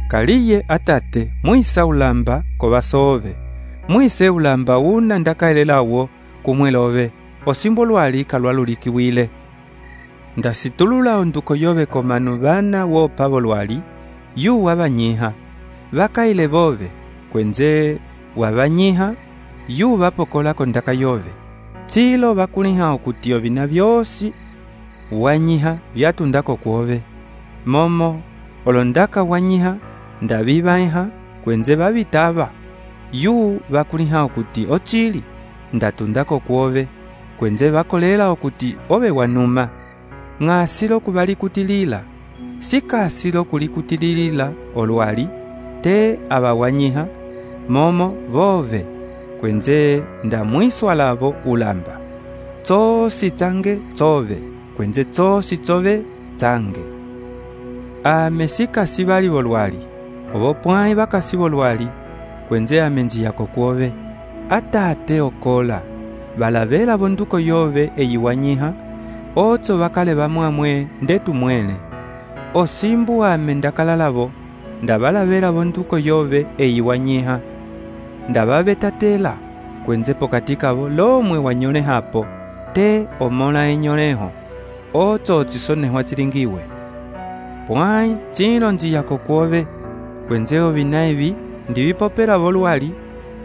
E: Kaliye atate mwisa ulamba kovasove, mwise ulamba una ndakaelelawo kumwelove osimbo lwali kalwalulikiwile. Ndasitulula onduko yove komanu bana wo pavo lwali yu wabanyiha bakaile bove kwenze wabanyiha yu bapokola kondaka yove chilo bakuliha okutio bina byosi wanyiha byatundako kuove. Momo olondaka wanyiha ndabibaiha kwenze babitaba yu bakuliha okuti ochili ndatundako kuove kwenze bakolela okuti obe wanuma. Ng'asilo kubalikutilila, sikasilo kulikutilila olwali, te abawanyiha, momo vove, kwenze ndamwiswa lavo ulamba. Tsosi tsange tsove, kwenze tsosi tsove tsange. Ame sikasi bali bolwali, obo pwai bakasi bolwali, kwenze amenji yako kuove. Atate okola, balavela bonduko yove eyiwanyiha, otso bakale bamwamwe ndetu mwele. Osimbu ame ndakalalavo, ndabalavela bonduko yove eyiwanyiha. Ndababetatela, kwenze pokatikavo lomwe wanyole hapo, te omola enyoleho, otso otsisoneho atsilingiwe. Pwai chilo njiyako kuove, kwenze obinaivi ndibipopela bolwali,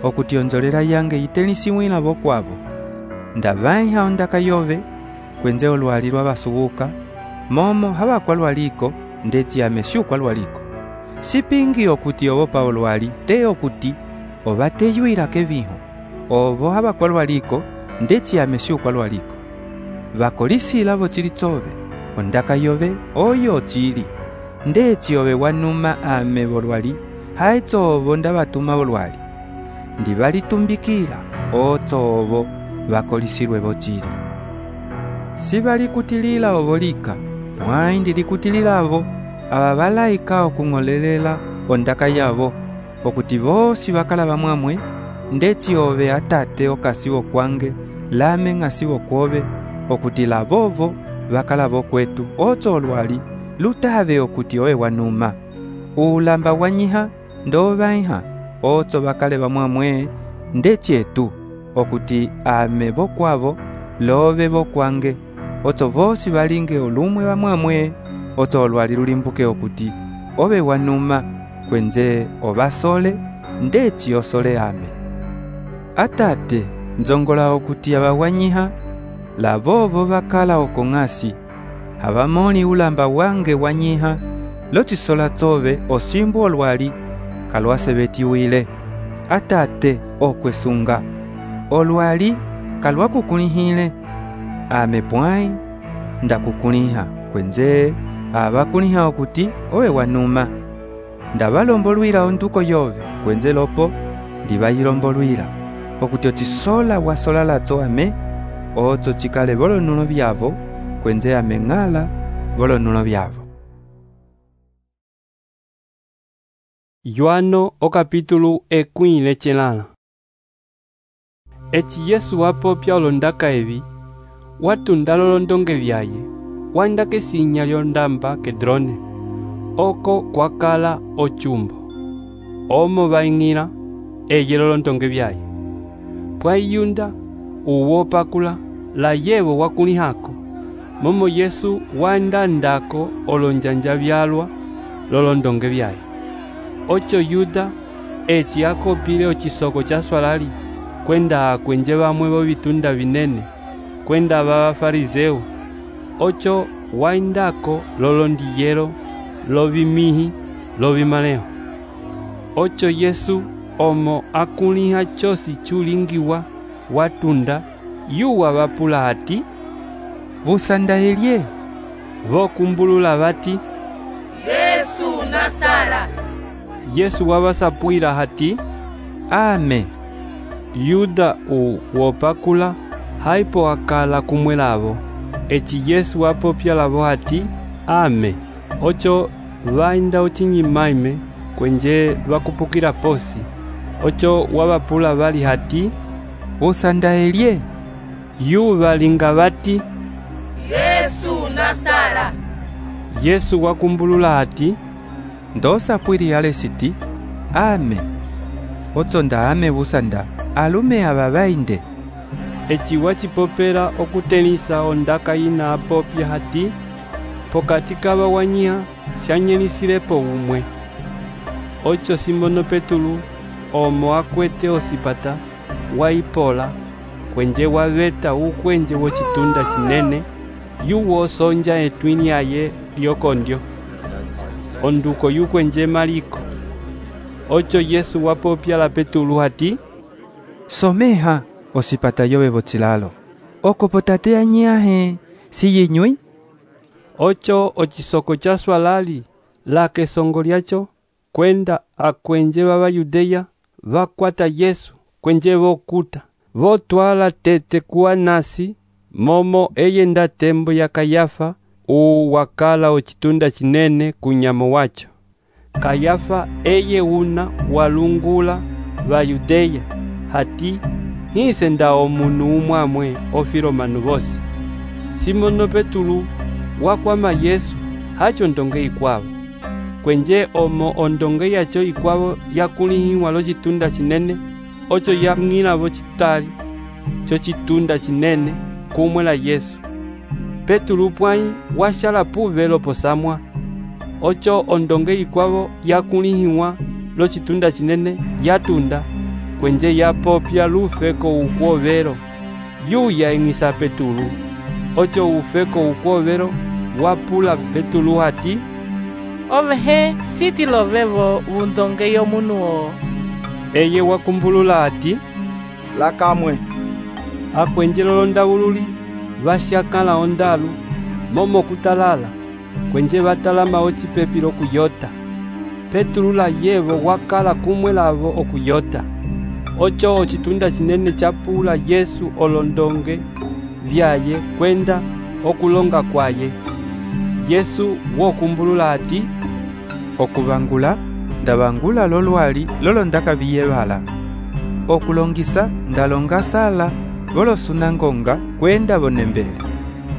E: okutionzolela yange itelisiwila bokwavo. Ndabaiha ondaka yove, kwenze olwali lwabasubuka, momo haba kwa lwaliko, ndeti ameshu kwa lwaliko. Sipingi okuti obo pa olwali, te okuti, obateyuira keviho, obo haba kwa lwaliko, ndeti ameshu kwa lwaliko. Bakolisi lavo chilitsove, ondaka yove, oyo chili, ndeti obe wanuma ame bolwali, haitso obo ndabatuma bolwali. Ndibalitumbikila, otso obo, bakolisirwe bochili. Sibali kutilila obolika, pwai ndilikutilila abo, ababalaika okung'olelela ondaka yabo, okuti bosi bakala bamwamwe, ndeti obe atate okasibo kwange, lame ngasibo kwobe, okuti labovo bakala bokwetu, otso olwali, lutabe okuti oe wanuma. Ulamba wanyiha, ndobaiha, otso bakale bamwamwe, ndeti etu, okuti ame bokwabo, lobe bokwange, otso vosi balinge olumwe bamwamwe, otso olwali lulimbuke okuti obe wanuma, kwenze obasole, ndeti osole ame. Atate nzongola okuti abawanyiha, labobo bakala okong'asi, abamoni ulamba wange wanyiha, lotisola tsobe osimbu olwali, kalwasebetiwile. Atate okwesunga, olwali kalwakukulihile, ame pwai ndakukuliha, kwenze abakuliha okuti owe wanuma. Ndabalombolwila onduko yove, kwenze lopo ndibayilombolwila, okuti otisola wasola latso ame, otso chikale bolonulo byavo, kwenze ame ng'ala bolonulo byavo.
A: Yohano o capítulo ekwile chelala. Eci Yesu wapopya olondaka evi, watunda lolondonge vyaye, wandake sinya lyondamba Kedrone, oko kwakala ochumbo. Omo baing'ila, eye lolondonge vyaye. Pwaiyunda, uwopakula, la yevo wakulihako, momo Yesu wandandako olonjanja vyalwa lolondonge vyaye. Ocho Yuda, eci akopile ochisoko cha swalali, kwenda kwenje bamwe bo bitunda binene, kwenda baba farizeo. Ocho waindako lolondiyero, lobimihi, lobimaleho. Ocho Yesu omo akuliha chosi chulingiwa watunda, yuwa bapula ati,
E: busandahelie.
A: Vokumbulula bati,
G: Yesu Nasara.
A: Yesu wavasapwila hati,
E: ame.
A: Yuda u wopakula haipo akala kumwelavo. Eci Yesu wapopya lavo hati, ame. Ocho vainda ochinyimaime kwenje vakupukila posi. Ocho wavapula vali hati,
E: usandaelye.
A: Yu valinga vati,
G: Yesu Nasara.
A: Yesu wakumbulula hati,
E: ndosapwili ale siti, ame. Otsonda ame busanda, alume aba bainde.
A: Eci wachipopela okutenisa ondaka ina apopya hati, pokati kaba wanyiha shanyelisilepo umwe. Ocho Simono Petulu omo akwete osipata waipola kwenje waveta ukwenje wochitunda chinene yuwo sonja etwini yaye lyokondyo onduko yukwenje maliko. Ocho Yesu wapopya la Petulu hati,
E: someha osipata yobe bochilalo okopotate anyahe siyinywi.
A: Ocho ochisoko cha swalali la kesongo lyacho kwenda akwenje baba Yudeya vakwata Yesu kwenje vokuta votwala tete kuwa nasi momo eyenda tembo ya Kayafa u wakala ochitunda chinene kunyamo wacho. Kayafa eye una walungula va Yudeya hati hise nda omunu umwamwe ofilomanu vosi. Simono Petulu wakwama Yesu hacho ndonge ikwavo kwenje omo ondonge yacho ikwavo yakulihiwa lo chitunda chinene. Ocho yang'ila vo chitali cho chitunda chinene kumwe la Yesu. Petulu pwai washala puvelo posamwa. Ocho ondonge ikwavo yakulihiwa lo chitunda chinene yatunda kwenje yapopya lufeko ukwovero yuya eng'isa Petulu. Ocho ufeko ukwovero wapula Petulu hati,
H: ovehe siti lovevo undonge yomunu o.
A: Eye wakumbulula hati,
U: lakamwe.
A: Akwenjelo londawululi vashakala ondalu momo kutalala kwenje batalama ochipepilo kuyota. Petulu la yevo wakala kumwe lavo okuyota. Ocho ochitunda chinene chapula Yesu olondonge vyaye kwenda okulonga kwaye. Yesu wokumbulula hati,
E: okubangula ndabangula lolwali lolondaka biyebala. Okulongisa ndalonga sala volosunangonga kwenda bonembele.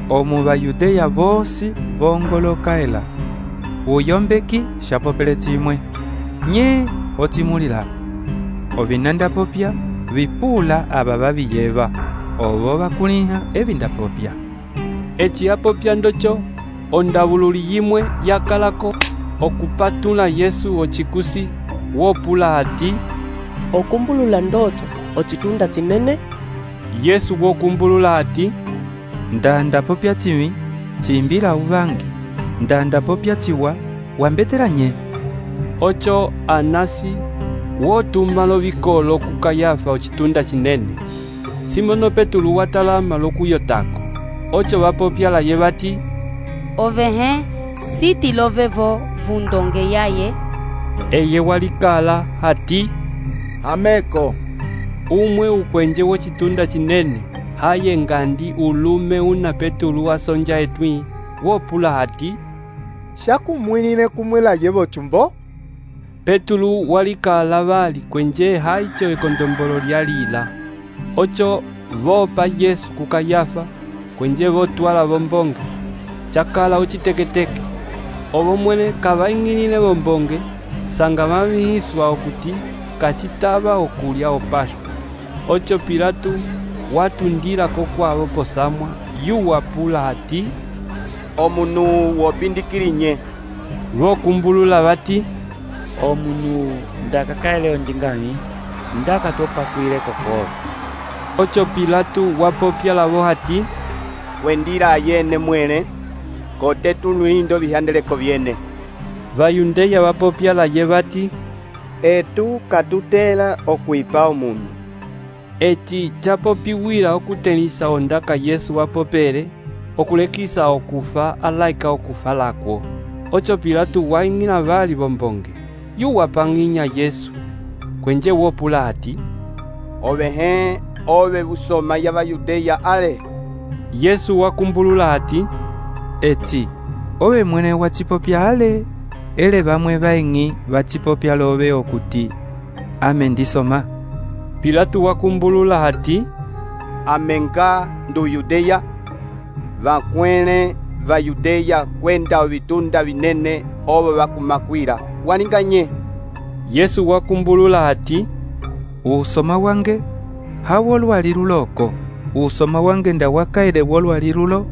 E: Omu Bayudeya bosi vongolokaela. Uyombeki shapopele chimwe. Nye otimulila. Ovinanda popya vipula aba babiyeba. Obo bakuliha ebinda popya.
A: Echi apopya ndocho ondabululi yimwe yakalako okupatula Yesu ochikusi wopula hati,
F: okumbulula ndoto ochitunda chinene.
A: Yesu wokumbulula hati,
E: ndanda popya chimi chimbila ubangi ndanda popya chiwa wambetela nye.
A: Ocho Anasi wotuma lo bikolo ku Kayafa ochitunda chinene. Simono Petulu watalama lokuyotako. Ocho bapopya la yebati,
T: ovehe siti lovevo vundonge yaye.
A: Eye walikala hati,
U: ameko.
A: Umwe ukwenje wochitunda chinene haye ngandi ulume una Petulu wasonja etwi wopula hati,
L: shakumwinine kumwela yevo chumbo.
A: Petulu walikala bali kwenje haicho ekondombolo lyalila. Ocho vopa Yesu ku Kayafa kwenje votwala bombonge chakala uchiteketeke. Obo mwene kabaing'ilile bombonge sanga mabihiswa okuti kachitaba okulya opashwa. Ocho Pilato watundila kokwabo posamwa yuwapula hati,
J: omunu wopindikilinye.
A: Vokumbulula bati,
C: omunu ndakakaele ondingani ndakatopakwile kokobo.
A: Ocho Pilato wapopya lavo hati,
J: wendira yene mwene kote tunuindo bihandeleko byene.
A: Bayundeya bapopya la yebati,
V: etu katutela okwipa omunu.
A: Eti chapopiwila okutenisa ondaka Yesu wapopere okulekisa okufa alaika okufa lakwo. Ocho Pilato waing'ila bali bombonge yuwapanginya Yesu kwenje wopula ati,
J: ove he ove busoma ya Bayudeya ale.
A: Yesu wakumbulula ati,
E: eti ove mwene wa chipopya ale, ele bamwe baingi bachipopya lobe okuti ame ndisoma.
A: Pilato wakumbulula ati,
J: amenga ndu Yudeya, vakwene va Yudeya kwenda ovitunda vinene ovo vakumakwira waninganye.
A: Yesu wakumbulula ati,
E: usoma wange hawo lwali luloko, usoma wange nda wakaile wolwali lulo,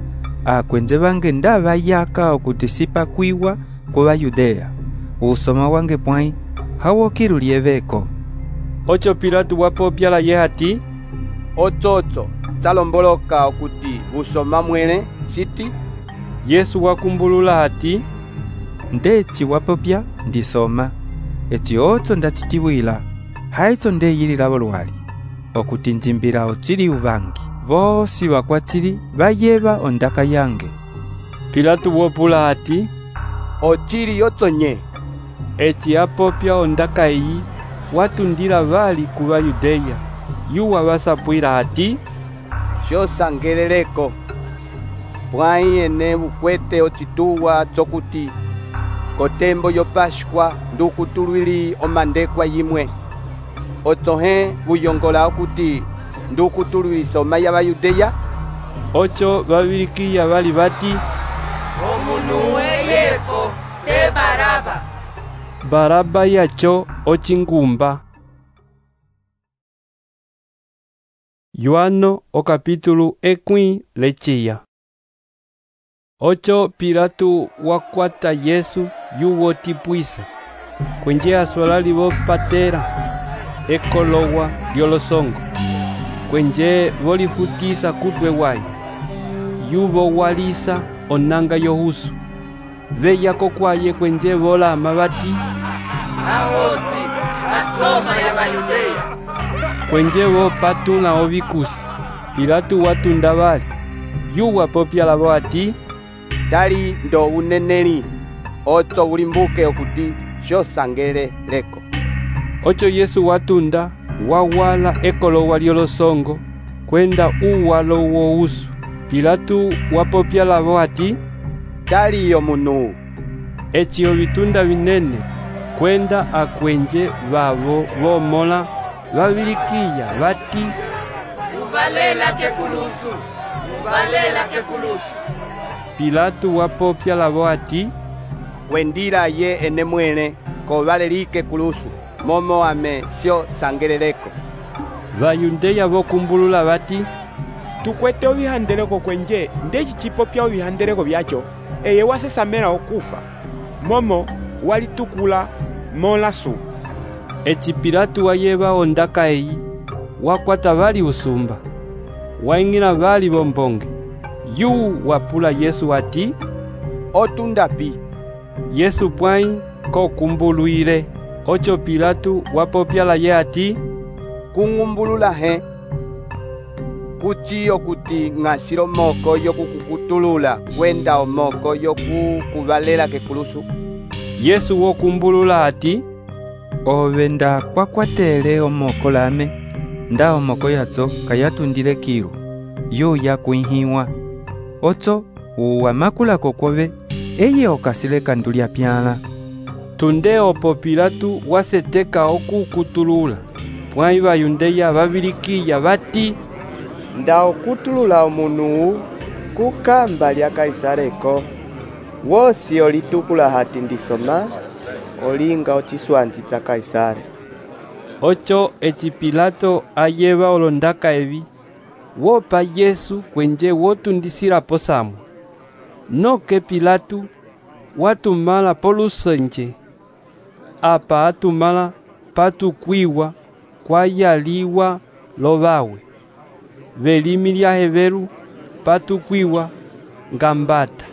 E: akwenze bange nda bayaka okuti sipakwiwa kuba Yudeya. Usoma wange pwai hawo kirulieveko.
A: Ocho Pilato wapopyala ye ati,
J: otsotso tsalomboloka okuti usoma mwene siti.
A: Yesu wakumbulula ati,
E: ndechi wapopya ndisoma, eti otso ndachitiwila, haitso ndeyilila lwali, okuti njimbila ochili ubangi, vosi wakwachili bayeba ondaka yange.
A: Pilato wopula ati,
J: ochili yotsonye.
A: Eti apopya ondaka iyi watundila bali kuba Yudeya, yuwa basapwila ati,
J: shosangeleleko pwai ene bukwete ochituwa tsokuti kotembo yo Pashkwa ndukutulwili omandekwa yimwe. Otsohe buyongola okuti ndukutulwili soma ya Bayudeya.
A: Ocho babilikiya bali bati,
G: omunu weyeko te Baraba.
A: Baraba yacho ochingumba. Yohano o capítulo ekwi lechiya. Ocho Pilato wakwata Yesu yuwo tipuisa, kwenje aswalali bo patera ekolowa lyolosongo, kwenje volifutisa kutwe wayi, yubo walisa onanga yohusu, veyako kwaye kwenje vola amabati,
G: ahosi asoma ya Bayudeya.
A: Kwenje vo patuna ovikusi, Pilato watunda bali, yuwa popyala bo ati,
J: tali ndo uneneli, otso ulimbuke okuti shosangele leko.
A: Ocho Yesu watunda, wawala ekolowa lyolosongo, kwenda uwalo wousu. Pilato wapopyala bo ati,
J: tali yo munu.
A: Echi ovitunda vinene, kwenda akwenje vavo vomola, vabilikiya bati,
G: uvalela kekulusu, uvalela kekulusu.
A: Pilato wapopyala bo ati,
J: kwendira ye ene mwene kovalelike kulusu, momo ame sio sangeleleko.
A: Bayudeya bokumbulula bati,
S: tukwete ovihandeleko kwenje ndechi chipopya ovihandeleko byacho, eye wasesamela okufa, momo walitukula mola su.
A: Echi Pilato wayeba ondaka eyi, wakwata bali usumba, waingila bali bombonge, yu wapula Yesu ati,
J: otunda pi.
A: Yesu pwai kokumbuluile. Ocho Pilato wapopyala ye ati,
J: kungumbulula he kuchi okuti ng'asilo moko yokukukutulula kwenda omoko yokukuvalela kekulusu.
A: Yesu wokumbulula ati,
E: ove nda kwakwatele omoko lame, nda omoko yatso kayatundile kilu, yu yakuihiwa. Otso uwamakula kokove, eye okasile kandulya pyala.
A: Tunde opo Pilato waseteka okukutulula, pwai Bayudeya babilikiya bati,
J: nda okutulula omunu kukamba lya Kaisareko, wosi olitukula hati ndisoma, olinga ochiswanji tsa Kaisare.
A: Ocho echi Pilato ayeba olondaka evi, wopa Yesu kwenje wotundisila posamu. Noke Pilato watumala polusenje, apa atumala patukwiwa kwayaliwa lobawe. Velimi lya heveru patukwiwa ngambata.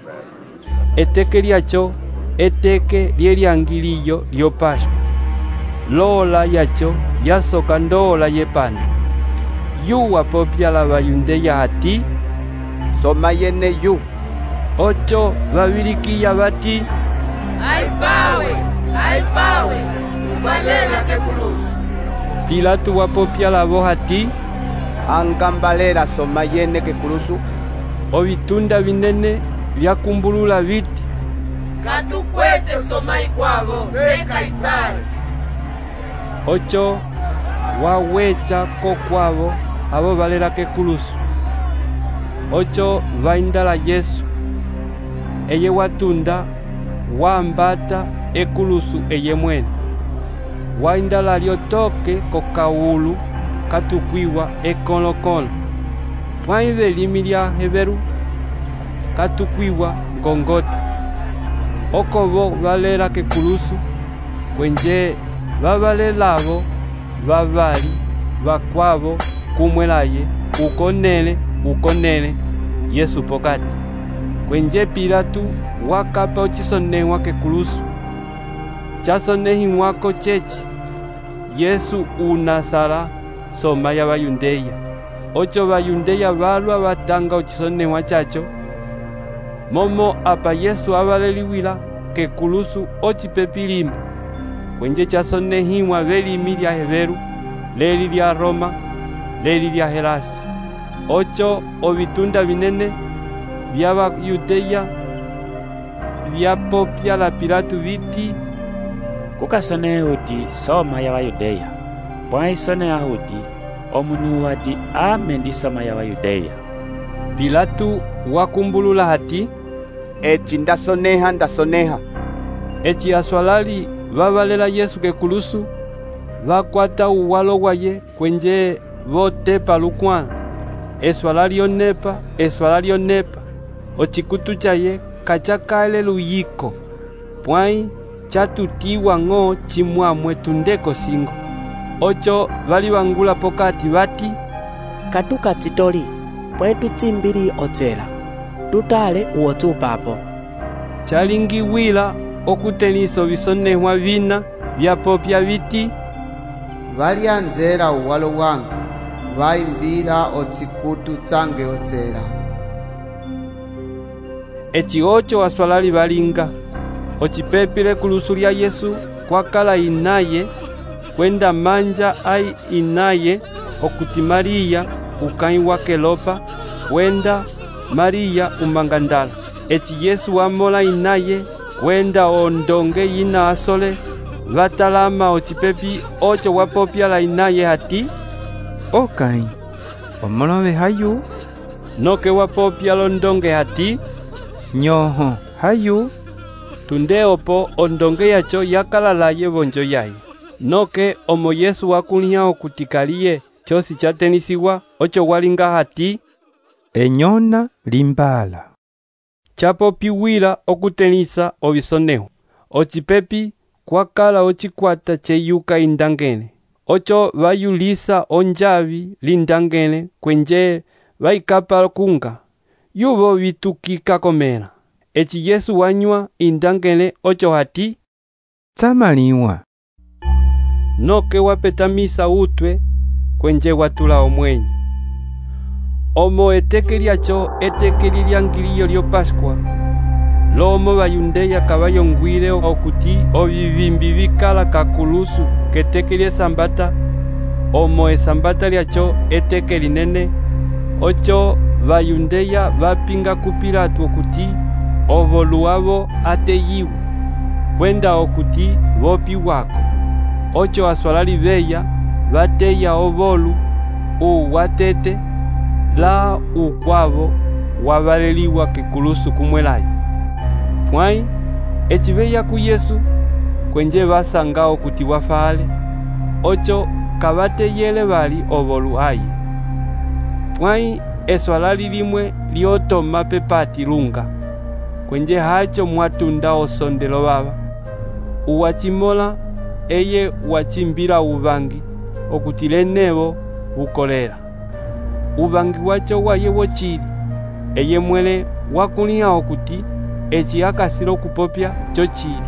A: Eteke lyacho eteke lyelyangiliyo lyo Pashkwa. Lola yacho yasoka ndola yepano. Yuwa popyala Bayudeya ati,
J: soma yene yu.
A: Ocho babilikiya bati,
G: aipawe, aipawe. uvalela kekulusu.
A: Pilato wapopya lavo hati,
J: angambalela soma yene kekulusu.
A: Ovitunda vinene vyakumbulula viti,
G: katukwete soma ikwavo ve Kaisari.
A: Ocho wawecha kokwavo avo valela kekulusu. Ocho vaindala Yesu, eye watunda wambata ekulusu eye mwene. Waindala lyotoke kokawulu katukwiwa ekolokolo. Pwaive limi lya Heberu katukwiwa Gongota. Okovo valela kekulusu, kwenje vavalelavo vavali vakwavo kumwelaye ukonele ukonele Yesu pokati. Kwenje Pilato wakapa ochisonehwa kekulusu. Chasonehimwako chechi Yesu unasala soma ya Bayundeya. Ocho Bayundeya valwa vatanga ochisonehwa chacho. Momo apa Yesu avaleliwila kekulusu ochipepilima. Kwenje chasonehimwa velimi lya Heberu, leli lya Roma, leli lya Helasi. Ocho ovitunda vinene vya Bayudeya vyapopya la Pilato viti,
C: kukasone huti soma ya Bayudeya. Pwai sone ahuti omunu wati ame ndi soma ya Bayudeya.
A: Pilato wakumbulula hati,
J: eci ndasoneha ndasoneha.
A: Eci aswalali vavalela Yesu kekulusu, vakwata uwalo waye kwenje votepa lukwana. Eswala lyonepa, eswala lyonepa, ochikutu chaye kachakale luyiko. Pwai chatutiwa ng'o chimwamwe tundeko singo. Ocho vali vangula pokati vati,
F: katuka titoli, pwai tutsimbiri otsela, tutale uotu papo.
A: Chalingiwila okuteniso visonehwa vina vyapopya viti,
V: vali anzera uwalo wangu, vaimbila otsikutu tsange otsela.
A: Eci ocho aswalali valinga, ochipepile kulusu lya Yesu kwakala inaye, kwenda manja ai inaye okuti Maria ukai wa Kelopa, kwenda Maria umangandala. Eci Yesu wamola inaye kwenda ondonge ina asole, vatalama ochipepi ocho wapopya la inaye hati,
E: okai omolove hayu.
A: Noke wapopya londonge hati,
E: nyoho hayu.
A: Tunde opo ondonge yacho yakalalaye vonjo yaye. Noke omo Yesu wakulia okutikaliye chosi chatenisiwa, ocho walinga hati,
E: enyona limbala.
A: Chapopiwila okutenisa ovisoneho. Ochipepi kwakala ochikwata cheyuka indangene. Ocho vayulisa onjavi lindangene kwenje vaikapa kunga. Yuvo vitukika komela. Eci Yesu wanywa indangene ocho hati,
E: tsamaliwa.
A: Noke wapetamisa utwe kwenje watula omwenyo. Omo eteke lyacho eteke lyangiliyo lyo Pascua. Lomo Bayundeya kabayongwile okuti ovivimbi vikala kakulusu keteke lye sambata. Omo esambata lyacho eteke linene. Ocho Bayundeya vapinga ku Pilato okuti ovoluavo ateyiwa, kwenda okuti vopi wako. Ocho aswalali veya vateya ovolu uwatete la ukwavo wavaleliwa kekulusu kumwelayi. Pwai echiveya ku Yesu kwenje vasanga okuti wafale. Ocho kavateyele vali ovolu ayi. Pwai eswalali limwe liotoma pepati lunga, kwenje hacho mwatunda osondelo baba. Uwachimola eye wachimbira uvangi okutile nebo ukolera. Uvangi wacho waye wochili, eye mwele wakulia okuti echi akasilo kupopya chochili.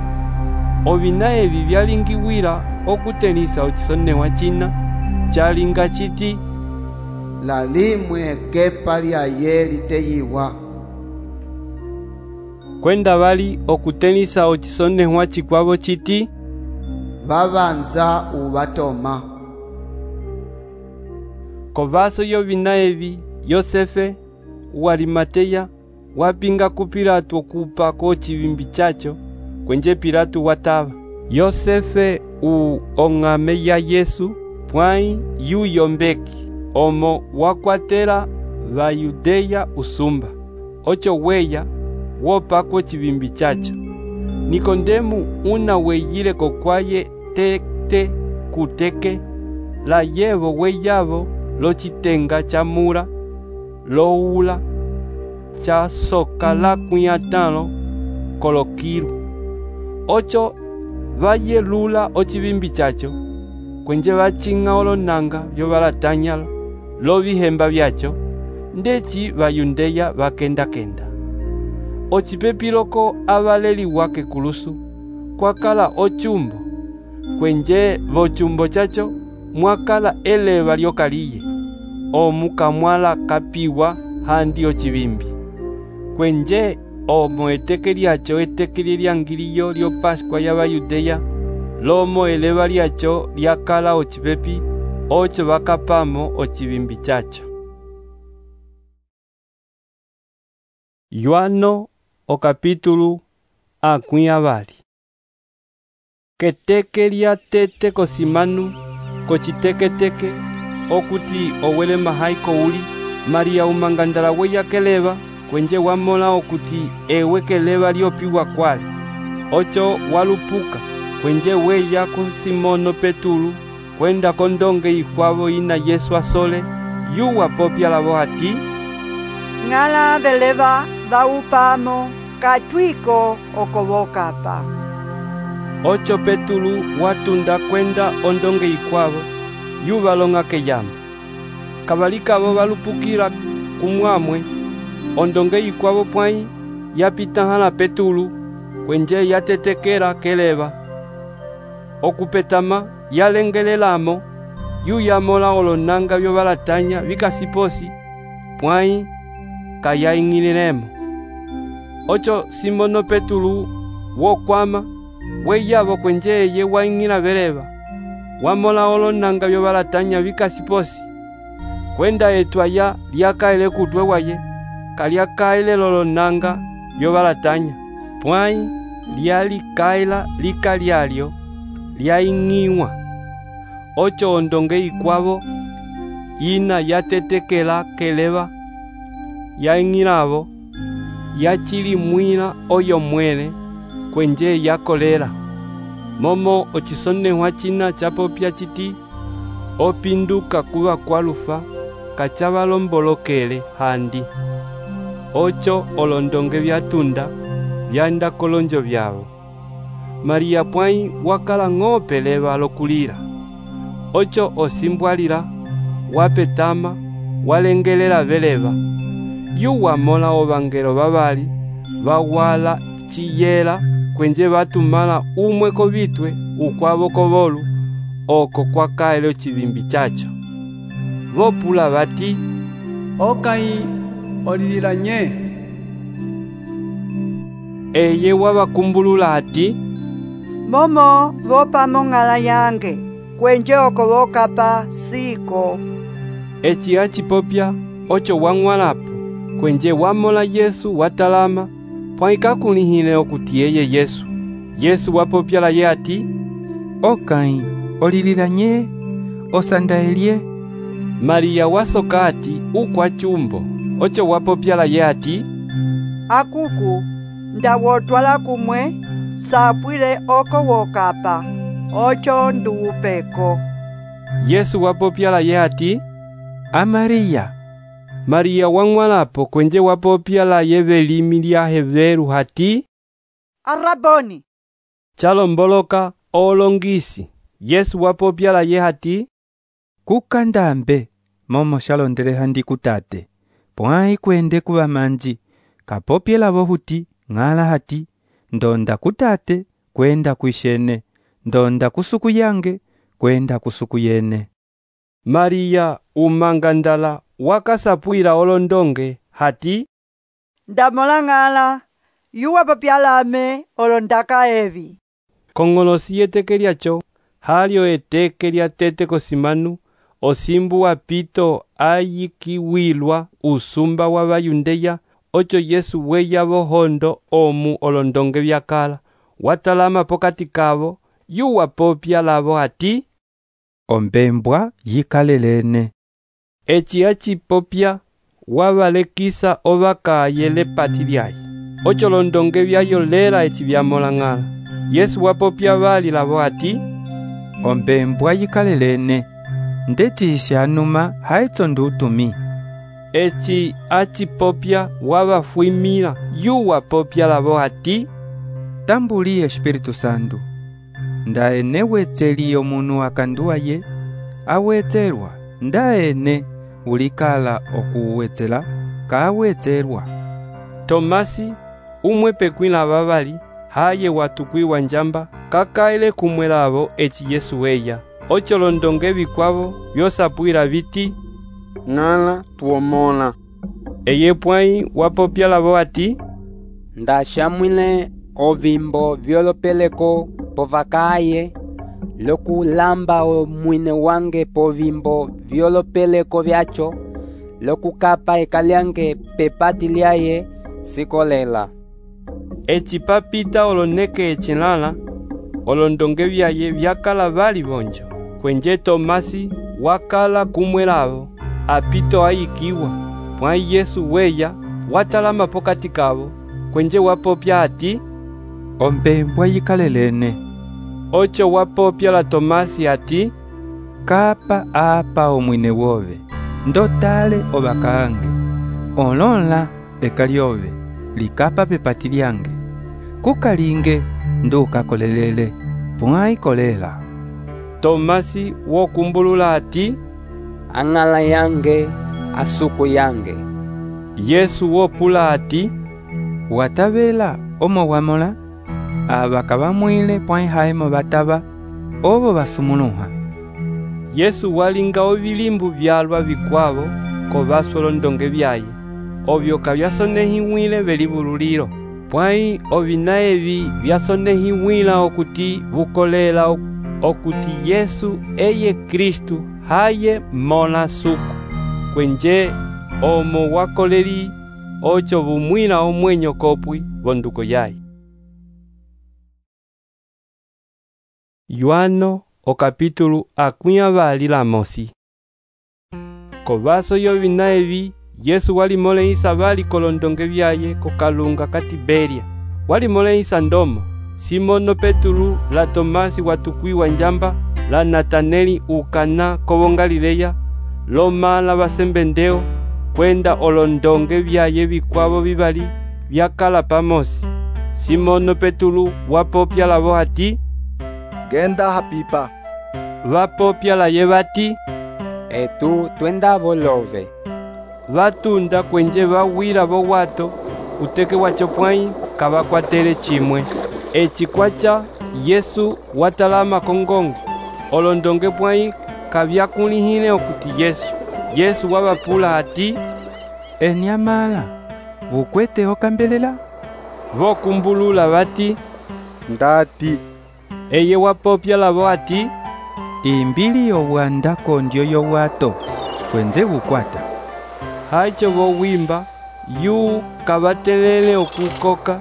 A: Ovina evi vyalingiwila okutenisa ochisonehwa china chalinga chiti,
V: la limwe kepa lyaye liteyiwa.
A: Kwenda vali okutenisa ochisonehwa chikwavo chiti,
V: vavanza uvatoma.
A: Kovaso yovina evi Yosefe wa Arimateya wapinga ku Pilato okupa ko chivimbi chacho kwenje Pilato watava. Yosefe u ong'ame ya Yesu pwai yu yombeki omo wakwatela va Yudeya usumba ocho weya wopa ko chivimbi chacho. Nikodemu una weyile kokwaye tete kuteke la yevo weyavo lo chitenga cha mura lo ula cha soka la kwiatano kolokiru ocho vayelula ochivimbi chacho kwenje vachinga olonanga vyo valatanya lo vihemba vyacho ndechi vayundeya vakenda kenda. Ochipepiloko avaleli wake kulusu kwakala ochumbo kwenje vochumbo chacho mwakala eleva lyokaliye omukamwala kapiwa handi ochivimbi kwenje omo eteke lyacho eteke lyangiliyo lyo Pascua ya Bayudeya lomo eleva lyacho lyakala ochipepi ocho vakapamo ochivimbi chacho. Yohano o capítulo akwi avali. Keteke lya tete kosimanu kochiteketeke okuti owele mahai kouli Maria umangandala weya keleva kwenje wamola okuti ewe keleva lyopiwa kwale ocho walupuka kwenje weya ku Simono Petulu kwenda kondonge ikwavo ina Yesu asole yuwa popya lavo hati
O: ng'ala veleva vaupamo katwiko okobokapa.
A: Ocho Petulu watunda kwenda ondonge ikwavo yuva longa keyama kabalikavo valupukira kumwamwe ondonge ikwavo pwai yapitahala Petulu kwenje yatetekera keleva okupetama yalengelelamo yuyamola olonanga vyo valatanya vikasiposi pwai kayaing'ililemo. Ocho Simono Petulu wokwama weyavo kwenje eye waing'ila veleva wamola olonanga vyo valatanya vikasiposi kwenda etwaya lyakaele kutwe waye kalyakaele lolonanga vyo valatanya pwai lyalikaela lika lyalyo lyaing'iwa. Ocho ondonge ikwavo ina yatetekela keleva yaing'ilavo yachilimwila oyo mwele kwenje yakolela momo ochisonehwa china chapopya chiti opinduka kuva kwalufa kachavalombolokele handi. Ocho olondonge vyatunda vyanda kolonjo vyavo Maria pwai wakala ng'ope leva lokulila. Ocho osimbwalila wapetama walengelela veleva yuwa mola ovangelo vavali vawala chiyela kwenje vatumala umwe kovitwe ukwavo kovolu oko kwakaele ochivimbi chacho vopula vati
D: okai olilila nye.
A: Eye wavakumbulula ati
O: momo vopamo ng'ala yange kwenje oko vokapa siko.
A: Echi achipopya ocho wang'walapo kwenje wamola Yesu watalama pwai kakulihile okuti eye Yesu. Yesu wapopyala ye ati
E: okai olilila nye osandaelye.
A: Maria wasoka ati ukwa chumbo ocho wapopyala ye ati
O: akuku ndawotwala kumwe sapwile oko wokapa ocho nduupeko.
A: Yesu wapopyala ye ati
E: a Maria.
A: Maria wang'walapo kwenje wapopyala ye velimi lya Heveru hati
O: Araboni.
A: Chalomboloka olongisi. Yesu wapopyala ye hati
E: kukandambe momo shalondele handi kutate pwai kwende kuva manji kapopyela vohuti ng'ala hati ndonda kutate kwenda kuishene ndonda kusuku yange kwenda kusuku yene.
A: Maria umangandala wakasapwila olondonge hati
O: ndamola ng'ala yuwa popyalame olondaka evi.
A: Kong'olosi yeteke lyacho halio eteke lya tete kosimanu, osimbu wa pito ayikiwilwa usumba wa bayundeya, ocho Yesu weya bohondo omu olondonge byakala, watalama pokati kabo, yuwa popya labo ati,
E: ombembwa yikalelene.
A: Eci acipopya wabalekisa obakaye lepati lyaye, ocho londonge byayo lela eci byamolang'ala. Yesu wapopya bali labo ati,
E: ombembwa yikalelene, ndetisi anuma haitso ndutumi.
A: Eci acipopya wabafuimila, yuwa popya labo ati,
E: tambuli Espiritu Santo, ndaene wetseli omunu akanduaye, awetserwa, ndaene ulikala okuwetsela, kawetserwa.
A: Tomasi, umwe pekwila babali, haye watukwiwa njamba, kakaile kumwe labo eci Yesu weya. Ocho londonge bikwabo byosapwila biti,
B: ng'ala tuomona.
A: Eye pwai wapopya labo ati,
B: ndashamwile ovimbo vyolopeleko povakaye, lokulamba omwine wange povimbo vyolopeleko vyacho, lokukapa ekalyange pepati lyaye sikolela.
A: Eci papita oloneke echelala, olondonge byaye byakala bali bonjo. Kwenje Tomasi wakala kumwe labo, apito ayikiwa, pwai Yesu weya, watalama pokati kabo, kwenje wapopya ati,
E: ombembwa yikalelene.
A: Ocho wapopya la Tomasi ati,
E: kapa apa omwine wove, ndotale obakange, olonla ekalyove, likapa pepati lyange, kukalinge ndukakolelele, pwai kolela.
A: Tomasi wokumbulula ati,
B: ang'ala yange, asuku yange.
A: Yesu wopula ati,
E: watabela omo wamola, abaka bamwile pwai haimo bataba, obo basumuluha.
A: Yesu walinga obilimbu byalwa bikwabo, kobaso londonge byaye, obyoka byasonehiwile belibululilo, pwai obina ebi byasonehiwila okuti bukolela okuti Yesu eye Kristu haye mona suku, kwenje omo wakoleri ocho bumwila omwenyo kopwi bonduko yaye. Yohano o capítulo akwia bali la mosi. Kobaso yobina ebi Yesu walimole isa bali kolondonge byaye kokalunga ka Tiberia. Walimole isa ndomo Simono Petulu la Tomasi watukwiwa njamba, la Nataneli ukana kobo Galileya, loma la basembendeo, kwenda olondonge byaye bikwabo bibali byakala pamosi. Simono Petulu wapopya labo ati,
U: genda hapipa.
A: Vapopya la ye bati,
B: etu twenda volove.
A: Vatunda kwenje bawila bo wato, uteke wacho pwai kabakwatele chimwe. Eci kwacha Yesu watalama kongongo, olondonge pwai kabyakulihile okuti Yesu. Yesu wabapula ati,
E: enyamala, bukwete okambelela?
A: Vokumbulula bati,
U: ndati.
A: Eye wapopya labo ati,
E: imbili yowanda kondyo yowato, kwenze bukwata.
A: Haicho bowimba, yu kabatelele okukoka,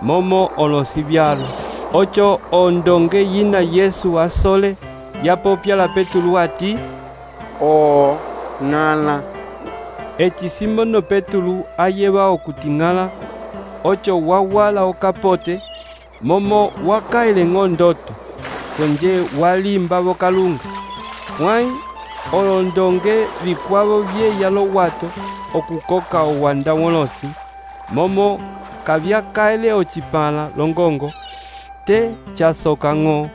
A: momo olosi byalo. Ocho ondonge yina Yesu asole, yapopya la Petulu ati,
B: o ng'ala.
A: Eci Simono Petulu ayeba okuting'ala, ocho wawala okapote, momo wakaile ng'ondoto, kwenje walimba bokalunga. Pwai olondonge bikwabo byeya lo wato okukoka owanda wolosi, momo kabyakaile ochipala longongo, te chasoka ng'o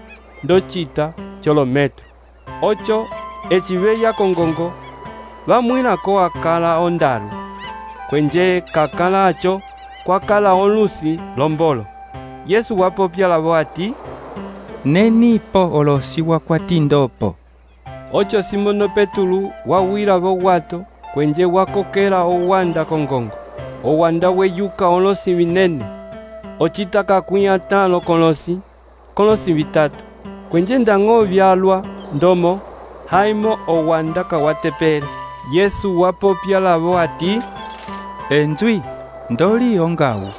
A: ndochita cholometro. Ocho echibeya kongongo, bamwila ko akala ondalu, kwenje kakala acho kwakala olusi lombolo. Yesu wapopya labo ati,
E: nenipo olosi wakwatindopo.
A: Ocho Simono Petulu wawila bo wato, kwenje wakokela owanda kongongo. Owanda weyuka olosi binene, ochitaka kuya talo kolosi, kolosi bitatu. Kwenje ndang'o vyalwa ndomo haimo owandaka watepele. Yesu wapopya lavo ati,
E: enzwi ndoli ongawu.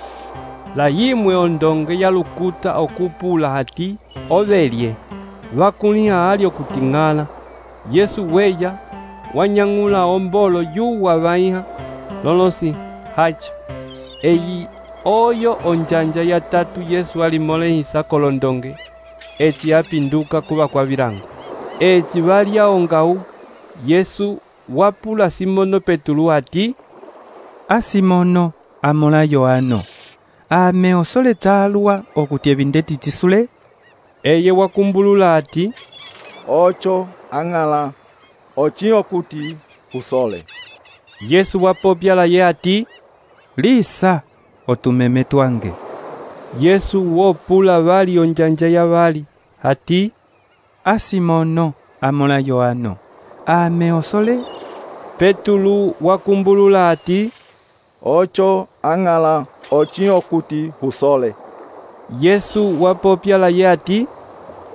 A: La yimwe ondonge ya lukuta okupula hati ovelye. Vakuliha ali okuting'ala. Yesu weya wanyang'ula ombolo yuwa vaiha lolosi hacho. Eyi oyo onjanja ya tatu Yesu alimolehisa kolondonge. Eci apinduka kuva kwa virango. Eci valya ongawu. Yesu wapula Simono Petulu ati,
E: a Simono amola Yohano, ame osole tsalwa okuti evindeti tisule?
A: Eye wakumbulula ati,
U: ocho ang'ala ochi okuti usole.
A: Yesu wapopya laye ati,
E: lisa otumeme twange.
A: Yesu wopula vali onjanja ya vali ati,
E: a Simono amola Yohano, ame osole?
A: Petulu wakumbulula ati,
U: ocho ang'ala ochi okuti usole.
A: Yesu wapopya laye ati,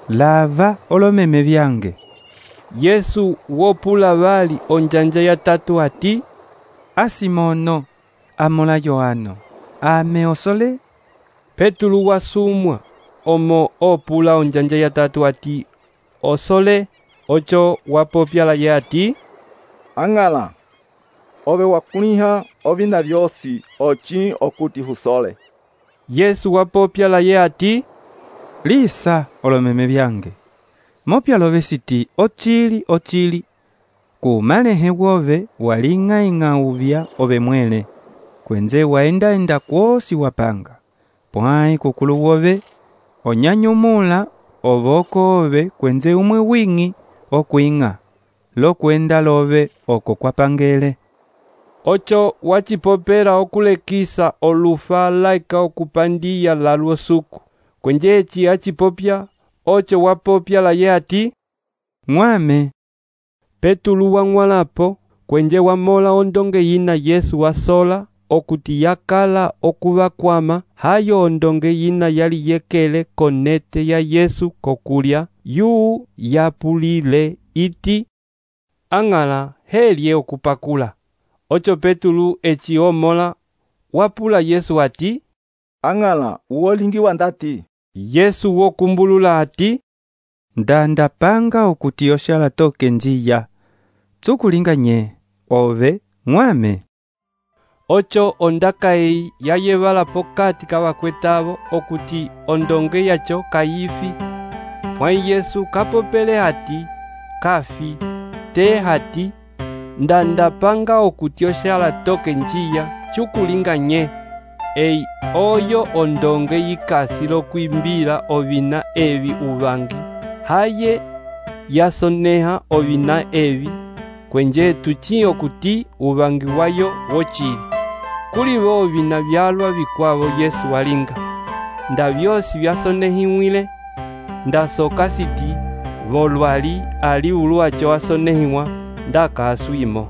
E: lava olomeme vyange.
A: Yesu wopula vali onjanja ya tatu ati,
E: a Simono amola Yohano, ame osole?
A: Petulu wasumwa omo opula onjanja ya tatu ati osole. Ocho wapopya laye ati,
U: ang'ala ove wakuliha ovina vyosi ochi okuti usole.
A: Yesu wapopya laye ati,
E: lisa olomeme vyange. Mopya love siti ochili ochili. Kumalehe wove waling'aing'a uvya ove mwele. Kwenze waenda enda kwosi wapanga. Pwai kukulu wove onyanyumula ovoko ove kwenze umwe wingi okuing'a. Lo kwenda love oko kwapangele.
A: Ocho wachipopera okulekisa olufa laika okupandia lalwo suku. Kwenje echi achipopya. Ocho wapopya laye ati, mwame. Petulu wang'walapo kwenje wamola ondonge yina Yesu wasola okuti yakala okuvakwama hayo ondonge yina yali yekele konete ya Yesu kokulya yu yapulile iti, ang'ala helye okupakula. Ocho Petulu eci omola wapula Yesu ati,
U: ang'ala uolingiwa ndati.
A: Yesu wokumbulula ati,
E: ndanda panga okuti oshala toke njiya. Tsukulinga nye, ove, mwame.
A: Ocho ondaka ei yayevala pokati kavakwetavo okuti ondonge yacho kayifi. Mwai Yesu kapopele hati kafi. Te hati ndanda panga okuti oshala toke njiya chukulinga nye. Ei oyo ondonge yikasi lokwimbila ovina evi uvangi. Haye yasoneha ovina evi. Kwenje tuchi okuti uvangi wayo wochili. Kuli vo ovina vyalwa vikwavo Yesu walinga. Nda vyosi vyasonehimwile. Nda soka siti volwali ali uluacho wasonehiwa nda kaaswimo.